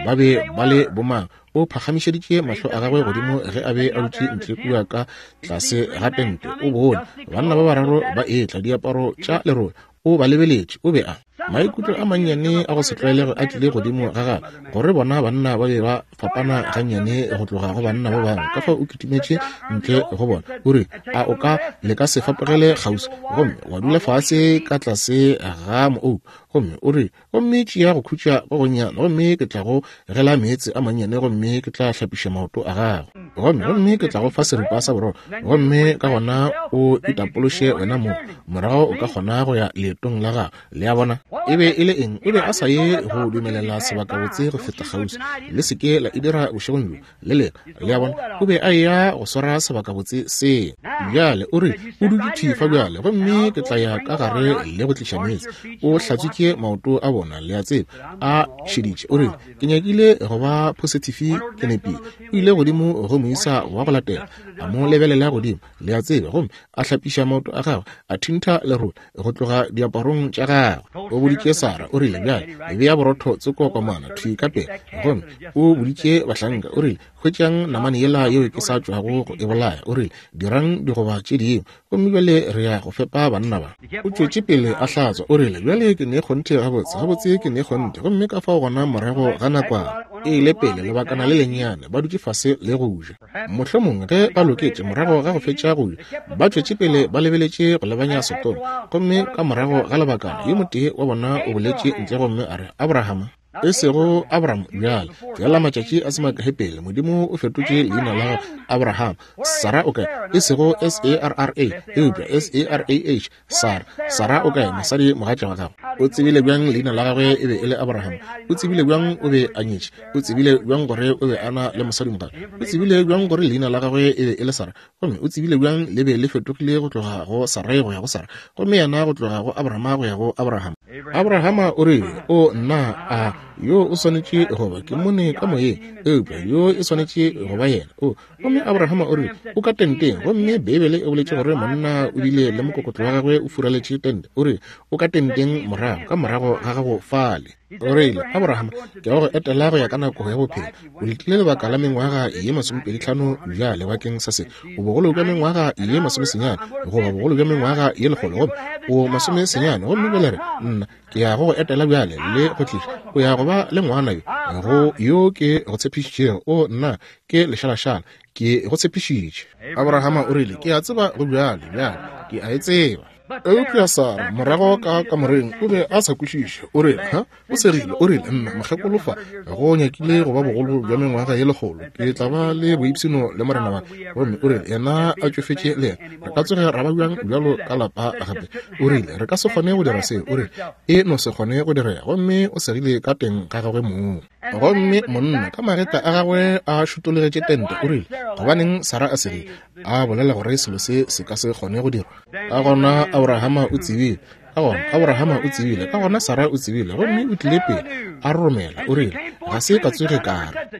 ba be ba le bomang. O phagamišeditše mahlo a gagwe godimo ge a be a dutše ntle kua ka tlase ga tente. O bone banna ba bararo ba etla, diaparo tša lerole. O ba lebeletše. O be a maikutlo a mannyane a go se tlwaelege a tlile godimo ga gagwe, gore bona banna ba be ba fapana gannyane go tloga go banna ba bangwe. Ka fao o kitimetše ntle go bona, o rile, A o ka le ka se fapogele kgauswi gomme wa dula fase ka tlase ga moouku? Gomme o rile, Gomme tšea go khutša go gonnyane, gomme ke tla go gela meetse a mannyane, gomme ke tla hlapiša maoto a gago, gomme, gomme ke tla go fa seripa sa borotho, gomme ka gona o itapološe wena mong, morago o ka kgona go ya leetong la gago. Le a bona? E be e le eng? O be a sa ye go dumelela sebakabotse go feta kgauswi. Le se ke la e dira bošegong bjo, le lena. Le a bona? O be a eya go swara sebakabotse se. Bjale, o rile, o dutše thwi fa bjale, gomme ke tla ya ka gare le go tliša meetse. O hlatswitše maoto a bona, le a tseba, a šeditše. O rile, Ke nyakile go ba phosithifi, ke nepile. O ile godimo go moisa wa go latela, a mo lebelela godimo, le a tseba, gomme a hlapiša maoto a gagwe, a thintha lerole go tloga diaparong tša gagwe. O boditše Sara, o rile, Bjale, bea borotho tsoko komana thwi ka pele. Gomme o boditše bahlanka, o rile, Hwetšang namane yela yeo ke sa tšwago go e bolaya. O rile, Dirang digoba tše dingwe, gomme bjale re ya go fepa banna ba. O tšwetše pele a hlatswa. O rile, Bjale ke ne kgonthe gabotse, gabotse ke ne kgonthe. Gomme ka fao gona morago ga nakwana, e ile pele lebakana le lennyane, ba dutše fase le go ja. Mohlomongwe ge ba loketše morago ga go fetša go ja, ba tšwetše pele ba lebeletše go lebanya Sodoma. Gomme ka morago ga lebakana, yo motee wa bona o boletše ntle gomme a re, Abrahama, e sego Abraham bjale, feela matšatši a se makae pele, Modimo o fetotše leina la gagwe Abraham. Sara o kae? E sego S-A-R-R-A, eupša S-A-R-A-H, Sara. Sara o kae, mosadi mogatša wa gagwe? O tsebile bjang leina la gagwe e be e le Abraham? O tsebile bjang o be a nyetše? O tsebile bjang gore o be a na le mosadimogatša? O tsebile bjang gore leina la gagwe e be e le Sara? Gomme o tsebile bjang le be le fetogile go tloga go Sarai go ya go Sara, gomme yena go tloga go Abrahama go ya go Abraham? Abrahama o rile, O nna, a yo o swanetše go ba, ke mmone ka moyeng, eupša yo e swanetše go ba yena. O, gomme Abrahama o rile, O ka tenteng. Gomme Beibele e boletše gore monna o bile le mokokotlo wa gagwe o furaletše tente. O rile, O ka tenteng morago, ka morago ga gago fale. O rile, Abrahama, ke ya go etela go ya ka nako ya bophelo. O letile lebaka la mengwaga ye masomepeditlhano bjale bakeng sa se. O bogolo bja mengwaga ye masomesenyane, goba bogolo bja mengwaga ye lekgolo, gomme o masomesenyane. Gomme bjale re, nna, ke ya go go etela bjale le go tliša. O ya go ba le ngwana yo, go yo ke go tshepišitšego. O, nna, ke lešalašala. Ke go tshepišitše. Abrahama o rile, Ke a tseba go bjale, bjale. Ke a e tseba. Eupša Sara, morago ka kamoreng, o be a sa kwešiše. O rile, Ha? O segile. O rile, Nna, mokgekolo fa, go nyakile go ba bogolo bja mengwaga ye lekgolo, ke tla ba le boipshino le morena wa ka. Gomme o rile, Yena a tšofetše le yena. Re ka tsoge ra ba bjang bjalo ka lapa gape? O rile, Re ka se kgone go dira seo. O rile, E no se kgone go direga. Gomme o segile ka teng ga gagwe mong. Gomme monna, ka magetla a gagwe a šutologetše tente, o rile, Gobaneng Sara a segile, a bolela gore selo se se ka se kgone go dirwa? Ka gona Abrahama o tsebile. Ka gona Abrahama o tsebile. Ka gona Sara o tsebile. Gomme o tlile pele a romela. O rile, Ga se ka tsoge ka re.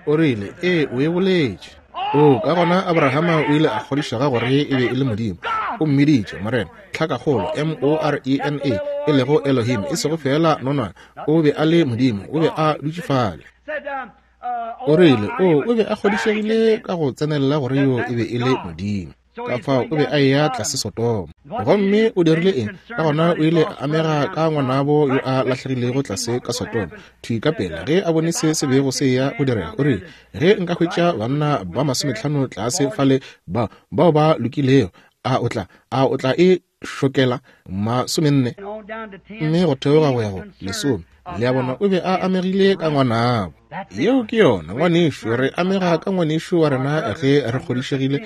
O rile, Ee, o e boletše. O, ka gona Abrahama o ile a kgodišega gore e be e le Modimo. O mmiditše, Morena, tlhakakgolo, M-o-r-e-n-a, e lego Elohim, e sego feela nonwane. O be a le Modimo. O be a dutše fale. O rile, O, o be a kgodišegile ka go tsenelela gore yo e be e le Modimo. Ka fao o be a eya tlase Sodoma. Gomme o dirile eng? Ka gona o ile a amega ka ngwanabo yo a lahlegilego tlase ka Sodoma. Thwi ka pela ge a bone se se bego se eya go direga, o rile, Ge nka hwetša banna ba masometlhano tlase fale ba, bao ba lokilego, a o tla, a o tla e šokela masomenne mme go theoga go ya go lesome le a bona o be a amegile ka ngwanabo yeo ke yona ngwanešu re amega ka ngwanešu wa rena ge re kgodišegile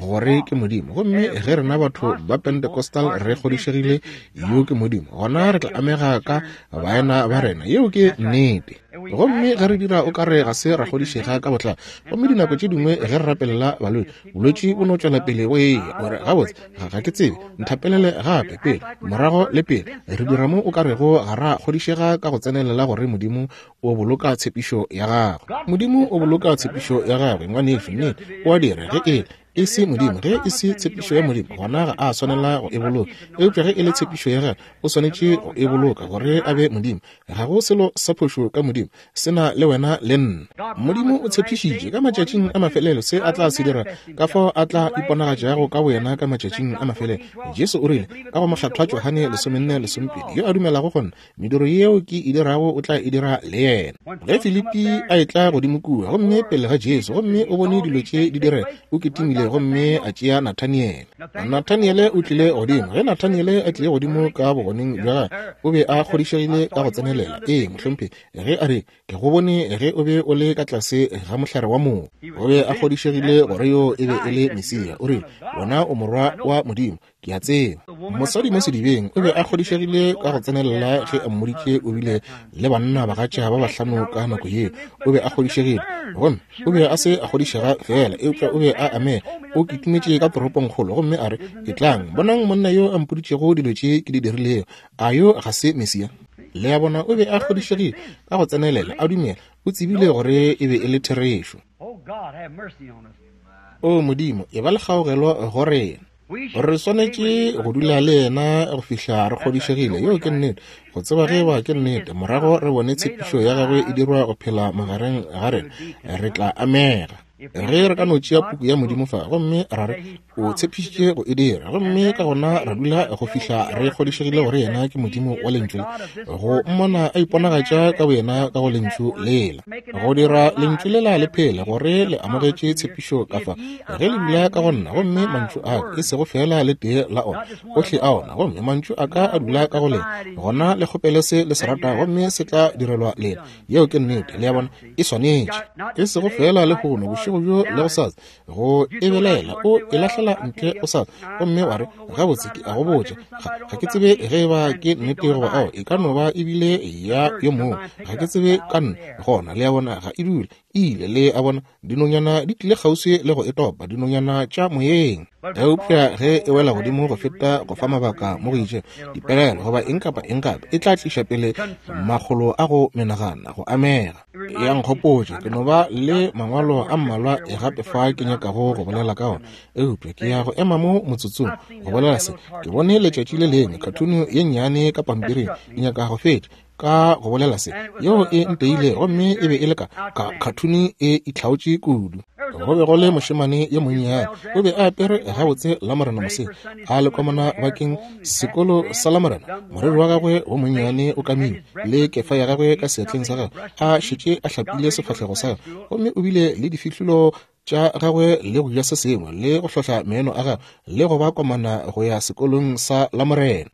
gore ke modimo gomme ge rena batho ba pentecostal re kgodišegile yo ke modimo gona re tla amega ka baena ba rena yeo ke nnete gomme ge re dira o ka re ga se ra kgodišega ka botlalo gomme dinako tše dingwe ge re rapelela balwetši bolwetši bo no tšwela pele bo eya gore gabotse ga, ga ke tsebe nthapelele gape pele morago le pele re dira mo o ka rego ga ra kgodišega ka go tsenelela gore modimo o boloka tshepišo ya gagwe modimo o boloka tshepišo ya gagwe ngwanešu nnete o a dira ge e e se modimo ge e se tshepišo ya modimo gona ga a swanela go e boloka eupša ge e le tshepišo ya gagwe o swanetše go e boloka gore a be modimo ga go selo sa phošo ka modimo se na le wena le nna. Modimo o tshepišitše ka matšatšing a mafelelo se a tla se dira, ka fao a tla iponagatšago ka boyena ka matšatšing a mafelelo. Jesu o rile, ka go Mokgethwa Johane lesomenne lesomepedi, yo a dumelago go nna, mediro yeo ke e dirago o tla e dira le yena. Ge Filipi a etla godimo kua, gomme pele ga Jesu, gomme o bone dilo tše di direga, o kitimile gomme a tšea Nathaniele. Nathaniele o tlile godimo. Ge Nathaniele a tlile godimo ka bogoneng bja gagwe, o be a kgodišegile ka go tsenelela. Ee, mohlomphegi. Ge a re, Ke go bone ge o be o le ka tlase ga mohlare wa mogo. O be a kgodišegile gore yo e be e le Mesia. O rile, Wena o Morwa wa Modimo, ke a tseba. Mosadi mo sedibeng o be a kgodišegile ka go tsenelela ge a mmoditše o bile le banna bagatša ba bahlano ka nako yeo. O be a kgodišegile. Gomme o be a se a kgodišega feela, eupša o be a amega. O kitimetše ka toropongkgolo gomme a re, Etlang, bonang monna yo a mpoditšego dilo tše ke di dirilego. A yo ga se Mesia? Le a bona, o be a kgodišegile ka go tsenelela, a dumela, o tsebile gore e be e le therešo. O Modimo, e ba le kgaogelo go rena. Re swanetše go dula le yena go fihla re kgodišegile yeo ke nnete, go tseba ge eba ke nnete. Morago re bone tshepišo ya gagwe e dirwa go phela magareng ga rena, re tla amega. Ge re ka no tšea puku ya Modimo fa gomme ra re o tshepišitše go e dira, gomme ka gona ra dula go fihla re kgodišegile gore yena ke Modimo wa Lentšu le, go mmona a iponagatša ka boyena ka go Lentšu lela, go dira Lentšu lela le phele gore le amogetše tshepišo ka fa. Ge le dula ka go nna, gomme mantšu a ka, e sego feela le tee la ona, ohle a ona, gomme mantšu a ka a dula ka go lena, gona le kgopele se le se ratago, gomme se tla direlwa lena. Yeo ke nnete. Le a bona? E swanetše. E sego feela lehono bošego. bošego bjo le gosasa go e belaela, o e lahlela ntle gosasa, gomme wa re, Gabotse, ke a go botša, ga ke tsebe ge e ba ke nnete goba ao, e ka no ba ebile ya yo mongwe, ga ke tsebe ka nna. Gona, le a bona, ga e dule, e ile, le a bona, dinonyana di tlile kgauswi le go e topa, dinonyana tša moyeng. Eupša ge e wela godimo go feta go fa mabaka mo go itšego, dipelaelo goba eng kapa eng gape, e tla tliša pele makgolo a go menagana, go amega. Ya nkgopotša, ke no ba le mangwalo a mmalwa e gape fa ke nyakago go bolela ka ona, eupša ke ya go ema mo motsotsong go bolela se. Ke bone letšatši le lengwe khathunu ye nnyane ka pampiring, ke nyaka go fetša ka go bolela se, yeo e nteile, gomme e be e le ka khathuni e itlhaotše kudu. Go be go le mošemane yo monnyane, o be a apere gabotse Lamorena moseng, a le komana bakeng sekolo sa Lamorena, moriri wa gagwe wo monnyane o kamilwe, le kefa ya gagwe ka seatleng sa gagwe, a šetše a hlapile sefahlego sa gagwe, gomme o bile le difihlolo tša gagwe le go ja se sengwe le go hlohla meno a gagwe le go ba komana go ya sekolong sa Lamorena.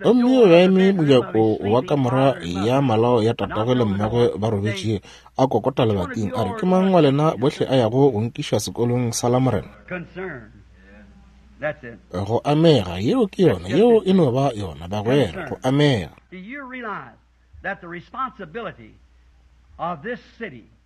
Gomme o be a eme mojako wa kamora ya malao ya tatagwe le mmagwe ba robetšego, a kokota lebating, a re, Ke mang wa lena bohle a yago go nkiša sekolong sa Lamorena? Go amega, yeo ke yona, yeo e no ba yona, bagwera, go amega.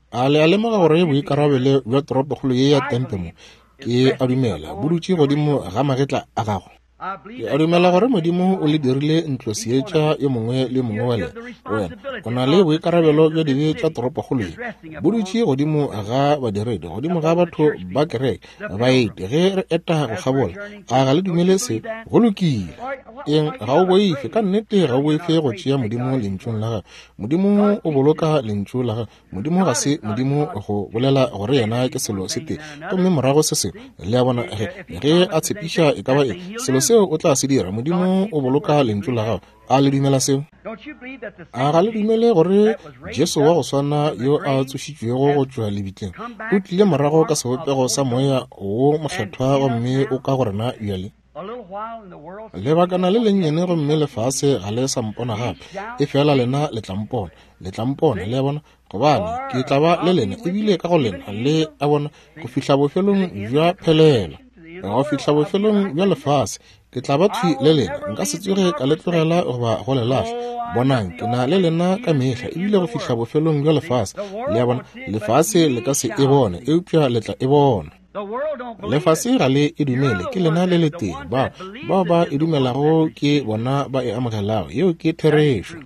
A le a lemoga gore boikarabelo bja toropokgolo ye ya Tempe mo, ke a dumela, bo dutše godimo ga magetla a gago? Ke a dumela gore Modimo o le dirile ntlo seetša yo mongwe le yo mongwe wa lena. Wena o na le boikarabelo bja dibe tša toropokgolo ye, bo dutše godimo ga badiredi, godimo ga batho ba kereke, baeti, ge re eta go kgabola. A ga le dumele se? Go lokile. Eng? Ga o boife, ka nnete ga o boife go tšea Modimo Lentšung la gagwe. Modimo o boloka Lentšu la gagwe. Modimo ga se Modimo go bolela gore yena ke selo se tee gomme morago se sengwe. Le a bona, ge a tshepiša e ka ba eng, selo seo o tla se dira. Modimo o boloka Lentšu la gagwe. A le dumela seo? A ga le dumele gore Jesu wa go swana yo a tsošitšwego go tšwa lebitleng o tlile morago ka sebopego sa Moya wo Mokgethwa gomme o ka go rena bjale? Lebakana le lennyane gomme lefase ga le sa mpona gape, efela lena le tla mpona, le tla mpona, le a bona, gobane ke tla ba le lena ebile ka go lena, le a bona, go fihla bofelong bja phelelo, go fihla bofelong bja lefase. Ke tla ba thwi le lena, nka se tsoge ka le tlogela goba go le lahla. Bonang, ke na le lena ka mehla ebile go fihla bofelong bja lefase. Le a bona, lefase le ka se e bone, eupša le tla e bona. Lefase ga le e dumele, ke lena le letee. Bao, bao ba e dumelago ke bona ba e amogelago. Yeo ke therešo.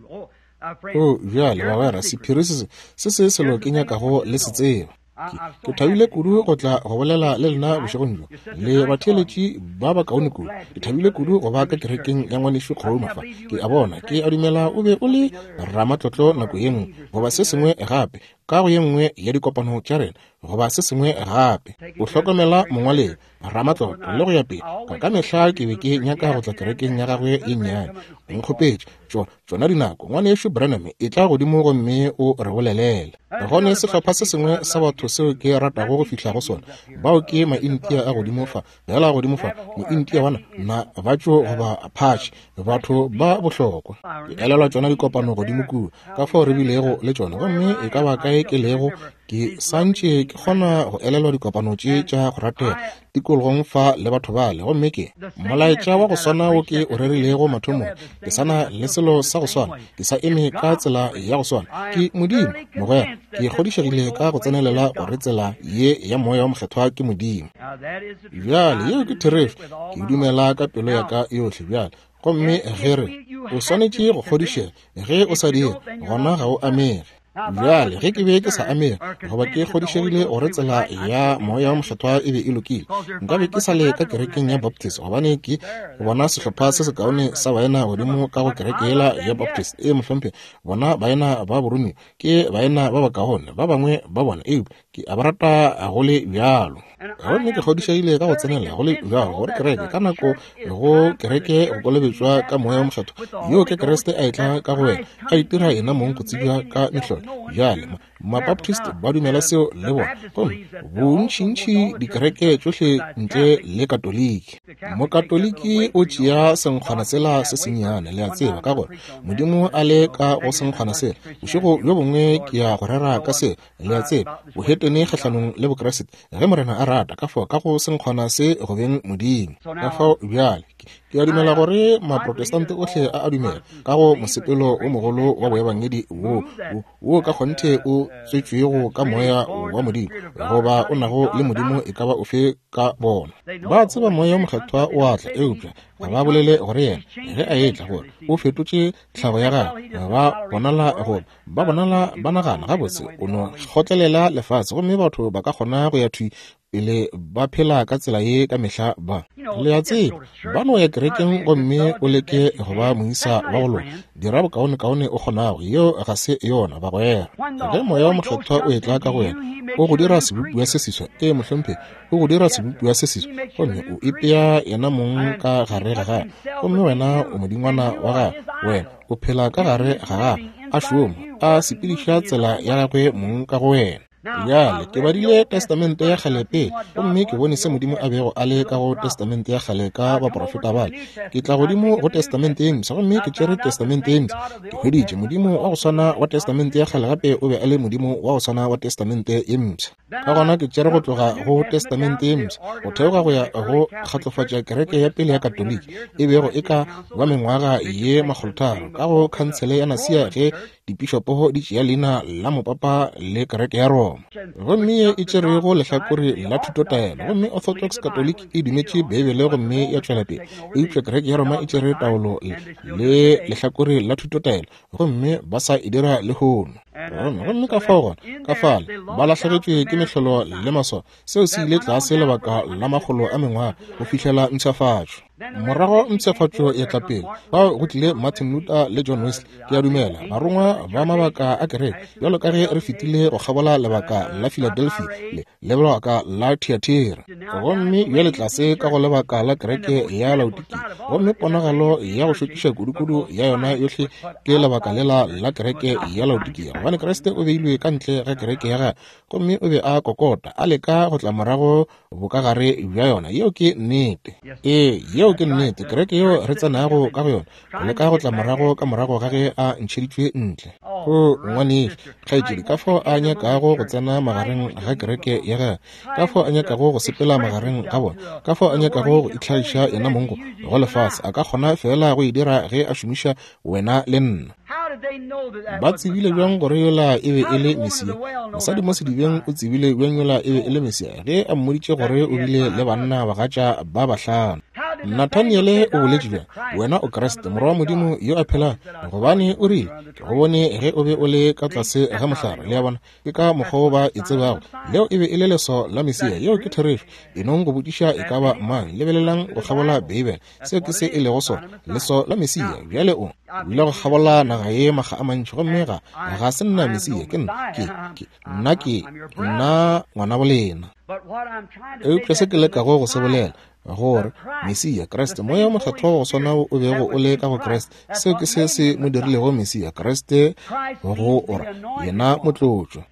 O, bjale, bagwera, sephiri se se se selo ke nyakago le se tseba. Ke thabile kudu go tla go bolela le lena bošegong bjo, le batheeletši ba bakaone kudu. Ke thabile kudu go ba ka kerekeng ya ngwanešu Kgouma fa. Ke a bona, ke a dumela o be o le ramatlotlo nako ye nngwe, goba se sengwe gape, ka go ye nngwe ya dikopano tša rena, goba se sengwe gape. O hlokomela mongwaledi, ramatlotlo, le go ya pele. Ka ka mehla ke be ke nyaka go tla kerekeng ya gagwe ye nnyane. O nkgopetše, tšo, tšona dinako, Ngwanešu Branham, etla godimo gomme o re bolelele. Go ne sehlopha se sengwe sa batho seo ke ratago go fihla go sona. Bao ke Maintia a godimo fa, bjala godimo fa, Mointia wa na, batšo goba Apache, batho ba bohlokwa. Ke elelwa tšona dikopano godimo kua, ka fao re bilego le tšona, gomme e ka ba kae ke lego, ke sa ntše ke kgona go elelwa dikopano tše tša go ratega tikologong fa le batho bale. Gomme ke molaetša wa go swana wo ke o rerilego mathomong, ke sa na le selo sa go swana, ke sa eme ka tsela ya go swana. Ke Modimo, mogwera. Ke kgodišegile ka go tsenelela gore tsela ye ya Moya wo Mokgethwa ke Modimo. Bjale, yeo ke therešo. Ke e dumela ka pelo ya ka yohle bjale. Gomme ge re, o swanetše go kgodišega. Ge o sa dire, gona ga o amege. Bjale, ge ke be ke sa amege, goba ke kgodišegile gore tsela ya Moya wo Mokgethwa e be e lokile, nka be ke sa le ka kerekeng ya Baptist, gobane ke bona sehlopha se sekaone sa baena godimo ka go kereke yela ya Baptist. Ee, mohlomphegi, bona baena ba boromiwa ke baena ba bakaone, ba bangwe ba bona, eupša ke a ba rata go le bjalo. Gomme ke kgodišegile ka go tsenela go le bjalo gore kereke ka nako go kereke go kolobetšwa ka Moya wo Mokgethwa, yoo ke Kriste a etla ka go wena, a itira yena mong go tsebja ka mehlolo. Bjale, Mabaptist ba dumela seo le bona, gomme bontšintši dikereke tšohle ntle le Katoliki. Mokatoliki o tšea senkgwana sela se sennyane, le a tseba, ka gore Modimo a le ka go senkgwana sela. Bošego bjo bongwe ke ya go rera ka seo, le a tseba, bohetene kgahlanong le Bokriste, ge Morena a rata, ka fao ka go senkgwana se go beng Modimo. Ka fao bjale, ke a dumela gore Maprotestante ohle a a dumela ka go mosepelo wo mogolo wa boebangedi wo, wo, wo ka kgonthe o tswetšwego ka Moya wa Modimo, goba o nago le Modimo e ka ba ofe ka bona. Ba tseba Moya wo Mokgethwa o a tla, eupša ga ba bolele gore yena ge a etla gore o fetotše tlhago ya gagwe. Ba bonala goba ba bonala ba nagana gabotse o no kgotlelela lefase, gomme batho ba ka kgona go ya thwi pele ba phela ka tsela ye ka mehla. Ba, le a tseba, ba no ya kerekeng gomme o leke go ba moisa wa go loka, dira bokaonekaone o kgonago. Yeo ga se yona, bagwera. Ge Moya wo Mokgethwa o etla ka go wena, o go dira sebopiwa se seswa. Ee, mohlomphegi, o go dira sebopiwa se seswa, gomme o ipea yena mong ka gare ga gagwe, gomme wena o modingwana wa gagwe. Wena o phela ka gare ga gagwe, a šoma, a sepediša tsela ya gagwe mong ka go wena. Bjale, ke badile Testamente ya Kgale pele, gomme ke bone se Modimo a bego a le ka go Testamente ya Kgale ka baprofeta bale. Ke tla godimo go Testamente ye Mpsha, gomme ke tšere Testamente ye Mpsha. Ke hweditše Modimo wa go swana wa Testamente ya Kgale gape o be a le Modimo wa go swana wa Testamente ye Mpsha. Ka gona ke tšere go tloga go Testamente ye Mpsha go theoga go ya go kgatlofatša kereke ya pele ya Katoliki, e bego e ka ba mengwaga ye makgolotharo ka go Khansele ya Nasia ge dipišopo di tšea leina la mopapa le kereke ya Roma, gomme ye e tšerego lehlakore la thutotaelo. Gomme Orthodox Catholic e dumetše Beibele gomme ya tšwela pele, eupša kereke ya Roma e tšere taolo le lehlakore la thutotaelo, gomme ba sa e dira lehono. Gomme ka fao gona, ka fale ba lahlegetšwe ke mehlolo le maswao. Seo se ile tlase lebaka la makgolo a mengwaga go fihlela mpshafatšo. Morago mpshafatšo ya tla pele, fao go tlile Martin Luther le John Wesley, ke a dumela, barongwa ba mabaka a kereke, bjalo ka ge re fetile go kgabola lebaka la Philadelphia le lebaka la Thyatira, gomme bjale tlase ka go lebaka la kereke ya Laodikia, gomme ponagalo ya go šokiša kudukudu ya yona yohle ke lebaka lela la kereke ya Laodikia, gobane Kriste o beilwe ka ntle ga kereke ya gagwe, gomme o be a kokota, a leka go tla morago bokagare bja yona. Yeo ke nnete. Ee, yeo ke nnete. Kereke yeo re tsenago ka go yona, go leka go tla morago ka morago ga ge a ntšheditšwe ntle. O ngwanešu, kgaetšedi, ka fao a nyakago go tsena magareng ga kereke ya gagwe, ka fao a nyakago go sepela magareng ga bona, ka fao a nyakago go itlhagiša yena mong go lefase, a ka kgona feela go e dira ge a šomiša wena le nna. Ba tsebile bjang gore yola e be e le Mesia? Mosadi mo sedibeng o tsebile bjang yola e be e le Mesia ge a mmoditše gore o bile le banna bagatša ba bahlano? Nathaniele o boletše bjang, Wena o Kriste, Morwa wa Modimo yo a phelago, gobane o rile, Ke go bone ge o be o le ka tlase ga mohlare. Le a bona? Ke ka mokgwa wo ba e tsebago. Leo e be e le leswao la Mesia. Yeo ke therešo. E nong go botšiša e ka ba mang. Lebelelang go kgabola Beibele. Seo ke se e lego sona, leswao la Mesia. Bjale o ile go kgabola naga ye makga a mantši, gomme ga, ga se nna Mesia. Ke nna, ke, ke, nna ke, nna ngwanabo lena. Eupša se ke lekago go se bolela, gore Mesia, Kriste, Moya wo Mokgethwa wa go swana o bego o le ka go Kriste, seo ke se se mo dirilego Mesia, Kriste go ora, yena motlotšwa.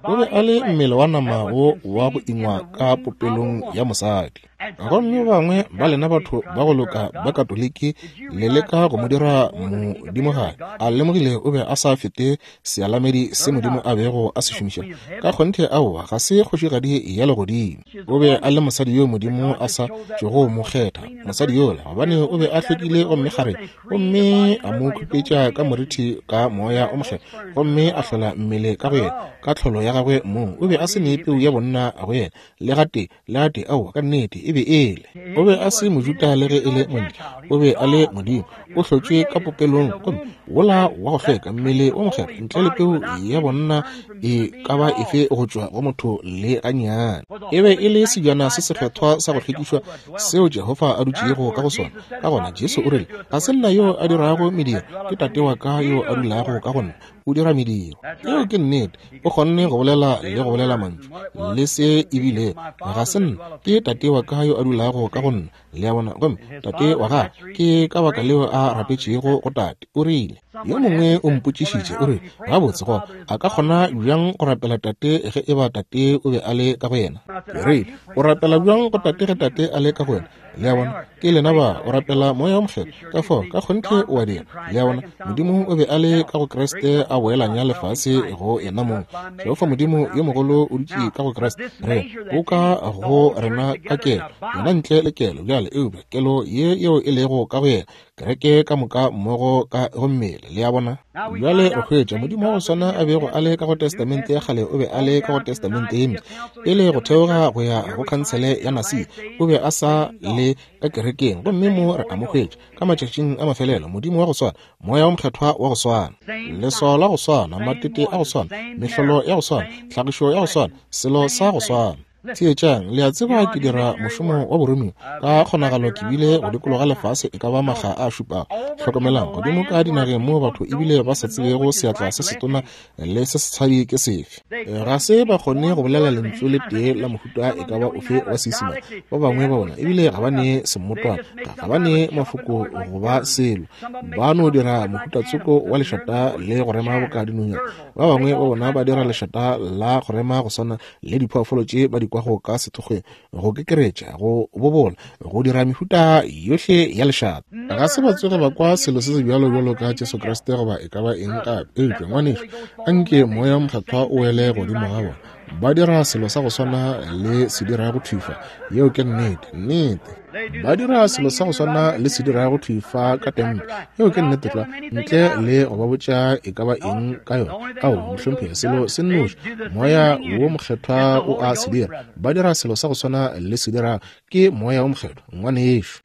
O be a le mmele wa nama wo wa go ingwa ka popelong ya mosadi. Gomme ba bangwe ba lena batho ba go loka ba Katoliki le leka go mo dira modimogadi. A lemogile o be a sa fete sealamedi se Modimo a bego a se šomiša. Ka kgonthe aowa, ga se kgošigadi ya legodimo. O be a le mosadi yo Modimo a sa tšogo mo kgetha, mosadi yola, gobane o be a hlwekile gomme kgarebe, gomme a mo khupetša ka morithi ka Moya o Mokgethwa, gomme a hlola mmele ka go yena, ka tlholo ya gagwe mong. O be a se ne peu ya bonna go yena, le gatee, le gatee, aowa, ka nnete, e be e le. O be a se Mojuda le ge e le Montle, o be a le Modimo, o hlotšwe ka popelong, gomme wola wa go hlweka, mmele wo mokgethwa, ntle le peu ya bonna e ka ba efe go tšwa go motho le gannyane. E be e le sebjana se sekgethwa sa go hlwekišwa seo Jehofa a dutšego ka go sona. Ka gona Jesu o rile, Ga se nna yo a dirago mediro, ke Tate wa ka yo a dulago ka go nna, o dira mediro. Yeo ke nnete. O kgonne go bolela le go bolela mantšu le se e bile, Ga se nna, ke Tate wa ka yo a dulago ka go nna. Le a bona? Gomme Tate wa gagwe, ke ka baka leo a rapetšego go Tate. O rile, yo mongwe o mpotšišitše, o rile, Gabotse, gona, a ka kgona bjang go rapela Tate ge eba Tate o be a le ka go yena? Ke rile, O rapela bjang go Tate ge Tate a le ka go wena? Le a bona? Ke lena ba, o rapela Moya wo Mokgethwa. Ka fao, ka kgonthe o a dira. Le a bona? Modimo o be a le ka go Kriste a boelanya lefase go Yenamong. Jehofa Modimo yo mogolo o dutše ka go Kriste. Re, o ka go rena ka kelo. Yena ntle le kelo, bjale, eupša kelo ye yeo e lego ka go yena, kereke ka moka mmogo ka go mmele. Le a bona? Bjale re hwetša Modimo wa go swana a bego a le ka go Testamente ya Kgale o be a le ka go Testamente ye Mpsha. Pele go theoga go ya go Khansele ya Nasia, o be a sa le ka kerekeng, gomme mo re a mo hwetša ka matšatšing a mafelelo, Modimo wa go swana, Moya wo Mokgethwa wa go swana, leswao la go swana, matete a go swana, mehlolo ya go swana, tlhagišo ya go swana, selo sa go swana. Theetšang, le a tseba ke dira mošomo wa boromiwa. Ka kgonagalo ke bile go dikologa lefase e ka ba makga a šupago. Hlokomelang, godimo ka dinageng moo batho ebile ba sa tsebego seatla se setona le se setshadi ke sefe. Ga se ba kgone go bolela lentšu le tee la mohuta e ka ba ofe wa Seisemane. Ba bangwe ba bona ebile ga ba ne semmotwana, ga ba ne mafoko go ba selo. Ba no dira mohutatsoko wa lešata le go rema boka dinonyana. Ba bangwe ba bona ba dira lešata la go rema go swana le diphoofolo tše ba di kwago ka sethokgweng, go kekeretša, go bobola, go dira mehuta yohle ya lešata. Ga se ba tsoge ba kwa selo se se bjalo bjalo ka Jesu Kriste goba e ka ba eng gape. Eupša, ngwanešu, anke Moya wo Mokgethwa o wele godimo ga bona. Ba dira selo sa go swana le se dirago thwi fa. Yeo ke nnete. Nnete. Ba dira selo sa go swana le se dirago thwi fa ka tempe. Yeo ke nnete tlwa. Ntle le go ba botša e ka ba eng ka yona. Ao, mohlomphegi, selo se nnoši, Moya wo Mokgethwa o a se dira. Ba dira selo sa go swana le se dirago. Ke Moya wo Mokgethwa, ngwanešu.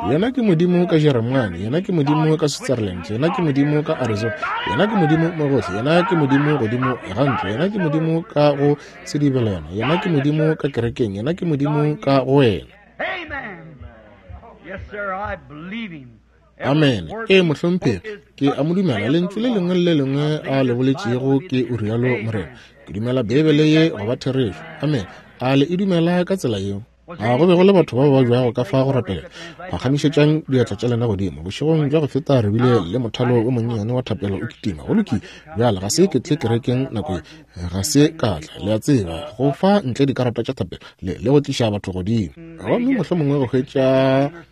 Yena ke Modimo ka Jeremane, Yena ke Modimo ka Switzerland, Yena ke Modimo ka Arizona, Yena ke Modimo mo gohle, Yena ke Modimo godimo ga ntlo, Yena ke Modimo ka go sedibelwana, Yena ke Modimo ka kerekeng, Yena ke Modimo ka go wena. Amen. Ee, mohlomphegi, ke a mo dumela. Lentšu le lengwe le le lengwe a le boletšego ke o rialo Morena. Ke dumela Beibele ye go ba therešo. Amen. A le e dumela ka tsela yeo? A go be go le batho ba ba babjago ka fa go rapela? Phagamišetšang diatla tša lena godimo. Bošegong bja go feta re bile le mothalo o monnyane wa thapelo o kitima. Go lokile. Bjale ga se ke tle kerekeng nako ye. Ga se ka tla, le a tseba, go fa ntle dikarata tša thapelo le, le go tliša batho godimo. Gomme mohlomongwe go hwetša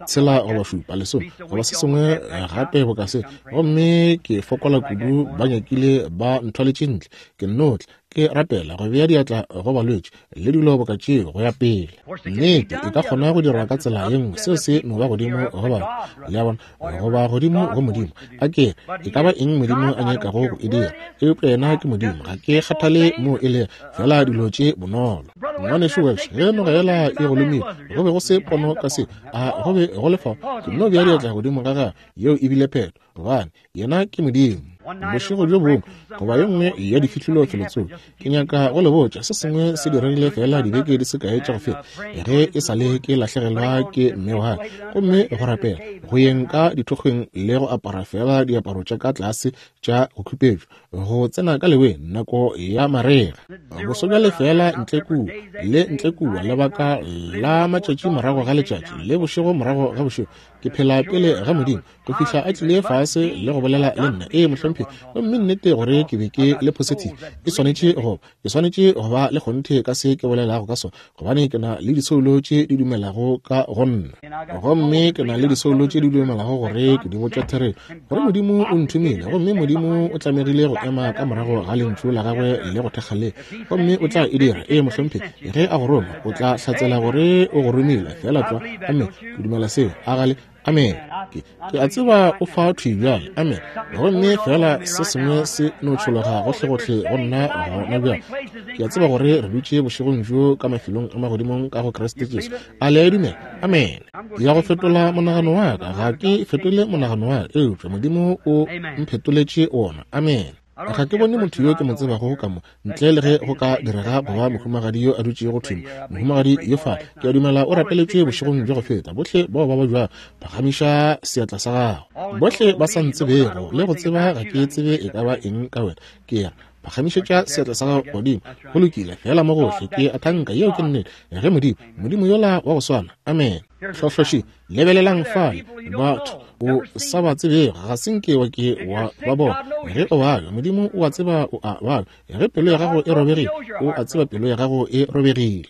tshela goba šupa, lesome, goba se sengwe gape boka se. Gomme ke fokola kudu, ba nyakile ba nthwaletše ntle. Ke nno tla, ke rapela, go bea diatla go balwetši le dilo boka tšeo go ya pele. Nnete, e ka kgona go dirwa ka tsela ye nngwe, seo se no ba godimo go batho, le a bona, goba godimo go Modimo. A ke re, e ka ba eng Modimo a nyakago go e dira, eupša yena ke Modimo, ga ke kgathale moo e lego, feela dilo tše bonolo. Ngwanešu Welsh, ge noga yela e go lomile, go be go se pono ka seo, a go be go le fao? Ke nno bea diatla godimo ga gagwe, yeo e bile phetho, gobane Yena ke Modimo. Bošego bjo bongwe, goba ye nngwe ya difihlolo felotsoko, ke nyaka go le botša se sengwe se diregile feela dibeke di se kae tša go feta, ge e sa le ke lahlegelwa ke mme wa ka. Gomme go rapela, go yeng ka dithokgweng le go apara feela diaparo tša ka tlase tša go khupetšwa, go tsena ka leweng nako ya marega, boso bja lefeela ntle kua le ntle kua, lebaka la matšatši morago ga letšatši le bošego morago ga bošego, ke phela pele ga Modimo go fihla a tlile fase le go bolela le nna. Ee, mohlomphegi. Gomme nnete gore ke be ke le positive, ke swanetše go, ke swanetše go ba le kgonthe ka se ke bolelago ka sona, gobane ke na le disoulo tše di dumelago ka go nna. Gomme ke na le disoulo tše di dumelago gore ke di botša therešo, gore Modimo o nthomile, gomme Modimo o tlamegile go ema ka morago ga Lentšu la Gagwe le go thekga le, gomme o tla e dira. Ee, mohlomphegi. Ge a go roma, o tla hlatsela gore o go romile, feela tlwa. Amen. Ke dumela seo. A ga le? Amen. Ke, ke a tseba o fa thwi bjale. Amen. Gomme feela se sengwe se no tšhologa gohlegohle go nna gona bjale. Ke a tseba gore re dutše bošegong bjo ka mafelong a magodimong ka go Kriste Jesu. A le a e dumela? Amen. Ke ya go fetola monagano wa ka. Ga ke fetole monagano wa ka, eupša Modimo o mphetoletše wona. Amen. Ga ke bone motho yo ke mo tsebago ka mo, ntle le ge go ka direga go ba mohumagadi yo a dutšego thwi mo. Mohumagadi yo fa, ke a dumela o rapeletšwe bošegong bja go feta. Bohle bao ba babjago, phagamiša seatla sa gago. Bohle ba sa ntsebego le go tseba ga ke tsebe e ka ba eng ka wena, ke re, Phagamišetša seatla sa gago godimo. Go lokile, feela mo gohle. Ke a thanka yeo ke nnete. Ge Modimo, Modimo yola wa go swana. Amene. Hlohloši, lebelelang fale, batho o sa ba tsebego, ga se nke wa ke wa ba bona. Ge o babja, Modimo o a tseba o a babja. Ge pelo ya gago e robegile, o a tseba pelo ya gago e robegile.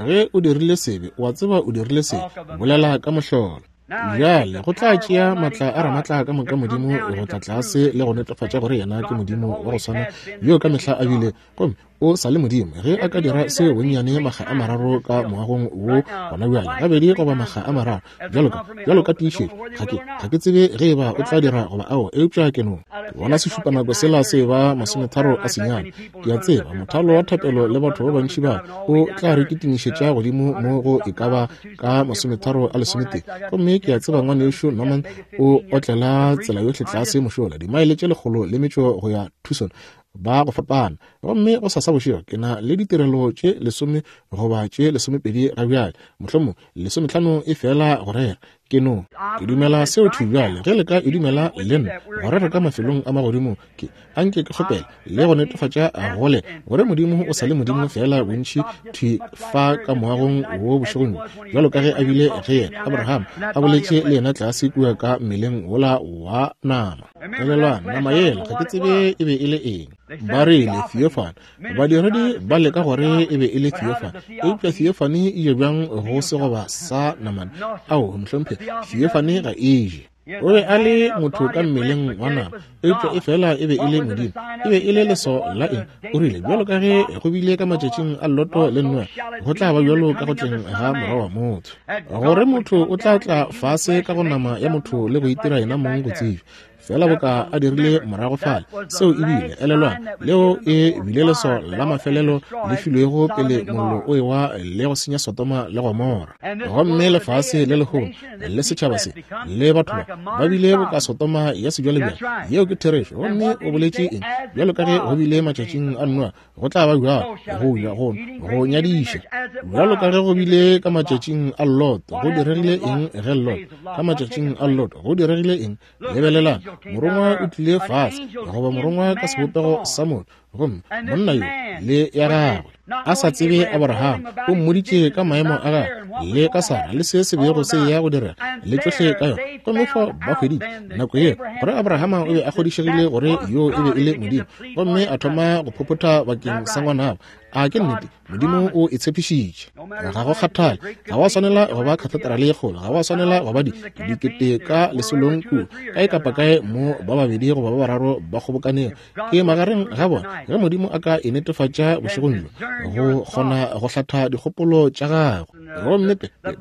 Ge o dirile sebe, o a tseba o dirile sebe. Bolela ka mohlolo. Bjale go tla tšea maatla a Ramatla ka moka Modimo go tla tlase le go netefatša gore yena ke Modimo wa go swana yo ka mehla a bile, gomme o sa le Modimo. Ge a ka dira seo bonnyane makga a mararo ka moagong wo gona bjale, gabedi goba makga a mararo, bjalo ka, bjalo ka tiišetšo, ga ke, ga ke tsebe ge eba o tla dira goba ao, eupša ke no bona sešupanako sela se eba 39. Ke a tseba mothalo wa thapelo le batho ba bantši ba o tla re kitimišetša godimo mo go e ka ba ka 32:30. Gomme ke a tseba ngwanešu Norman o otlela tsela yohle tlase mošola, dimaele tše 108 go ya Tucson, ba go fapana. Gomme go sasa bošego ke na le ditirelo tše 10 goba tše 12 ga bjale, mohlomong 15 e fela go rera. Ke no, ke dumela seo thwi bjale. Ge le ka e dumela le nna, gore re ka mafelong a magodimo, ke anke ke kgopele le go netefatša gole gore Modimo o sa le Modimo feela bontši thwi fa ka moagong wo bošegong bjo, bjalo ka ge a bile ge yena Abraham a boletše le yena tlase kua ka mmeleng wola wa nama. Elelwang, nama yela, ga ke tsebe e be e le eng. Ba rile theophany. Badiredi ba leka gore e be e le theophany, eupša theophany e je bjang go segoba sa namane? Ao, mohlomphegi, theophany ga e je. O be a le motho ka mmeleng wa nama, eupša e fela e be e le Modimo. E be e le leso la eng? O rile, bjalo ka ge go bile ka matšatšing a Loto le Noa, go tla ba bjalo ka go tleng ga Morwa wa motho. Gore motho o tla tla fase ka go nama ya motho le go itira yena mong go tsebja, fela boka a dirile morago fale. Seo e bile, elelwang, leo e bile leso la mafelelo le filwego pele mollo o ewa le go senya Sodoma le Gomora. Gomme lefase le lehono le setšhaba se le batho ba ba bile boka Sodoma ya sebjalebjale. Yeo ke therešo. Gomme o boletše eng? Bjalo ka ge go bile matšatšing a Noa, go tla ba bjalo go ja go go nyadiša. Bjalo ka ge go bile ka matšatšing a Lot, go diregile eng ge Lot? Ka matšatšing a Lot, go diregile eng? Lebelelang, morongwa o tlile fase, goba morongwa ka sebopego sa motho, gomme monna yo le ya gagwe a sa tsebe Abraham, o mmoditše ka maemo a gagwe le ka Sara le se se bego se ya go direga le tšohle ka yona. Gomme fao ba hweditše nako yeo gore Abrahama o be a kgodišegile gore yo e be e le Modimo, gomme a thoma go phophotha bakeng sa ngwanabo. A ke nnete? Modimo o e tshepišitše. Ga go kgathale, ga wa swanela go ba katheterale ye kgolo, ga wa swanela go ba dikete ka lesolong kua, kae kapa kae mo ba babedi goba ba bararo ba kgobokanego, ke magareng ga bona. Ge Modimo a ka e netefatša bošegong bjo, go kgona go hlatha dikgopolo tša gagwe. Gomme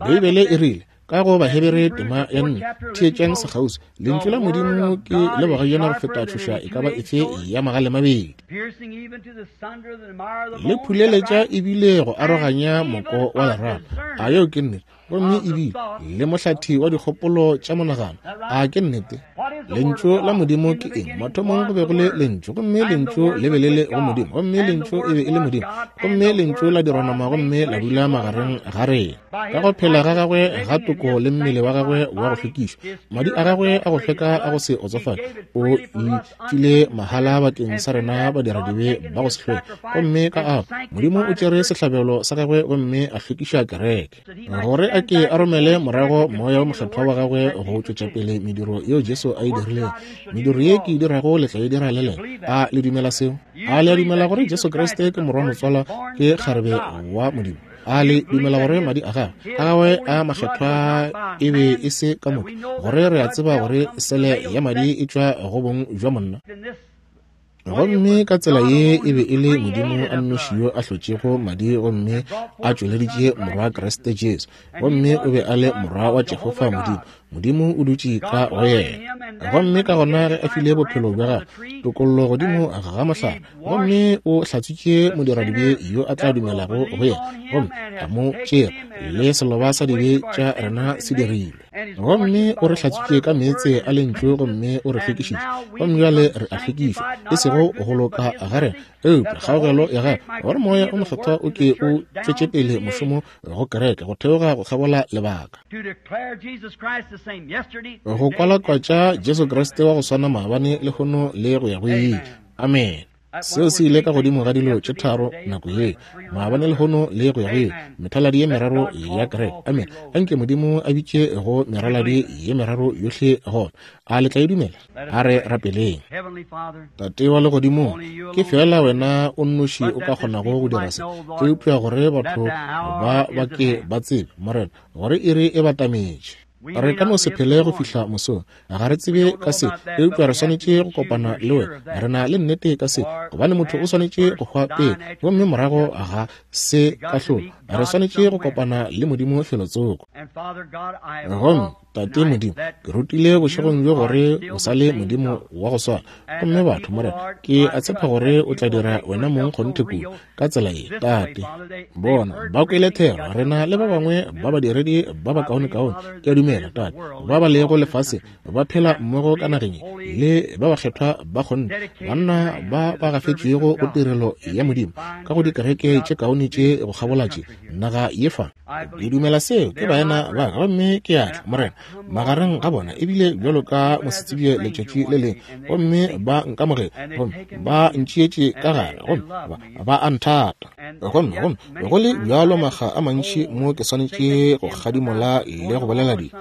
Beibele e rile, ka go Bahebere tema ya 4, theetšang sekgauswi, Lentšu la Modimo ke le bogajana go feta tšhoša e ka ba efe ya magale mabedi, le phuleletša ebile go aroganya moko wa lerato. A yeo ke nnete? Gomme ebile le mohlathi wa dikgopolo tša monagano. A ke nnete? Lentšu la Modimo ke eng? Mathomong go be go le Lentšu, gomme Lentšu le be le le go Modimo, gomme Lentšu e be e le Modimo, gomme Lentšu la dirwa nama gomme la dula magareng ga rena. Ka go phela ga gagwe ga toko le mmele wa gagwe wa go hlwekišwa, madi a gagwe a go hlweka a go se otsofale, o itšwile mahala bakeng sa rena badiradibe ba go se hlweke. Gomme ka ao, Modimo o tšere sehlabelo sa gagwe gomme a hlwekiša kereke, gore a ke a romele morago Moya wo Mokgethwa wa gagwe go tšwetša pele mediro yeo Jesu a e dirilego. Mediro ye ke e dirago le tla e dira le lena. A le dumela seo? A le a dumela gore Jesu Kriste ke Morwa motswalwa ke kgarebe wa Modimo? A le dumela gore madi a gagwe a gagwe a makgethwa e be e se ka motho, gore re a tseba gore sele ya madi e tšwa go bong bja monna? Gomme ka tsela ye e be e le Modimo a nnoši yo a hlotšego madi gomme a tšweleditše Morwa Kriste Jesu, gomme o be a le Morwa wa Jehofa Modimo. Modimo o dutše ka go yena. Gomme ka gona ge a file bophelo bja gagwe tokollo godimo ga mohlare, gomme o hlatswitše modiradibe yo a tla dumelago go yena, gomme a mo tšea le seloba sa dibe tša rena se dirilwe. Gomme o re hlatswitše ka meetse a lentšu gomme o re hlwekišitše, gomme bjale re a hlwekišwa, e sego go loka ga rena, eupša kgaogelo ya gagwe, gore Moya o Mokgethwa o ke o tšwetše pele mošomo go kereke go theoga go kgabola lebaka, go kwalakwatša Jesu Kriste wa go swana maabane, lehono le go ya go ile. Amene. Seo se ile ka godimo ga dilo tše tharo nako ye, maabane, lehono, le go ya go ile, methaladi ye meraro ya kereke. Amene. Anke Modimo a bitše go meraladi ye meraro yohle gona. A le tla e dumela? A re rapeleng. Tate wa Legodimong, ke feela Wena o nnoši o ka kgonago go dira se, eupša gore batho ba ba ke ba tsebe, Morena, gore iri e batametše. Re ka no se phele go fihla mosong. Ga re tsebe ka se, eupša re swanetše go kopana le Wena. Re na le nnete ka se, gobane motho o swanetše go hwa pele, gomme morago ga se kahlolo. Re swanetše go kopana le Modimo felotsoko. Gomme, Tate Modimo, ke rutile bošegong bjo gore O sa le Modimo wa go swana. Gomme batho, Morena, ke a tshepa gore O tla dira Wena mong kgonthe kudu ka tsela ye, Tate. Bona, ba kwele thero, re na le ba bangwe ba badiredi ba bakaonekaone, ke a dumela, Tate, ba ba lego lefaseng, ba phela mmogo ka nageng ye, le ba bakgethwa ba kgonthe, banna ba ba gafetšwego go tirelo ya Modimo, ka go dikereke tše kaone tše go kgabola tše, naga ye fa. Ke dumela seo, ke baena ba ka, gomme ke a tla, Morena, magareng ga bona, ebile bjalo ka mosetsebje letšatši le lengwe, gomme ba nkamogela, gomme ba ntšeetše ka gare, gomme ba, ba a nthata. Gomme, gomme go le bjalo makga a mantši mo ke swanetše go kgadimola le go bolela dilo,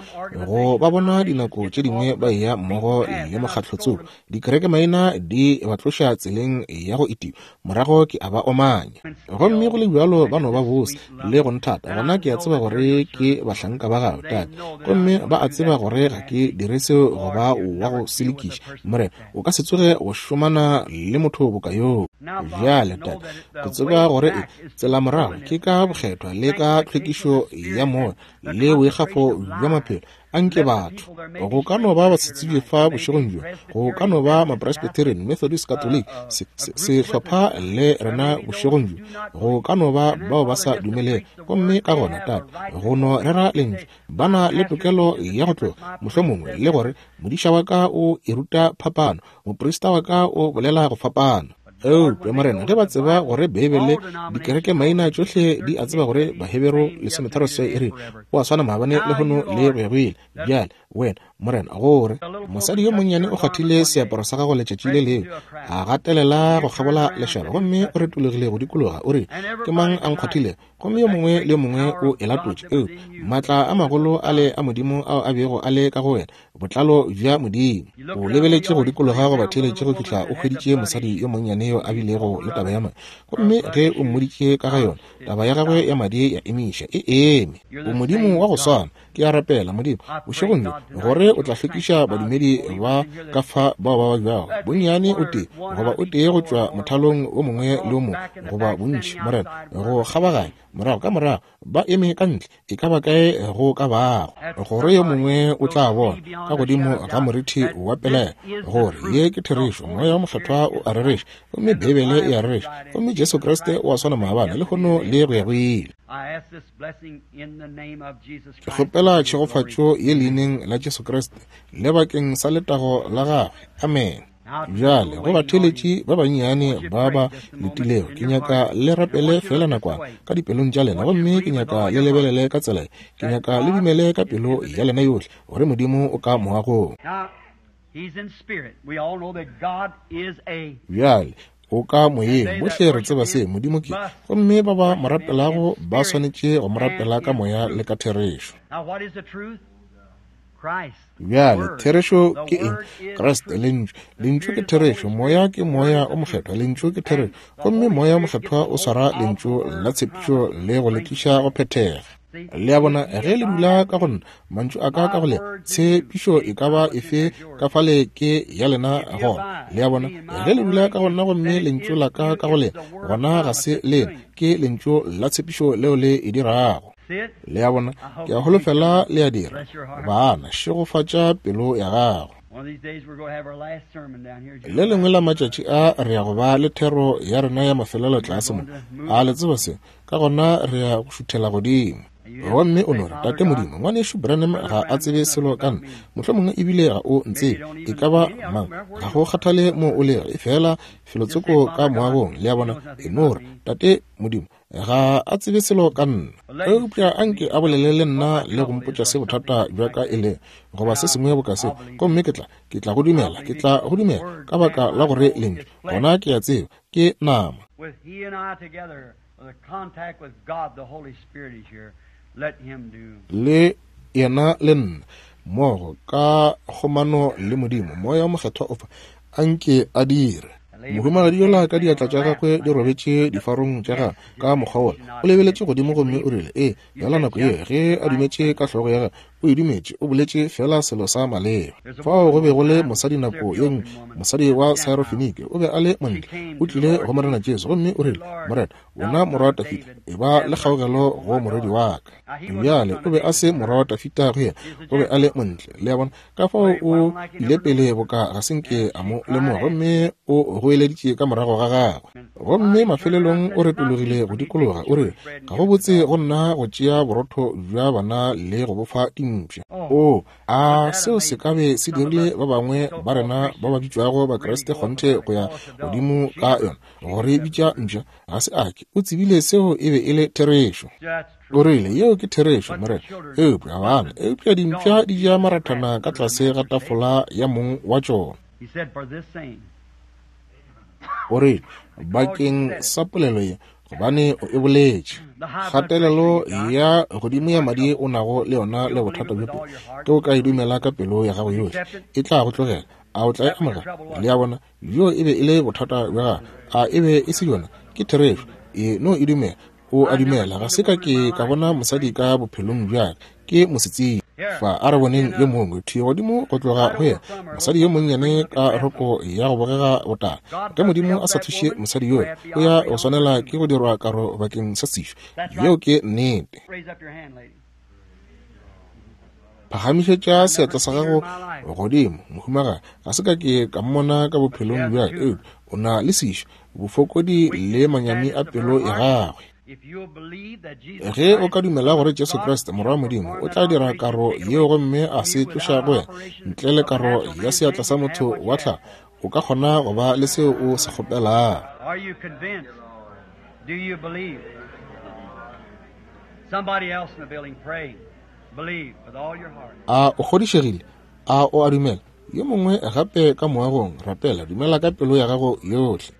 go ba bona dinako tše dingwe ba eya mmogo le mokgatlo tsoko, dikerekemaina di ba tloša tseleng ya go itiwa, morago ke a ba omanya. Gomme go le bjalo ba no ba bose le go nthata, gona ke a tseba gore ke bahlanka ba Gago, Tate. Gomme ba a tseba gore ga ke dire seo go ba wa go selekiša. Morena, o ka se tsoge go šomana le motho boka yoo. Bjale, Tate, ke tseba gore e tsela morago ke ka bokgethwa le ka tlhwekišo ya moya le boikgafo bja maphelo. A nke batho, go ka no ba basetsebje fa bošegong bjo, go ka no ba Mapresbyterian, Methodist, Catholic, se, se, sehlopha le rena bošegong bjo, go ka no ba bao ba sa dumelego. Gomme ka gona, Tate, go no rera Lentšu, ba na le tokelo ya go tloga, mohlomongwe, le gore, Modiša wa ka o e ruta phapano, moprista wa ka o bolela go fapano. Eupša, Morena, ge ba tseba gore Beibele, dikerekemaina tšohle di a tseba gore Baheberu lesometharo se e re, O a swana maabane, lehono, le go ya go ile. Bjale, Wena, Morena, gore mosadi yo monnyane o kgwathile seaparo sa gago letšatši le lengwe, a gatelela go kgabola lešaba, gomme o retologile go dikologa, o rile, Ke mang a nkgwathilego? Gomme yo mongwe le yo mongwe o e latotše. Eupša maatla a magolo ale a Modimo ao a bego a le ka go wena, botlalo bja Modimo. O lebeletše go dikologa go batheeletše go fihla o hweditše mosadi yo monnyane yo a bilego le taba ya madi. Gomme ge o mmoditše ka ga yona, taba ya gagwe ya madi ya emiša. E eme. O Modimo wa go swana. Ke a rapela, Modimo, bošegong bjo, gore o tla hlwekiša badumedi ba ka fa bao ba babjago, bonnyane o tee, goba o tee go tšwa mothalong o mongwe le o mongwe, goba bontši, Morena, go kgabaganya, morago ka morago, ba eme ka ntle, e ka ba kae go ka bago, gore yo mongwe o tla bona, ka godimo ga morithi wa pelaelo, gore ye ke therešo, Moya wo Mokgethwa o a rereša, gomme Beibele e a rereša, gomme Jesu Kriste o a swana maabane, lehono, le go ya go ile. Ke kgopela tšhegofatšo ye Leineng la Jesu Kriste, le bakeng sa letago la Gagwe. Amene. Bjale, go batheeletši ba bannyane ba ba letilego, ke nyaka le rapele feela nakwana ka dipelong tša lena, gomme ke nyaka le lebelele ka tsela ye. Ke nyaka le dumele ka pelo ya lena yohle gore Modimo o ka moagong. Bjale, o ka moyeng, bohle re tseba se Modimo ke, gomme ba ba mo rapelago ba swanetše go mo rapela ka moya le ka therešo. Bjale, therešo ke eng? Kriste, Lentšu. Lentšu ke therešo. Moya ke Moya o Mokgethwa. Lentšu ke therešo. Gomme Moya o Mokgethwa o swara Lentšu la tshepišo le go le tliša go phethega. Le a bona, ge le dula ka go nna, mantšu a ka ka go lena, tshepišo e ka ba efe ka fale ke ya lena gona. Le a bona, ge le dula ka go nna gomme Lentšu la ka ka go lena, gona ga se lena, ke Lentšu la tshepišo leo le e dirago. Le a bona? Ke a holofela le a dira. Bana, šegofatša pelo ya gago. Le lengwe la matšatši a re ya go ba le thero ya rena ya mafelelo tlase mo. A le tseba se? Ka gona re ya go šuthela godimo. Gomme o no re, Tate Modimo, Ngwanešu Branham ga a tsebe selo ka nna, mohlomongwe ebile ga o ntsebe, e ka ba mang, ga go kgathale mo o lego, efela felotsoko ka moagong, le a bona, e no re, Tate Modimo, ga a tsebe selo ka nna, eupša a nke a bolele le nna le go mpotša se bothata bja ka e lego, goba se sengwe boka se, gomme ke tla, ke tla go dumela, ke tla go dumela, ka baka la gore Lentšu, gona ke a tseba, ke nama. Le yena le nna, mmogo, ka kgomano le Modimo, Moya wo Mokgethwa o fa, a nke a dire. Mohumagadi yola ka diatla tša gagwe di robetše difarong tša gagwe, ka mokgwa wola, o lebeletše godimo gomme o rile, Ee, bjala nako ye, ge a dumetše ka hlogo ya gagwe, o e dumetše, o boletše feela selo sa maleba. Fao go be go le mosadi nako ye nngwe, mosadi wa Syrophenike, o be a le montle, o tlile go Morena Jesu, gomme o rile, Morena, wena morwa wa Dafida, e ba le kgaogelo go morwedi wa ka. Bjale, o be a se morwa wa Dafida go yena, o be a le montle, le a bona. Ka fao o ile pele boka ga se nke a mo lemoga, gomme o goeleditše ka morago ga gagwe. Gomme mafelelong o retologile go dikologa, o rile, Ga go botse go nna go tšea borotho bja bana le go bo fa dimpša. Oo, a seo se ka be se dirile ba bangwe ba rena ba ba bitšwago Bakriste kgonthe go ya godimo ka yona, go re bitša mpša? Ga se a ke. O tsebile seo e be e le therešo. O rile, Yeo ke therešo, Morena. Eupša bana, eupša dimpša di ja marathana ka tlase ga tafola ya mong wa tšona. O rile, Bakeng sa polelo ye, gobane o e boletše. Kgatelelo ya godimo ya madi o nago le yona le bothata bjo pelo, ge o ka e dumela ka pelo ya gago yohle, e tla go tlogela. A o tla e amogela? Le a bona, bjo e be e le bothata bja gago. A e be e se yona? Ke therešo. E no e dumela. O a dumela. Ga se ka ke ka bona mosadi ka bophelong bja ka. Ke mosetsebje. Fa, a re boneng yo mongwe, thwi godimo go tloga go yena, mosadi yo monnyane ka roko ya go bogega botala. Ge Modimo a sa thuše mosadi yola, o ya go swanela ke go dirwa karo bakeng sa sešo. Yeo ke nnete. Phagamišetša seatla sa gago godimo, mohumagadi. Ga se ka ke ka mmona ka bophelong bja ka, eupša o na le sešo, bofokodi le manyami a pelo ya gagwe. Ge o ka dumela gore Jesu Kriste, Morwa wa Modimo, o tla dira karo yeo gomme a se tloša go wena, ntle le karo ya seatla sa motho wa tlhago, o ka kgona go ba le seo o se kgopelago. A o kgodišegile? A o a dumela? Yo mongwe gape ka moagong, rapela, dumela ka pelo ya gago yohle.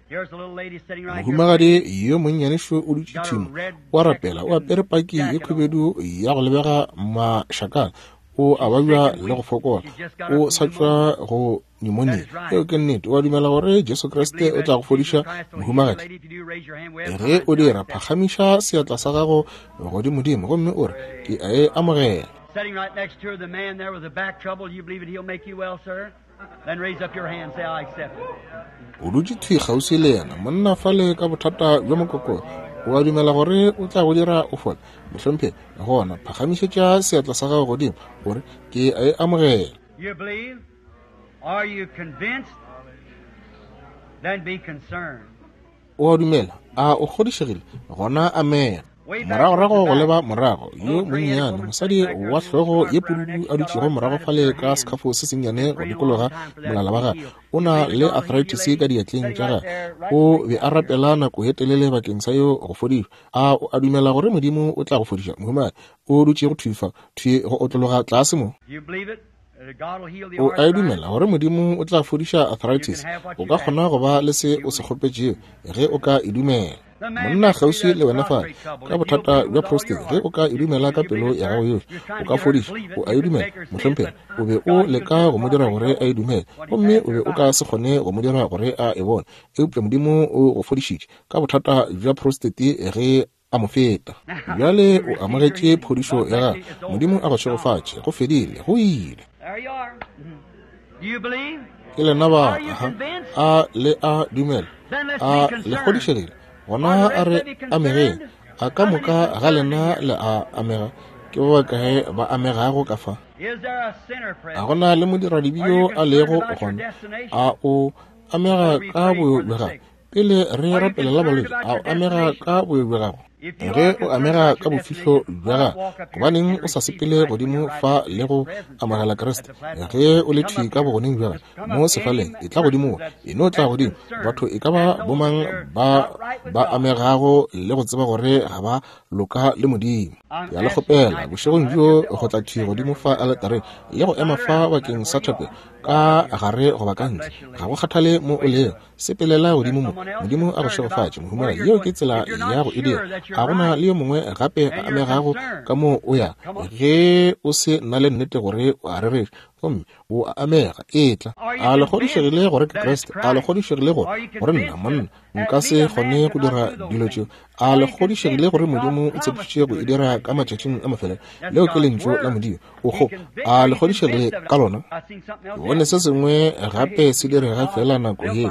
Mohumagadi yo monnyane šo o dutše thimo, o a rapela, o apere paki ye khubedu ya go lebega mašakana, o a babja le go fokola, o sa tšwa go pneumonia. Yeo ke nnete. O a dumela gore Jesu Kriste o tla go fodiša, mohumagadi? Ge o dira, phagamiša seatla sa gago godimodimo gomme o re, Ke a e amogela. Sitting right next to her, the man there with the back trouble, you believe it, he'll make you well, sir? Then raise up your hand and say, I accept it. O dutše thwi kgauswi le yena, monna fale ka bothata bja mokokotlo. O a dumela gore o tla go dira o fole, mohlomphegi? Gona phagamišetša seatla sa gago godimo, o re, Ke a e amogela. You believe? Are you convinced? Then be concerned. O a dumela? A o kgodišegile? Gona amena. Moragorago go leba morago, yo monnyane, mosadi wa hlogo ye pududu a dutšego morago fale ka sekhafo se sennyane go dikologa molala wa gagwe, o na le arthritis ka diatleng tša gagwe. O be a rapela nako ye telele bakeng sa yo go fodišwa. A o a dumela gore Modimo o tla go fodiša, mohumagadi? O dutšego thwi fa, thwi go otlologa tlase mo. You believe it? O a e dumela gore Modimo o tla fodiša arthritis? O ka kgona go ba le se o se kgopetšego ge o ka e dumela. Monna kgauswi le wena fale ka bothata bja prostate, ge o ka e dumela ka pelo ya gago yohle, o ka fodišwa. O a e dumela, mohlomphegi? O be o leka go mo dira gore a e dumele, gomme o be o ka se kgone go mo dira gore a e bone. Eupša Modimo o go fodišitše ka bothata bja prostate ge a mo feta. Bjale o amogetše phodišo ya gagwe. Modimo a go šegofatše. Go fedile. Go ile. Ke lena ba. Aha. A le a dumela? A le kgodišegile? Gona a re amegeng. A ka moka ga lena le a amega? Ke ba bakae ba amegago ka fa? A go na le modiradibe yo a lego gona? A o amega ka boyo bja gago? Pele re rapelela balwetši, a o amega ka boyo bja gago? Ge o amega ka bofihlo bja gago, gobaneng o sa sepele godimo fa le go amogela Kriste? Ge o le thwi ka bogoneng bja gago mo sefaleng, etla godimo mo, e no tla godimo. Batho e ka ba bomang ba ba amegago le go tseba gore ga ba loka le Modimo. Ke a le kgopela bošegong bjo go tla thwi godimo fa aletareng le go ema fa bakeng sa thapelo, ka gare goba ka ntle, ga go kgathale mo o lego. Sepelela godimo mo. Modimo a go šegofatše, mohumagadi. Yeo ke tsela ya go e dira. A go na le yo mongwe gape a amegago ka moo o ya? Ge o se na le nnete gore o a rereša, gomme o a amega, etla. A le kgodišegile gore ke Kriste? A le kgodišegile gore, gore nna, monna, nka se kgone go dira dilo tšeo? A le kgodišegile gore Modimo o tshepišitše go e dira ka matšatšing a mafelelo? Leo ke Lentšu la Modimo. Oho, a le kgodišegile ka lona? Ke bone se sengwe gape se direga feela nako ye.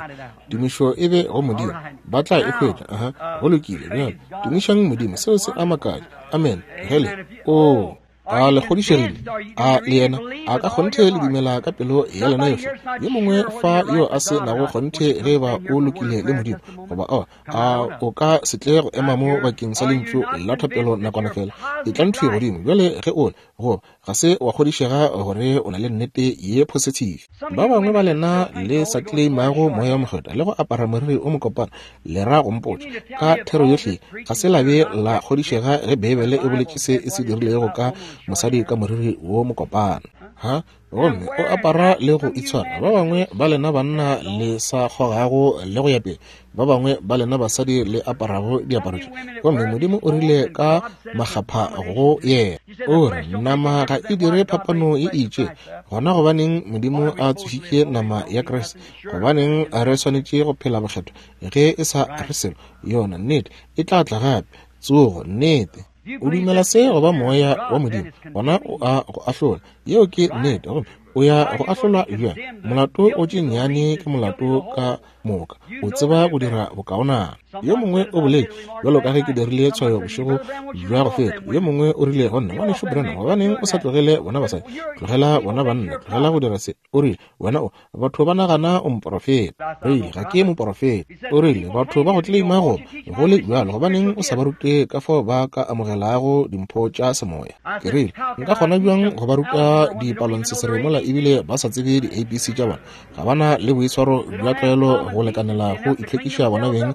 Tumišo e be go Modimo. Ba tla e hwetša. Aha, go lokile. Bjale, tumišang Modimo. Seo se a makatša. Amen. Hele. Oo. A le kgodišegile? A le yena? A ka kgonthe le dumela ka pelo ya lena yohle? Yo mongwe fa yo a se nago kgonthe ge eba o lokile le Modimo, goba aowa, a o ka se tle go ema mo bakeng sa lentšu la thapelo nakwana fela? Etlang thwi godimo bjale ge o le, goba ga se wa kgodišega gore o na le nnete ye positive. Ba bangwe ba lena le sa claimago Moya wo Mokgethwa le go apara moriri o mokopana, le ra go mpotša ka thero yohle ga se la be la kgodišega ge Beibele e boletše se e se dirilego ka mosadi ka moriri wo mokopana. Ha? Gomme o apara le go itshwara. Ba bangwe ba lena banna le sa kgogago le go ya pele, ba bangwe ba lena basadi le aparago diaparo tše. Gomme Modimo o rile ka makgapha go yena, o re, Nama ga e dire phapano ye e itšego. Gona gobaneng Modimo a tsošitše nama ya Kriste? Gobaneng re swanetše go phela bokgethwa ge e sa re selo? Yona nnete e tla tla gape, tsogo, nnete. O dumela se go ba Moya wa Modimo, gona o a go ahlola. Yeo ke nnete. Gomme o ya go ahlolwa bjang? Molato o tše nnyane ke molato ka moka. O tseba go dira bokaonana. Yo mongwe o boletše, bjalo ka ge ke dirile tshwayo bošego bja go feta, yo mongwe o rile go nna, Ngwanešu Branham, gobaneng o sa tlogele bona basadi? Tlogela bona banna, tlogela go dira se. O rile, Wena o, batho ba nagana o moporofeta. Rile, Ga ke moporofeta. O rile, Batho ba go tleleima go go le bjalo, gobaneng o sa ba rute ka fao ba ka amogelago dimpho tša semoya? Ke rile, Nka kgona bjang go ba ruta dipalontsesere mola ebile ba sa tsebe di-ABC tša bona? Ga ba na le boitshwaro bja tlwaelo go lekanela go itlhwekiša bona beng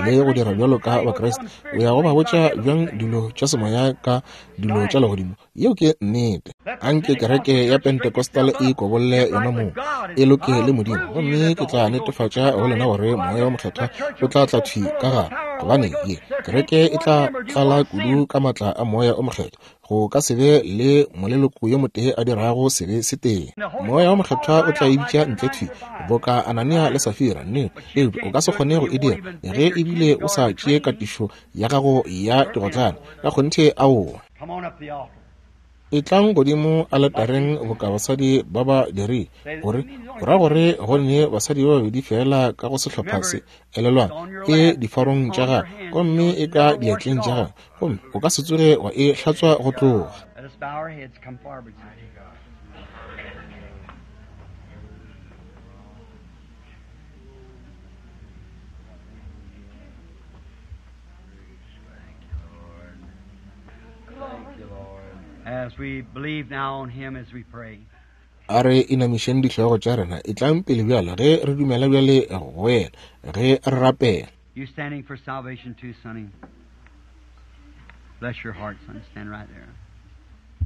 le go dira bjalo ka Bakriste. O ya go ba botša bjang dilo tša semoya ka dilo tša legodimo? Yeo ke nnete. Anke kereke ya Pentecostal e ikobolle yona mong, e loke le Modimo, gomme ke tla netefatša go lena gore Moya wo Mokgethwa o tla tla thwi ka gare, gobane ye kereke e tla tlala kudu ka maatla a Moya o Mokgethwa go ka se be le moleloko yo motee a dirago sebe se tee. Moya wo Mokgethwa o tla e bitša ntle thwi boka Anania le Safira, nnete, eupša o ka se kgone go e dira ge ebile o sa tšee katišo ya gago ya digotlane. Ka kgonthe aowa. Etlang godimo aletareng boka basadi ba ba dirile, gore o ra gore go ne basadi ba babedi feela ka go sehlopha se. Elelwang, e difarong tša gago, gomme e ka diatleng tša gago, gomme o ka se tsoge wa e hlatswa go tloga. A re inamišeng dihlogo tša rena. Etlang pele bjale ge re dumela bjale go yena, ge re rapela. You standing for salvation too, Sonny. Bless your heart, son. Stand right there.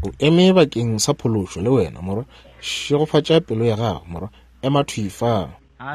O eme bakeng sa phološo le wena, morwa. Šegofatša pelo ya gago, morwa. Ema thwi fa.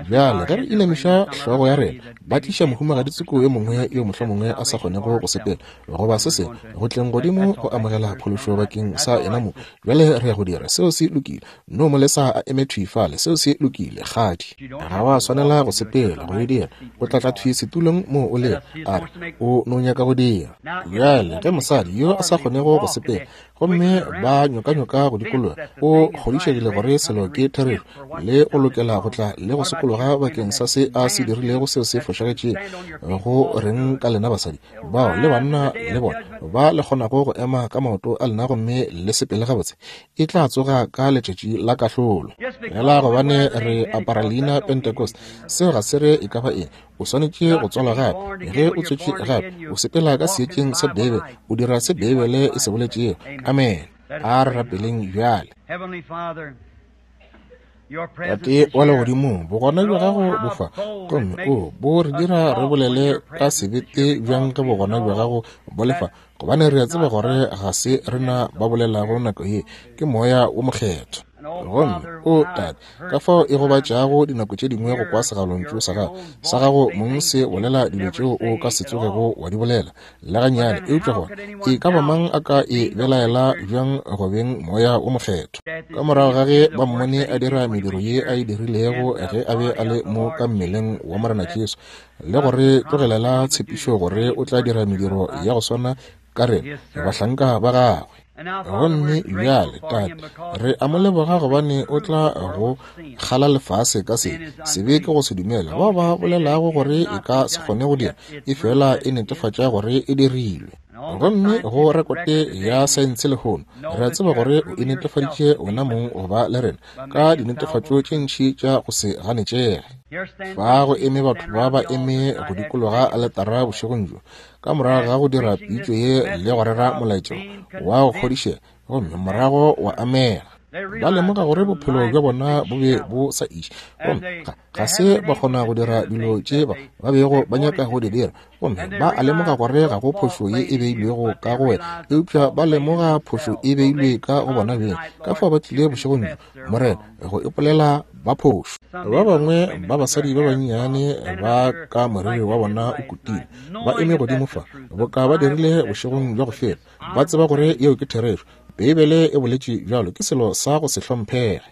Bjale, ge re inamiša hlogo ya rena, ba tliša mohumagadi tsoko yo mongwe yo mohlomongwe a sa kgonego go sepela, goba se sengwe, go tleng godimo go amogela phološo bakeng sa yena mong. Bjale re ya go dira. Seo se lokile. No mo lesa a eme thwi fale. Seo se lokile, kgadi. Ga wa swanela go sepela, go e dira. O tla tla thwi setulong moo o lego, a re, O no nyaka go dira. Bjale, ge mosadi yo a sa kgonego go sepela, Gomme ba nyokanyoka go dikologa. O kgodišegile gore selo ke therešo, le go lokela go tla le go sokologa bakeng sa se a se dirilego seo se fošagetšego. Go reng ka lena basadi bao le banna le bona ba le kgonago go ema ka maoto a lena gomme le sepele gabotse? E tla tsoga ka letšatši la kahlolo. Fela gobane re apara leina Pentecost, seo ga se re e ka ba eng. O swanetše go tswalwa gape. Ge o tswetšwe gape, o sepela ka seetšeng sa Beibele, o dira se Beibele e se boletšego. Amen. A re rapeleng bjale. Tate wa Legodimong, bogona bja gago bo fa, gomme o bo re dira re bolele ka sebete bjang ge bogona bja gago bo le fa, gobane re a tseba gore ga se rena ba bolelago nako ye, ke Moya wo Mokgethwa. Gomme, o Tate, ka fao e gobatšago dinako tše dingwe go kwa segalontšu sa gago, sa gago mong se bolela dilo tšeo o ka se tsogego wa di bolela le gannyane, eupša gona e ka ba mang a ka e belaela bjang go beng Moya wo Mokgethwa? Ka morago ga ge ba mmone a dira mediro ye a e dirilego ge a be a le mo ka mmeleng wa Morena Jesu, le go re tlogelela tshepišo gore o tla dira mediro ya go swana ka rena bahlanka ba gagwe. Gomme bjale, Tate, re a mo leboga gobane o tla go kgala lefase ka se sebe ke go se dumela. Bao ba bolelago gore e ka se kgone go dira, e fela e netefatša gore e dirilwe. Gomme go rekote ya saense lehono, re a tseba gore o e netefaditše wena mong go ba le rena ka dinetefatšo tše ntši tša go se ganetšege. Fa go eme batho ba ba eme go dikologa aletara bošegong bjo, ka morago ga go dira pitšo ye le go rera molaetša wa go kgodišega, gomme morago wa amega. Ba lemoga gore bophelo bja bona bo be bo sa iše, gomme ga se ba kgona go dira dilo tše ba bego ba nyaka go di dira, gomme ba a lemoga gore ga go phošo ye e beilwego ka go wena, eupša ba lemoga phošo e beilwe ka go bona beng. Ka fao ba tlile bošegong bjo, Morena, go ipolela ba phošo. Ba bangwe ba basadi ba bannyane ba ka moriri wa bona o kutile, ba eme godimo fa, boka ba dirile bošegong bja go feta, ba tseba gore yeo ke therešo. Beibele e boletše bjalo, ke selo sa go se hlomphege.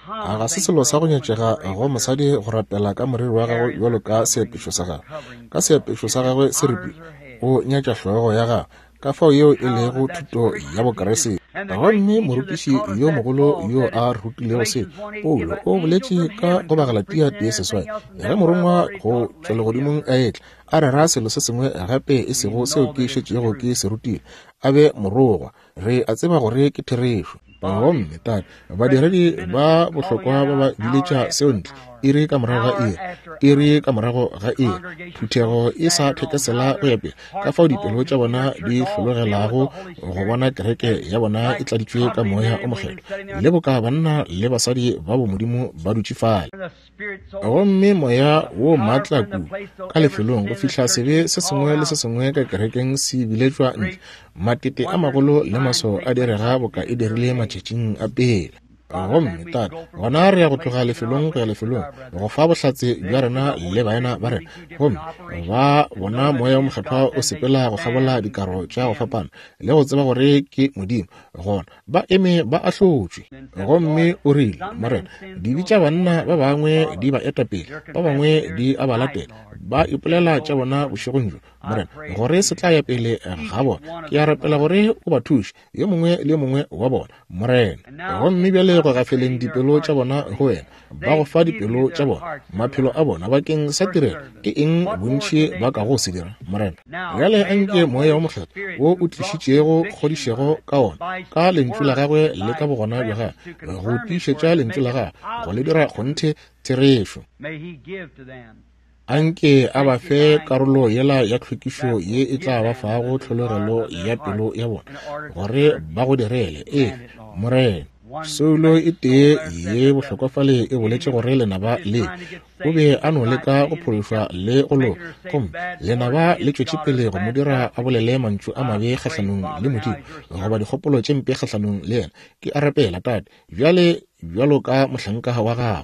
A ga se selo sa go nyatšega go mosadi go rapela ka moriri wa gagwe bjalo ka seapešo sa gagwe, ka seapešo sa gagwe se ripilwe, o nyatša hlogo ya gagwe. Ka fao yeo e lego thuto ya Bokriste. Gomme morutiši yo mogolo yo a rutilego se, Paulo, o boletše ka go Bagalatia 1:8, ge morongwa go tšwa legodimong a etla, a rera selo se sengwe gape e sego seo ke šetšego ke se rutile, a be morogwa. Re a tseba gore ke therešo. Gomme, Tate, badiredi ba bohlokwa ba ba biletša seo ntle, iri ka morago ga iri, iri ka morago ga iri, phuthego e sa thekesela go ya pele, ka fao dipelo tša bona di hlologelago go bona kereke ya bona e tladitšwe ka Moya o Mokgethwa, le boka banna le basadi ba bomodimo ba dutše fale. Gomme Moya wo maatla kudu ka lefelong go fihla sebe se sengwe le se sengwe ka kerekeng se biletšwa ntle, matete a magolo le maswao a direga boka e dirile matšatšing a pele. Gomme Tate, gona re ya go tloga lefelong go ya lefelong go fa bohlatse bja rena le baena ba rena, gomme ba bona Moya wo Mokgethwa o sepela go kgabola dikaro tša go fapana le go tseba gore ke Modimo, gona ba eme ba ahlotšwe. Gomme o rile, Morena, dibe tša banna ba bangwe di ba eta pele, ba bangwe di a ba latela, ba ipolela tša bona bošegong bjo, Morena, gore se tla ya pele ga bona. Ke a rapela gore o ba thuše, yo mongwe le yo mongwe wa bona, Morena. Gomme bjale go gafeleng dipelo tša bona go wena, ba go fa dipelo tša bona, maphelo a bona bakeng sa tirelo, ke eng bontši ba kago se dira, Morena? Bjale anke Moya wo Mokgethwa wo o tlišitšego kgodišego ka wona, ka Lentšu la Gagwe le ka bogona bja Gagwe, go tiišetša Lentšu la Gagwe, go le dira kgonthe therešo. Anke a ba fe karolo yela ya tlhwekišo ye e tla ba fago tlhologelo ya pelo ya bona, gore ba go direle. Ee, Morena. Soulo e tee ye bohlokwa fale e boletše gore lenaba le o be a no leka go phološwa le go loka, gomme lenaba le tšwetše pele go mo dira a bolele mantšu a mabe kgahlanong le Modimo goba dikgopolo tše mpe kgahlanong le yena. Ke a rapela, Tate, bjale bjalo ka mohlanka wa gago,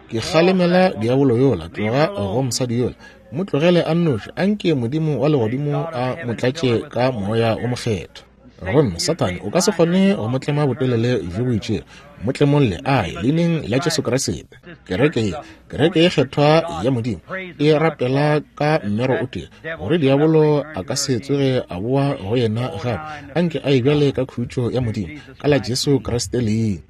ke kgalemela diabolo yola, tloga go mosadi yola, mo tlogele a nnoši, anke Modimo wa legodimo a mo tlatše ka Moya wo Mokgethwa. Gomme Sathane o ka se kgone go mo tlema botelele bjo bo itšego. Mo tlemolle a ye leineng la Jesu Kriste. Kereke ye, kereke ye kgethwa ya Modimo, e rapela ka mmero o tee, gore diabolo a ka se tsoge a boa go yena gape. Anke a ye bjale ka khutšo ya Modimo, ka la Jesu Kriste leina.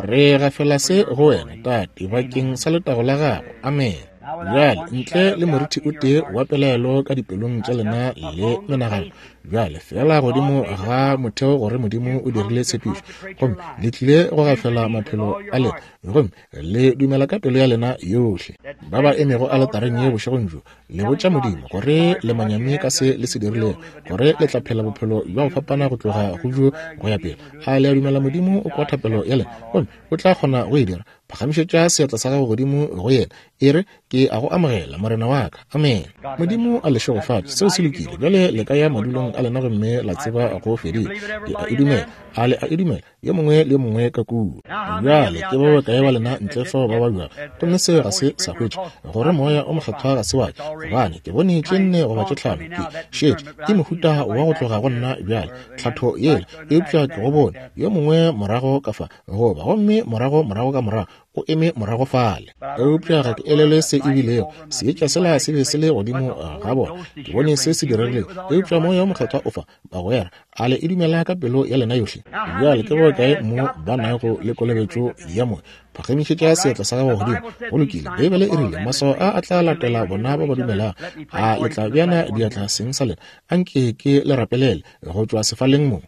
Re gafela se go wena, Tate, bakeng sa letago la gago. Amen. Bjale, ntle le morithi o tee wa pelaelo ka dipelong tša lena le menagano, bjale feela godimo ga motheo gore Modimo o dirile tshepišo, gomme le tlile go gafela maphelo a lena, gomme le dumela ka pelo ya lena yohle. Ba ba emego aletareng ye bošegong bjo, le botša Modimo gore le manyami ka se le se dirilego, gore le tla phela bophelo bja go fapana go tloga go bjo go ya pele. A le a dumela Modimo o kwa thapelo ya lena, gomme o tla kgona go e dira? Phagamišetša seatla sa gago godimo go yena, e re, Ke a go amogela, Morena wa ka. Amen. Modimo a le šegofatše. Seo se lokile. Bjale le ka ya madulong a lena gomme la tseba go fedile. Ke a e dumela. A le a e dumela? Yo mongwe le yo mongwe ka kua. Bjale ke ba bakae ba lena ntle fao ba babjago, gomme seo ga se sa hwetša gore Moya o Mokgethwa ga se wa ka, gobane ke bone tše nne goba tše tlhano, ke šetše ke mohuta wa go tloga go nna bjale, tlhatho yela, eupša ke go bone yo mongwe morago ka fa, goba gomme morago morago ka morago o eme morago fale. Eupša ga ke elelwe se e bilego. Seetša sela se be se le godimo ga bona. Ke bone se se diregilego. Eupša Moya wo Mokgethwa o fa, bagwera. A le e dumela ka pelo ya lena yohle? Bjale ke bokae mo ba nago le kolobetšo ya Moya? Phagamišetša seatla sa gago godimo. Go lokile. Beibele e rile, Maswao a a tla latela bona ba ba dumelago. A le tla beana diatla seng sa lena? Anke ke le rapelele go tšwa sefaleng mo.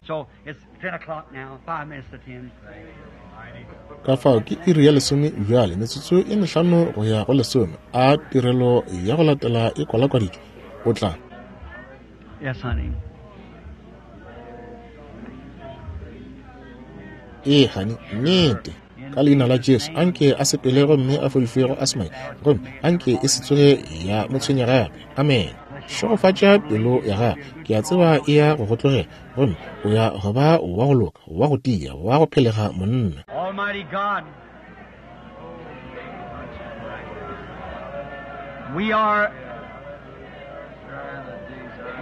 Ka fao ke iri ya lesome bjale, metsotso e mehlano go ya go lesome. A tirelo ya go latela e kwalakwaditšwe? O tla. Yes, honey. Ee, honey, nnete. Ka leina la Jesu, anke a sepele gomme a fodišwe go asma, gomme anke e se tsoge ya mo tshwenya gape. Amen. Šegofatša pelo ya gago. Ke a tseba e ya go go tlogela, gomme o ya go ba wa go loka, wa go tia, wa go phelega monna. Almighty God, we are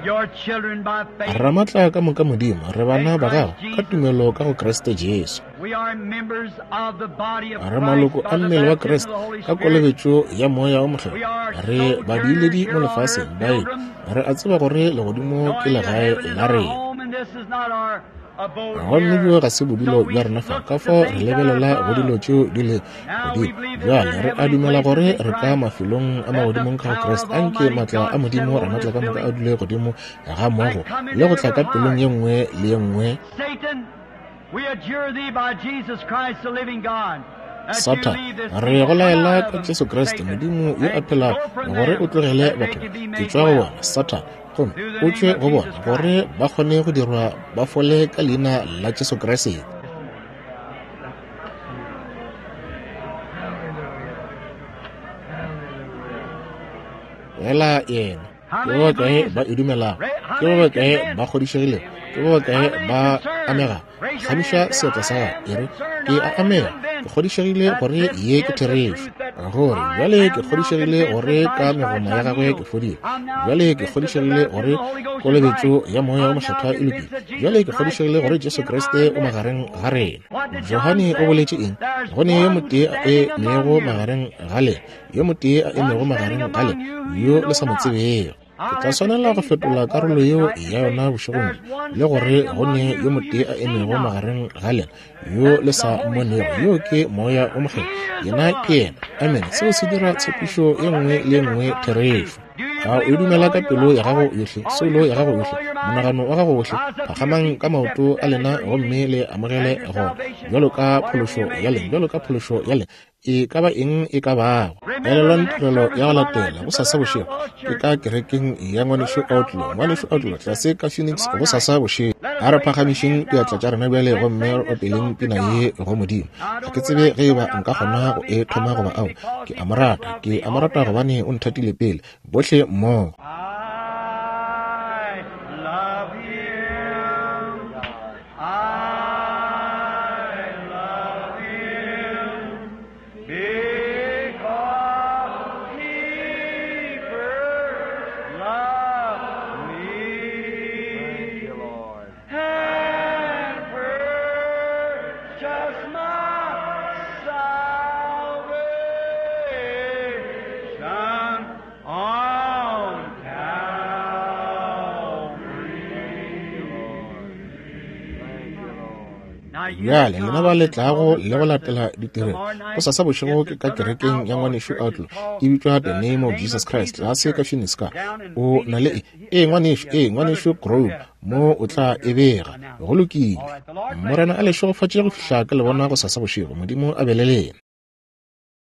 your children by faith. Ramatla ka moka Modimo, re bana ba gago ka tumelo ka go Kriste Jesu. We are members of the body of Re maloko Christ a by the mmele wa baptism of Kriste the Holy ka Spirit. kolobetšo ya Moya o Mokgethwa. We are Re badiiledi sojourners mo here on lefaseng, earth, baeti. pilgrims, Re a tseba gore legodimo ke knowing that legae heaven is la our rena. home and this is not our abode Gomme here. bjo ga se bodulo So we bja rena fa, look ka to fao re things that are lebelela go dilo above. tšeo di le Now we godimo. believe that we're Bjale in re a heavenly dumela places gore in re ka Christ. mafelong a Let the magodimong ka go power Kriste. of Anke Almighty maatla a God Modimo settle over Ramatla this ka moka a building dule godimo ga and moago come le into go tla every ka pelong heart. ye nngwe le ye nngwe. Satan, we adjure thee by Jesus Christ, the living God, that you Satan, leave this re people. go Come out laela of ka them, Jesu Kriste, Satan, Modimo yo a and phelago, go from gore o them, tlogele that they batho can ba. be Ke made tšwa go well. bona, Satan, gomme Through the o name tšwe of go bona, Jesus gore Christ. ba kgone go dirwa ba fole ka leina la Jesu Kriste. Fela yena. How Ke ba many bakae believes ba it? e dumelago? How Ke ba many is bakae ba convinced? kgodišegilego? Ke ba How bakae many is ba concerned? amegago? Raise your Gamiša hand and say, seatla sa I gago, am e re, concerned, Ke a I am amega. Ke convinced kgodišegile that gore this ye ke is the therešo. truth, that Gore I bjale ke am now kgodišegile convinced gore that by ka stripes megoma ya I'm gagwe ke healed. fodile. I'm now Bjale ke convinced that the kgodišegile baptism gore of the Holy Ghost is kolobetšo right. ya Moya wo I'm now Mokgethwa e convinced lokile. that Bjale Jesus ke Christ kgodišegile gore is Jesu in our Kriste o midst. magareng ga rena. What did John Johane o say? boletše eng? There's Go ne yo one motee a standing emego among you, magareng ga lena, yo motee a emego one standing magareng ga among lena, you who yo you le know sa mo not. tsebego. Ke I'll tla have to swanela go change fetola that part karolo of it yeo tonight and ya say, yona bošegong there's bjo, one le gore standing go among ne you yo who motee you a see emego not. magareng ga lena, yo le That's the sa Holy mmonego. Spirit. Yo ke Moya wo He Mokgethwa. is the Yena ke one. yena. Amen. Seo se dira Amen. tshepišo ye That nngwe makes le ye every nngwe promise true. therešo. Do you A o believe it with dumela all ka your pelo ya gago heart, yohle, all soulo your ya gago soul, yohle, all your mind? monagano wa gago wohle? Rise up to your Phagamang feet ka and accept maoto it a then as lena your gomme healing, le amogele as your gona, salvation, bjalo ka whatever phološo you may ya lena, be. bjalo ka phološo ya lena, e ka ba eng e ka bago. Remember Elelwang the next tirelo service ya go tomorrow latela night at bosasa Brother bošego Outlaw's ke Church. ka kerekeng ya ngwanešu Brother Outlaw, Outlaw down ngwanešu in Outlaw Phoenix tlase ka Phoenix tomorrow bosasa night. bošego. Let A us re raise our phagamišeng hands diatla now tša rena bjale and gomme sing re this opeleng song to pina ye God. go Modimo. I Ga don't ke know tsebe where ge I'd e ba start out. nka I kgona love go him. e I thoma love goba him ao. because Ke he a mo first rata, loved ke me. a mo All rata together. gobane o nthatile pele. Bohle mmogo. I love him. I love him because he first loved me. my salvation on Calvary. Bjale lena ba le tlago le go latela ditirelo gosasa bošego ke ka kerekeng ya ngwanešu Outlaw, e bitšwa The Name of Jesus Christ, tlase ka Phoenix ka. O na le e? Ee, ngwanešu, ee, ngwanešu Grove, mo o tla e bega. Go lokile. Morena a le šegofatše go fihla ke le bona gosasa bošego. Modimo a be le lena.